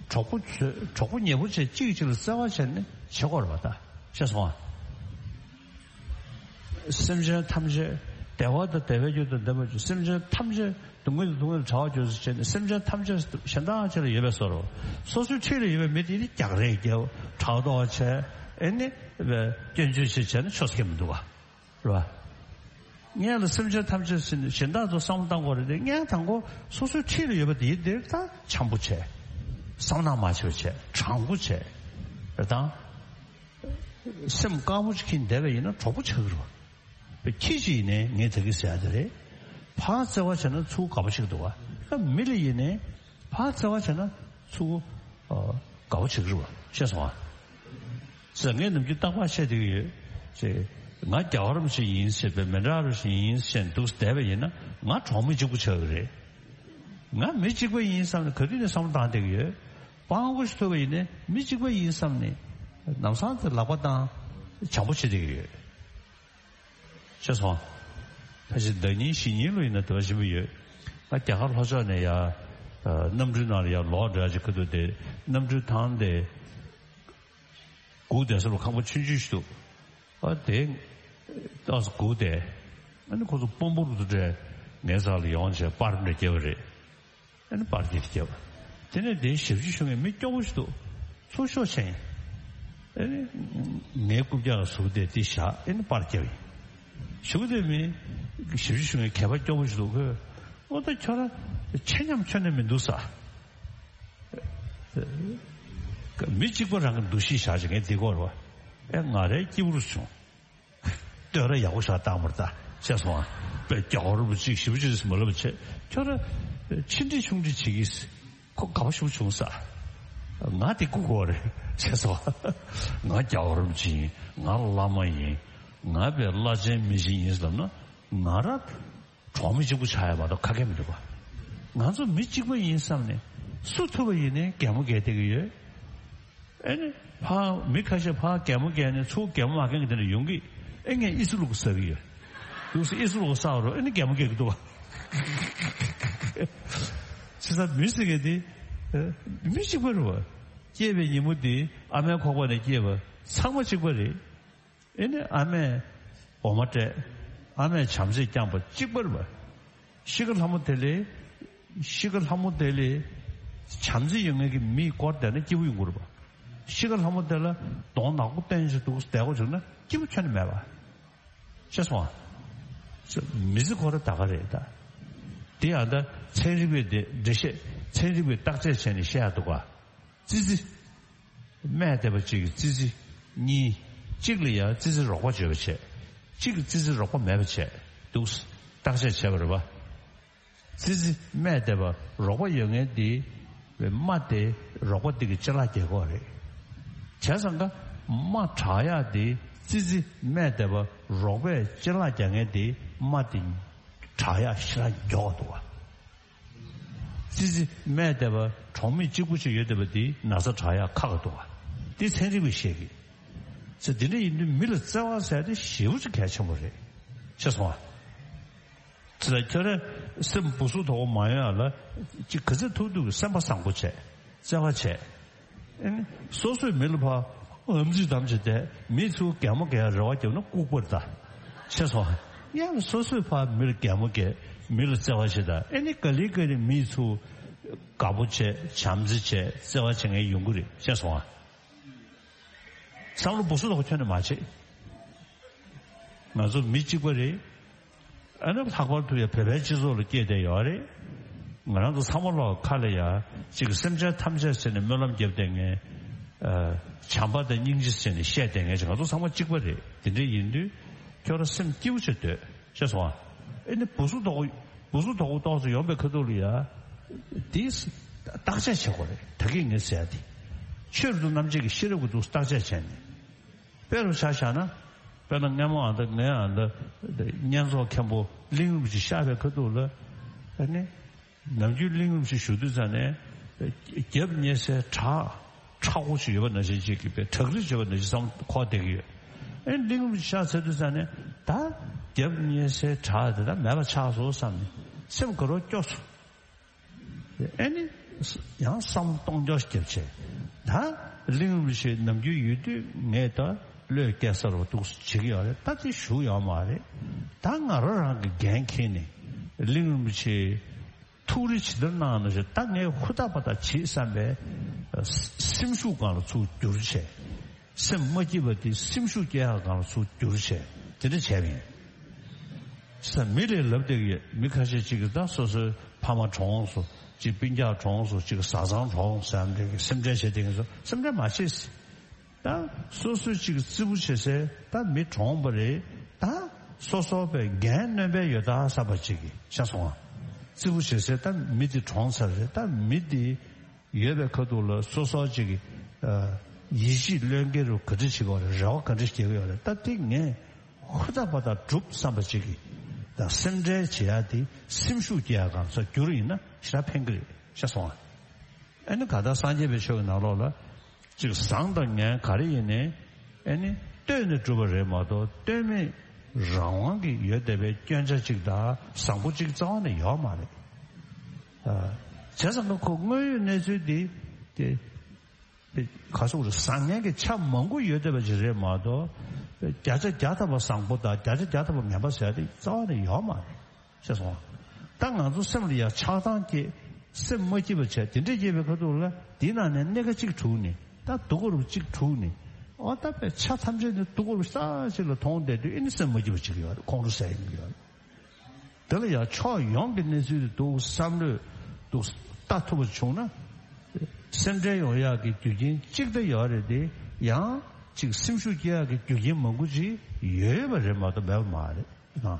གྲོགས་པོ་ཚོས་གྲོགས་པོ་ཉེ་པོ་བྱས་གཅིག་གིས་གཅིག་ལ་བརྩེ་བ་བྱས་ནས་བྱེད་དགོས་རེད་བ་ད། ཤེས་སོང་ཨ། སེམས་ཅན་ཐམས་ཅད་བདེ་བ་དང་བདེ་བའི་རྒྱུ་དང་ལྡན་པ་བཅུ། སེམས་ཅན་ཐམས་ཅད་སྡུག་བསྔལ་དང་སྡུག་བསྔལ་བྲལ་བར་གྱུར་ཅིག་བྱས་ནས་སེམས་ཅན་ཐམས་ཅད་གཞན་དག་ཅིག་ལ་ཡོད་པའི་བཟོ་འདྲ། སོ་སོའི་འཁྲིས་ལ་ཡོད་པའི་མི་དེ་ནི་རྒྱག་རེས་རྒྱབ། ཕྲག་དོག་བྱས། ཨེ་ནི་སྐྱོན་བརྗོད་བྱས་བྱས་ན་ཆོས་སྐད་མི་འདུག་བ། རེད་བ། སྔོན་ལ་སེམས་ཅན་ཐམས་ཅད་ཟེར་ནས་གཞན་དག་ཚོ་བསམ་བློ་བཏང་དགོས་རེད་དེ། སྔོན་དང་པོ་སོ་སོའི་འཁྲིས་ལ་ཡོད་པ་དེ་དེར་ད་འཆམ་པོ་བྱས། བསམ་ནག་མ་བྱེད་པ་བྱས། དྲང་པོ་བྱས། རེད་དང་། སེམས་དཀར་པོ་ཅིག་གིས་བསྡད་པ་ཡིན་ན་གྲོགས་པོ་ཆགས་ཀྱི་རེད་བ། ཁྱི་ཅིག་ཡིན་ནའི་ངས་ད་གིན་ཟེར་ཡ་དེ་རེད། ཕར་བརྩེ་བ་བྱས་ན་ཚུར་དགའ་པོ་ཆགས་ཀྱི་འདུག་བ། མི་ལ་ཡིན་ནའི་ཕར་བརྩེ་བ་བྱས་ན་ཚུར་ཨ་དགའ་པོ་ཆགས་ཀྱི་རེད་བ། ཤེས་སོང་ང་། ཟེར་ངས་ནམ་རྒྱུན་རྟག་པར་བཤད་བསྡད་ཀྱི་ཡོད། ཅེས། ང་རྒྱལ་བ་རིན་པོ་ཆེ་ཡིན་ཟེར་བའི་མི་འདྲ་རུ་ཞིག་ཡིན་ཟེར་འདུག་བསྡད་པ་ཡིན་ན་ང་གྲོགས་མི་གཅིག་པུ་ཆགས་ཀྱི་རེད། ང་མི་གཅིག་པ་ཡིན་བསམ་ནས་ག་དུས་ནས་བསམ་བློ་བཏང་བསྡད་ཀྱི་ཡོད། སྤྲང་པོ་ཞིག་ཐུག་པ་ཡིན་ནའི་མི་གཅིག་པ་ཡིན་བསམ་ནས་ལམ་སང་དེ་ལག་པ་བཏང་། བྱམས་པོ་བྱེད་བསྡད་ཀྱི་ཡོད། ཤེས་སོང་། ཕལ་ཆེར་ཟླ་ཉིན་བཞི་ཉིན་ལོ་ཡིན་ན་དེ་བ་ཞིམ་པོ་ཡོད། ང་རྒྱ་གར་ལྷོ་ཕྱོགས་ནས་ཡ། ཨ། གནམ་གྲུའི་ནང་ལ་ཡ་ལོག་འགྲོ་ཡ་ཅིག་ཁ་ཐུག་དེ་གནམ་གྲུའི་ཐང་དེ་སྒུག་བསྡད་ས་ལ་ཁང་པ་ཆུང་ཆུང་ཞིག་འདུག་ཨ། དེ་ཏོག་ཙམ་སྒུག་བསྡད། ཨ་ནི་ཁོ་ཚོ་དཔོན་པོ་རུ་འདྲ་ངའི་ས་ལ་ཡོང་བྱས་པར་འདྲ་བརྒྱབ་པ་རེད། ཨ་ནི་པར་འདི་བརྒྱབ། དེ་ནས་དེའི་ཞབས་ཕྱི་ཞུ་མཁན་མི་སྐྱོ་པོ་ཞིག་འདུག་ཚུར་ཤོག་བྱས་ཡིན། ཨ་ནི་ངའི་རྐུབ་བཀྱག་ལ་ཟུག་བསྡད་དེ་བཞག་ཨ་ནི་པར་བརྒྱབ་ཡིན། ཞུ་གི་དེ་མི་ཞབས་ཕྱི་ཞུ་མཁན་གད་པ་སྐྱོ་པོ་ཞིག་འདུག་ཁོས། ཨོ་ད་ཁྱོད་རང་ཆེ་ཉམས་ཁྱོན་ནས་མི་འདུག་ས། མི་གཅིག་པ་རང་གི་འདུ་ཤེས་བཞག་བྱས་ངས་འདི་སྐོར་བ། ཨེ་ང་རའི་སྐྱིད་པོ་རུ་བྱུང་། བསྟོད་ར་ཡག་པོ་ཞིག་བཏང་བར་ད་བྱས་སོང་ཨ། དཔེ་རྒྱ་གར་རིན་པོ་ཆེ་ཞེ་པོ་ཅིག་མ་ལབ་བྱས་ཁྱོད་ར་ཆེ་འདྲི་ཆུང་འདྲི་བྱེད་ཀྱིས་ཁོ་དགའ་པོ་ཞེ་པོ་བྱུང་ས། ང་དེ་སྒུག་དགོས་རེད་བྱས་སོང་ཨ། ང་རྒྱ་གར་རིན་པོ་ཆེ་ཡིན། ང་བླ་མ་ཡིན། ང་དཔེ་བླ་ཆེན་མི་ཆེན་ཡིན་ཟེར་ན་ང་ར། གྲོགས་མི་གཅིག་པུ་ཆགས་ཡ་མ་གཏོགས་ཁ་སྐད་མི་འདུག་ག་ང་ཚོ་མི་གཅིག་པ་ཡིན་བསམ་ནས་སུ་ཐུབ་པ་ཡིན་ནའི་གད་མོ་བགད་བསྡད་ཀྱི་ཡོད། ཨེ་ནི་ཕར་མི་ཁ་ཤས་ཕར་གད་མོ་བགད་ནས་ཚུར་གད་མོ་མ་བགད་མཁན་དེ་འདྲ་ཡོང་གི་ཨེ་ངས་ཨི་སི་ལུག་ཟ་གི་ཡོད། འདུག་སེ་ཨི་སི་ལུག་ཟ་བ་རུ་ཨེ་ནི་གད་མོ་བགད་ཀྱི་འདུག་ག་བྱས་ཙང་མི་ཟེར་མཁན་དེ་ཨེ་མི་གཅིག་པ་རེད་བ། སྐྱེས་པའི་ཉིན་མོ་དེ་ཨ་མའི་ཁོག་པ་ནས་སྐྱེས་པ་ཚང་མ་གཅིག་པ་རེད། ཨེ་ནི་ཨ་མས་འོ་མ་སྤྲད། ཨ་མས་བྱམས་བརྩེས་བསྐྱངས་པ་གཅིག་པ་རེད་པ། ཤི་ཁ་ལྷ་མོ་དེ་ལས། ཤི་ཁ་ལྷ་མོ་དེ་ལས། བྱམས་བརྩེ་ཡོད་མཁན་གྱི་མིའི་སྐོར་བསྡད་ན་སྐྱིད་པོ་ཡོང་གི་རེད་པ། ཤི་ཁ་ལྷ་མོ་དེ་ལ་གདོང་ནག་པོ་བསྟན་བྱས་འདུག་བསྡད་དགོས་བྱུང་ན་སྐྱིད་པོ་ཁྱོན་ནས་མེད་པ། ཤེས་སོང་ཨ། མི་ཚེ་ཁོ་ར་ད་ག་རེད་ད། དེ་ཡང་ད་ཚན་རིག་པའི་འགྲེལ་བཤད་ཚན་རིག་པའི་བརྟག་དཔྱད་བྱས་ནས་བཤད་ཡ་འདུག་ག་ཙི་ཙི། སྨས་བསྡད་པ་གཅིག་གིས་ཙི་ཙི་གཉིས། གཅིག་ལ་ཡང་ཙི་ཙི་རོགས་པ་བྱེད་པ་བྱས། གཅིག་གིས་ཙི་ཙི་རོགས་པ་མེད་པ་བྱས་འདུག་བརྟག་དཔྱད་བྱས་པ་རེད་པ། ཙི་ཙི་སྨས་བསྡད་པ་རོགས་པ་ཡོད་མཁན་དེ་རྨ་དེ་རོགས་པ་དེ་གི་ཅ་ལག་རྒྱག་གི་རེད། བྱས་ཙང་ཀ་རྨ་དྲག་ཡག་དེ་ཙི་ཙི་སྨས་བསྡད་པ་རོགས་པས་ཅ་ལག་རྒྱག་མཁན་དེ་རྨ་དེ་དྲག་ཡག་ཞེ་དྲག་མགྱོགས་འདུག་བ། ཙི་ཙི་སྨས་བསྡད་པ་གྲོགས་མེད་གཅིག་པུ་ཅིག་ཡོད་བསྡད་པ་དེ་ན་ཚ་དྲག་ཡག་ཁག་གི་འདུག་བ། དེ་ཚན་རིག་པས་བཤད་གི་ཚེ་འདི་འདྲ་ཡིན་དུས་མི་ལ་བརྩེ་བ་ཟེར་དེ་ཞེ་པོ་ཅིག་གལ་ཆེན་པོ་རེད། ཤེས་སོང་ཨ། ཚེ་ལ་ཁྱོད་རང་སེམས་སྦུ་སུབ་དོག་པོ་མ་ཡོང་ཡག་ལ་ཅིག་ག་ཚོད་ཐུབ་ཐུབ་ཀྱི་སེམས་པ་བཟང་པོ་བྱས། བརྩེ་བ་བྱས། ཨེ་ནི་སོ་སོས་མི་ལ་ཕར་ཨམ་ཙི་དམ་ཅིག་བསྡད་མི་ཚུར་གད་མོ་བགད་རེ་བ་བརྒྱབ་ན་ལྐུགས་པར་ད། ཤེས་སོང་། ཡང་སོ་སོས་ཕར་མི་ལ་གད་མོ་བགད་མི་ལ་བརྩེ་བ་བྱེད་ད་ཨེ་ནི་ག་ལེ་ག་ལེ་མི་ཚུར་དགའ་པོ་བྱས་བྱམས་བརྩེ་བྱས་བརྩེ་བ་བྱེད་མཁན་ཡོང་གི་རེད། ཤེས་སོང་ཨ། བསམ་བློ་སྦུ་སུབ་དོག་པོ་ཁྱོན་ནས་མ་བྱེད། ང་ཚོ་མི་གཅིག་པ་རེད། ཨ་ནི་ལྷག་པར་དུ་ཡང་བོད་པའི་སྤྱི་ཚོགས་ལ་སྐྱེས་བསྡད་ཡོད་རེད། ང་རང་ཚོ་ཚང་མ་ལོག་ཁ་ལ་ཡ་གཅིག་སེམས་ཅན་ཐམས་ཅད་ཟེར་ནས་སྨོན་ལམ་བརྒྱབ་བསྡད་མཁན། ཨ། བྱམས་པ་དང་སྙིང་རྗེ་ཟེར་ནས་བཤད་བསྡད་མཁན་ཅིག་ང་ཚོ་ཚང་མ་གཅིག་པ་རེད། དེ་འདྲ་ཡིན་དུས་ཁྱོད་རང་སེམས་སྐྱིད་པོ་བྱས་སྡོད། ཤེས་སོང་ཨ། ཨེ་ནི་སྦུ་སུབ་དོག་པོ་སྦུ་སུབ་དོག་པོ་ཏོག་ཙམ་ཡོང་པའི་ཁ་ཐུག་ལ་ཡ། དེས་བརྟག་དཔྱད་བྱེད་དགོས་རེད། ད་གིན་ངས་ཟེར་ཡ་དེ། ཆོས་རབ་ཏུ་རྣམ་འབྱེད་ཀྱི་ཤེས་རབ་ཀྱི་འདུག་བརྟག་དཔྱད་བྱས་ནས། དཔེ་རུ་ཆ་བཞག་ན། དཔེར་ན་སྔ་མོ་ཨ་མདའ་ངའི་ཨ་མདའ་བསྙེན་རྫོགས་མཁན་པོ་གླིང་རིན་པོ་ཆེ་གཤེགས་པའི་ཁ་ཐུག་ལ། ཨ་ནི། ནམ་རྒྱུན་གླིང་རིན་པོ་ཆེ་བཞུགས་དུས་ཙ་ནས། རྒྱབ་བསྙེན་སའི་བྲག་མཁྲེགས་པོ་ཞིག་ཡོད་པ་ནང་བཞིན་ཅིག་གི་དཔེ་བྲག་རི་ཡོད་པ་ནང་བཞིན་བསམ་འཁོར་བསྡད་ཀྱི་ཡོད། ཨ་ནི་གླིང་རིན་པོ་ཆེ་གཤེགས་ཚར་དུས་ཙ་ནས་ད། རྒྱབ་བསྙེན་སའི་བྲག་དེ་ད་མེད་པ་ཆགས་སོང་བསམ་ནས་སེམས་དགའ་རབ་སྐྱོ་སོང་། ཨེ་ནི། ཡང་བསམ་བློ་གཏོང་རྒྱུ་ཞིག་བརྒྱབ་བྱས། ད་གླིང་རིན་པོ་ཆེ་ནམ་རྒྱུན་ཡོད་དུས་ངས་ད་བློས་སྐྱེལ་ས་རུ་འདུག་བྱེད་ཀྱི་ཡོད་རེད། ད་དེ་བཞུགས་ཡོད་མ་རེད། ད་ང་རང་རང་གི་འགན་འཁྱེར་ནས་གླིང་རིན་པོ་ཆེ་ཐུགས་རེ་ཇི་ལྟར་གནང་ན་ཞེས་ད་ངས་ཧུར་ཐག་པ་ཐག་བྱེད་བསམ་པའི་སེམས་ཤུགས་སྒང་ལ་ཚུར་བསྒྱུར་བྱས། སེམས་མ་སྐྱིད་པ་དེ་སེམས་ཤུགས་སྐྱེ་ཡག་སྒང་ལ་ཚུར་བསྒྱུར་བྱས་དེ་འདྲ་བྱས་པ་ཡིན། ས་མི་ལས་ལབ་བསྡད་ཀྱི་ཡོད། མི་ཁ་ཤས་ཅིག་གིས་ད་སོ་སོའི་ཕ་མ་གྲོངས་སོང་། ཅིག་སྤུན་ཀྱག་གྲོངས་སོང་། ཅིག་བཟའ་ཚང་གྲོངས་སོང་ཟེར་ཡ་འདྲ་གི་སེམས་ཁྲལ་བྱེད་བསྡད་མཁན་ཚོ་སེམས་ཁྲལ་མ་བྱེད། ད་སོ་སོའི་ཅིག་རྩེ་པོ་བྱེད་སའི་ད་མི་གྲོངས་པ་རེད། ད་སོ་སོ་པའི་འགན་གནོད་པའི་ཡོད་ད་བསམ་པ་ཅིག་གིས་ཤ་སོང་བ། རྩེ་པོ་བྱེད་སའི་ད་མི་དེ་གྲོངས་ཚར་རེད། ད་མི་དེ། ཡོད་པའི་ཁ་ཐུག་ལ་སོ་སོ་ཅིག་གི་ཨ་ཡིད་ཆེས་བློས་འགེལ་རུ་ག་འདྲ་བྱེད་ཀྱི་ཡོད་རེད། རེ་བ་ག་འདྲ་བྱེད་ཀྱི་ཡོད་རེད། ད་དེ་ངས་ཧུར་ཐག་པ་ཐག་སྒྲུབ་བསམ་པ་ཅིག་གི་ད་སེམས་ཁྲལ་བྱེད་ཡ་དེ་སེམས་ཤུགས་སྐྱེ་ཡ་གང་ས་བསྒྱུར་ཡིན་ན་ཞེ་དྲག་ཕན་གི་རེད་ཤ་སོང་ཨ། ཨ་ནི་ག་ད་སངས་རྒྱས་པའི་ཆོས་ཀྱི་ནང་ལོགས་ལ་ཅིག་བཟང་དང་ངན་ག་རེ་ཡིན་ནའི་ཨ་ནི་ལྟོས་ནས་སྒྲུབ་པ་རེད་མ་གཏོགས་ལྟོས་མེད། རང་དབང་གི་ཡོད་བསྡད་པའི་སྐྱོན་ཆ་གཅིག་དང་བཟང་པོ་གཅིག་རྩ་བ་ནས་ཡོད་མ་རེད། ཨ། བྱས་ཙང་ཁོ་དངོས་ཡོད་གནས་ཚུལ་འདི་དེ། ག་སོག་རེད། བཟང་ངན་གྱི་ཆ་མང་པོ་ཡོད་བསྡད་པ་ཅིག་རེད་མ་གཏོགས། བརྒྱ་ཆ་བརྒྱ་ཐམ་པ་བཟང་པོ་དང་བརྒྱ་ཆ་བརྒྱ་ཐམ་པ་ངན་པ་ཟེར་ཡ་དེ་རྩ་བ་ནས་ཡོད་མ་རེད། ཤེས་སོང་། ད་ང་ཚོ་སེམས་ལ་ཡ་ཆགས་སྡང་སྐྱེ། སེམས་མ་སྐྱིད་པ་བྱས། དེ་འདྲས་སྐྱེས་པའི་ཁ་ཐུག་ལ་དེའི་ནང་ནས་སྣེ་ཁ་གཅིག་དྲུག་ནས་ད་སྡུག་གུ་རུ་གཅིག་དྲུག་ནས། འོ་ད་པའི་ཆ་ཐམས་ཅད་ནི་སྡུག་གུ་རུ་ས་གཅིག་ལ་མཐོང་བསྡད་དུས་ཨེ་ནི་སེམས་མ་སྐྱིད་པ་ཅིག་ཡོད་རེད། ཁོང་ཁྲོ་ཟ་ཡི་ཡོད་རེད། དེ་ལ་ཡང་ཕྱོགས་ཡོངས་ཀྱི་གནས་ཚུལ་དེ་འདུག་བསམ་བློས་འདུག་ལྟ་ཐུབ་པ་བྱུང་ན། སེམས་ཁྲལ་ཡོང་ཡག་གི་རྒྱུ་རྐྱེན་གཅིག་ད་ཡོད་རེད་དེ། ཡང་གཅིག་སེམས་ཤུགས་སྐྱེ་ཡག་གི་རྒྱུ་རྐྱེན་མང་པོ་ཅིག་ཡོད་པ་རེད་མ་གཏོགས་མེད་པ་མ་རེད།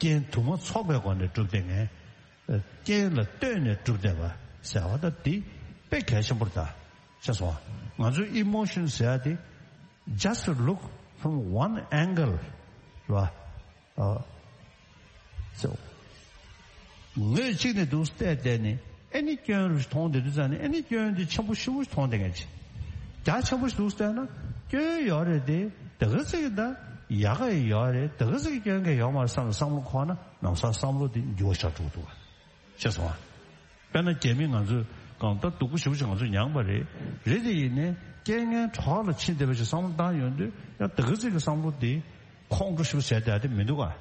རྐྱེན་དུ་མ་ཚོགས་པའི་སྒོ་ནས་གྲུབ་བསྡད་མཁན། རྐྱེན་ལ་ལྟོས་ནས་གྲུབ་བསྡད་པ་ཟེར་བ་ད་དེ་དཔེ་གལ་ཆེན་པོ་རེད་ད། ཤེས་སོང་། ང་ཚོའི་ཨི་མོ་ཤོན་ཟེར་ཡ་དེ། Just look from one angle. རེད་བ། ཨ། སོ། ངོས་གཅིག་ནས་འདུག་བལྟས་བལྟས་ནས་ཨེ་ནི་སྐྱོན་རུ་མཐོང་བསྡད་དུས་ཙང་ནས་ཨེ་ནི་སྐྱོན་འདི་ཆེན་པོ་ཞེ་པོ་མཐོང་བསྡད་མཁན་ཅིག་རྒྱ་ཆེན་པོ་ཞིག་འདུག་བལྟས་ན་སྐྱོན་ཡོད་རེད་དེ། དེ་ག་ཚོད་ཀྱི་ད་ཡག་ག་ཡོད་རེད། དེ་ག་ཚོད་ཀྱི་སྐྱོན་ག་ཡོད་མ་རེད་བསམ་བསམ་བློ་འཁོར་ན་ལམ་སང་བསམ་བློ་དེ་འགྱུར་བ་ཆགས་འགྲོ་གི་འདུག་བ། ཤེས་སོང་ཨ། དཔེར་ན་རྒྱ་མི་ང་ཚོས་གང་ལྟར་སྡུག་པོ་ཞེ་པོ་ཅིག་ང་ཚོས་མྱངས་པ་རེད། རེད་དེ་ཡིན་ནའི་རྐྱེན་ངན་གྲོགས་ལ་ཕྱིན་བསྡད་པ་ཞིག་བསམ་བློ་བཏང་ཡོང་དུས་ཡང་དེ་ག་ཚོད་ཀྱི་བསམ་བློ་དེ་ཁོང་ཁྲོ་ཞེ་པོ་བྱས་བསྡད་ཡ་དེ་མི་འདུག་ག།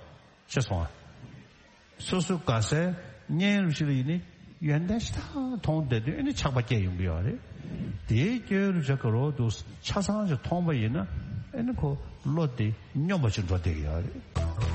ཤེས་སོང་ཨ། སོ་སོ་དགའ་སའི་གཉེན་རུ་ཞིག་ལ་ཡིན་ནའི་ཡོན་ཏན་ཞེ་དྲག་མཐོང་བསྡད་དུས་ཨེ་ནི་ཆགས་པ་སྐྱེ་ཡོང་གི་ཡོད་རེད། དེའི་སྐྱོན་རུ་ཞིག་ག་རོ་འདུག་ཆ་ཚང་ཞིག་མཐོང་པ་ཡིན་ན་ཨེ་ནི་ཁོ་བློ་དེ་སྙོམས་པ་ཞིག་འགྲོ་བསྡད་ཀྱི་ཡོད་རེད།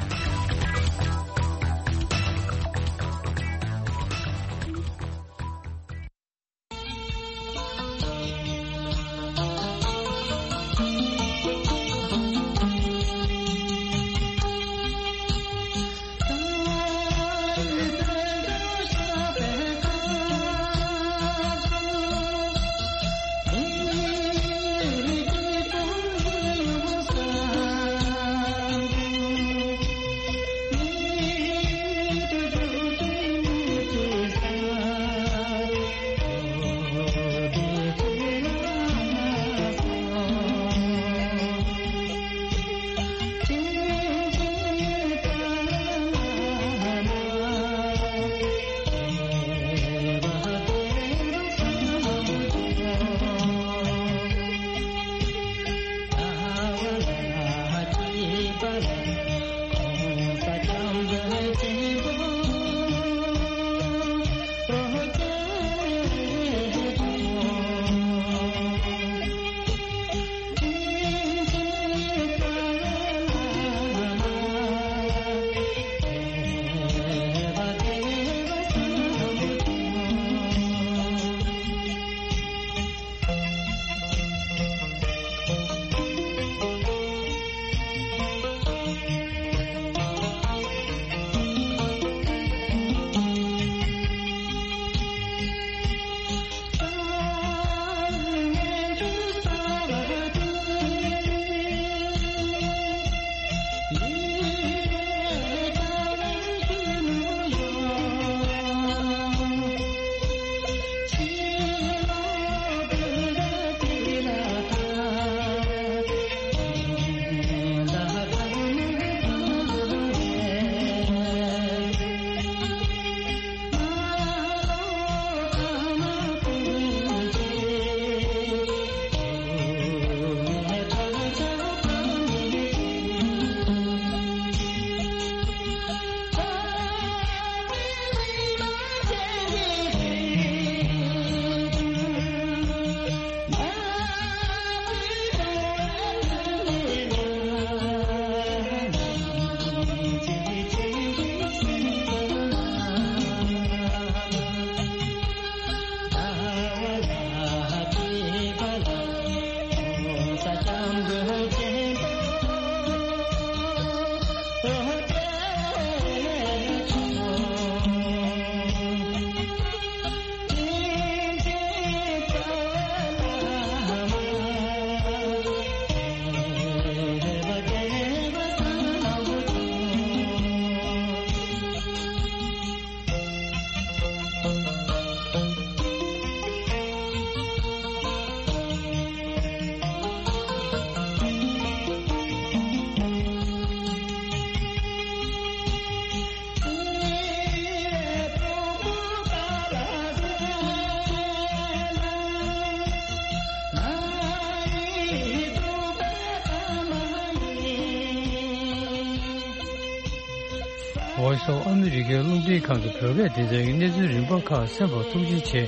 Voice of America རླུང་འཕྲིན་ཁང་གི་བོད་སྐད་སྡེ་ཚན་གྱི་གནས་ཚུལ་རིམ་པ་ཁག་གསན་པར་ཐུགས་རྗེ་ཆེ།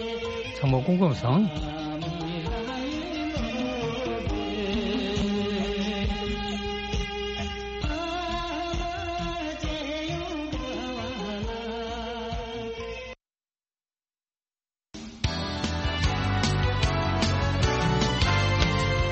ཚང་མ་སྐུ་ཁམས་བཟང་།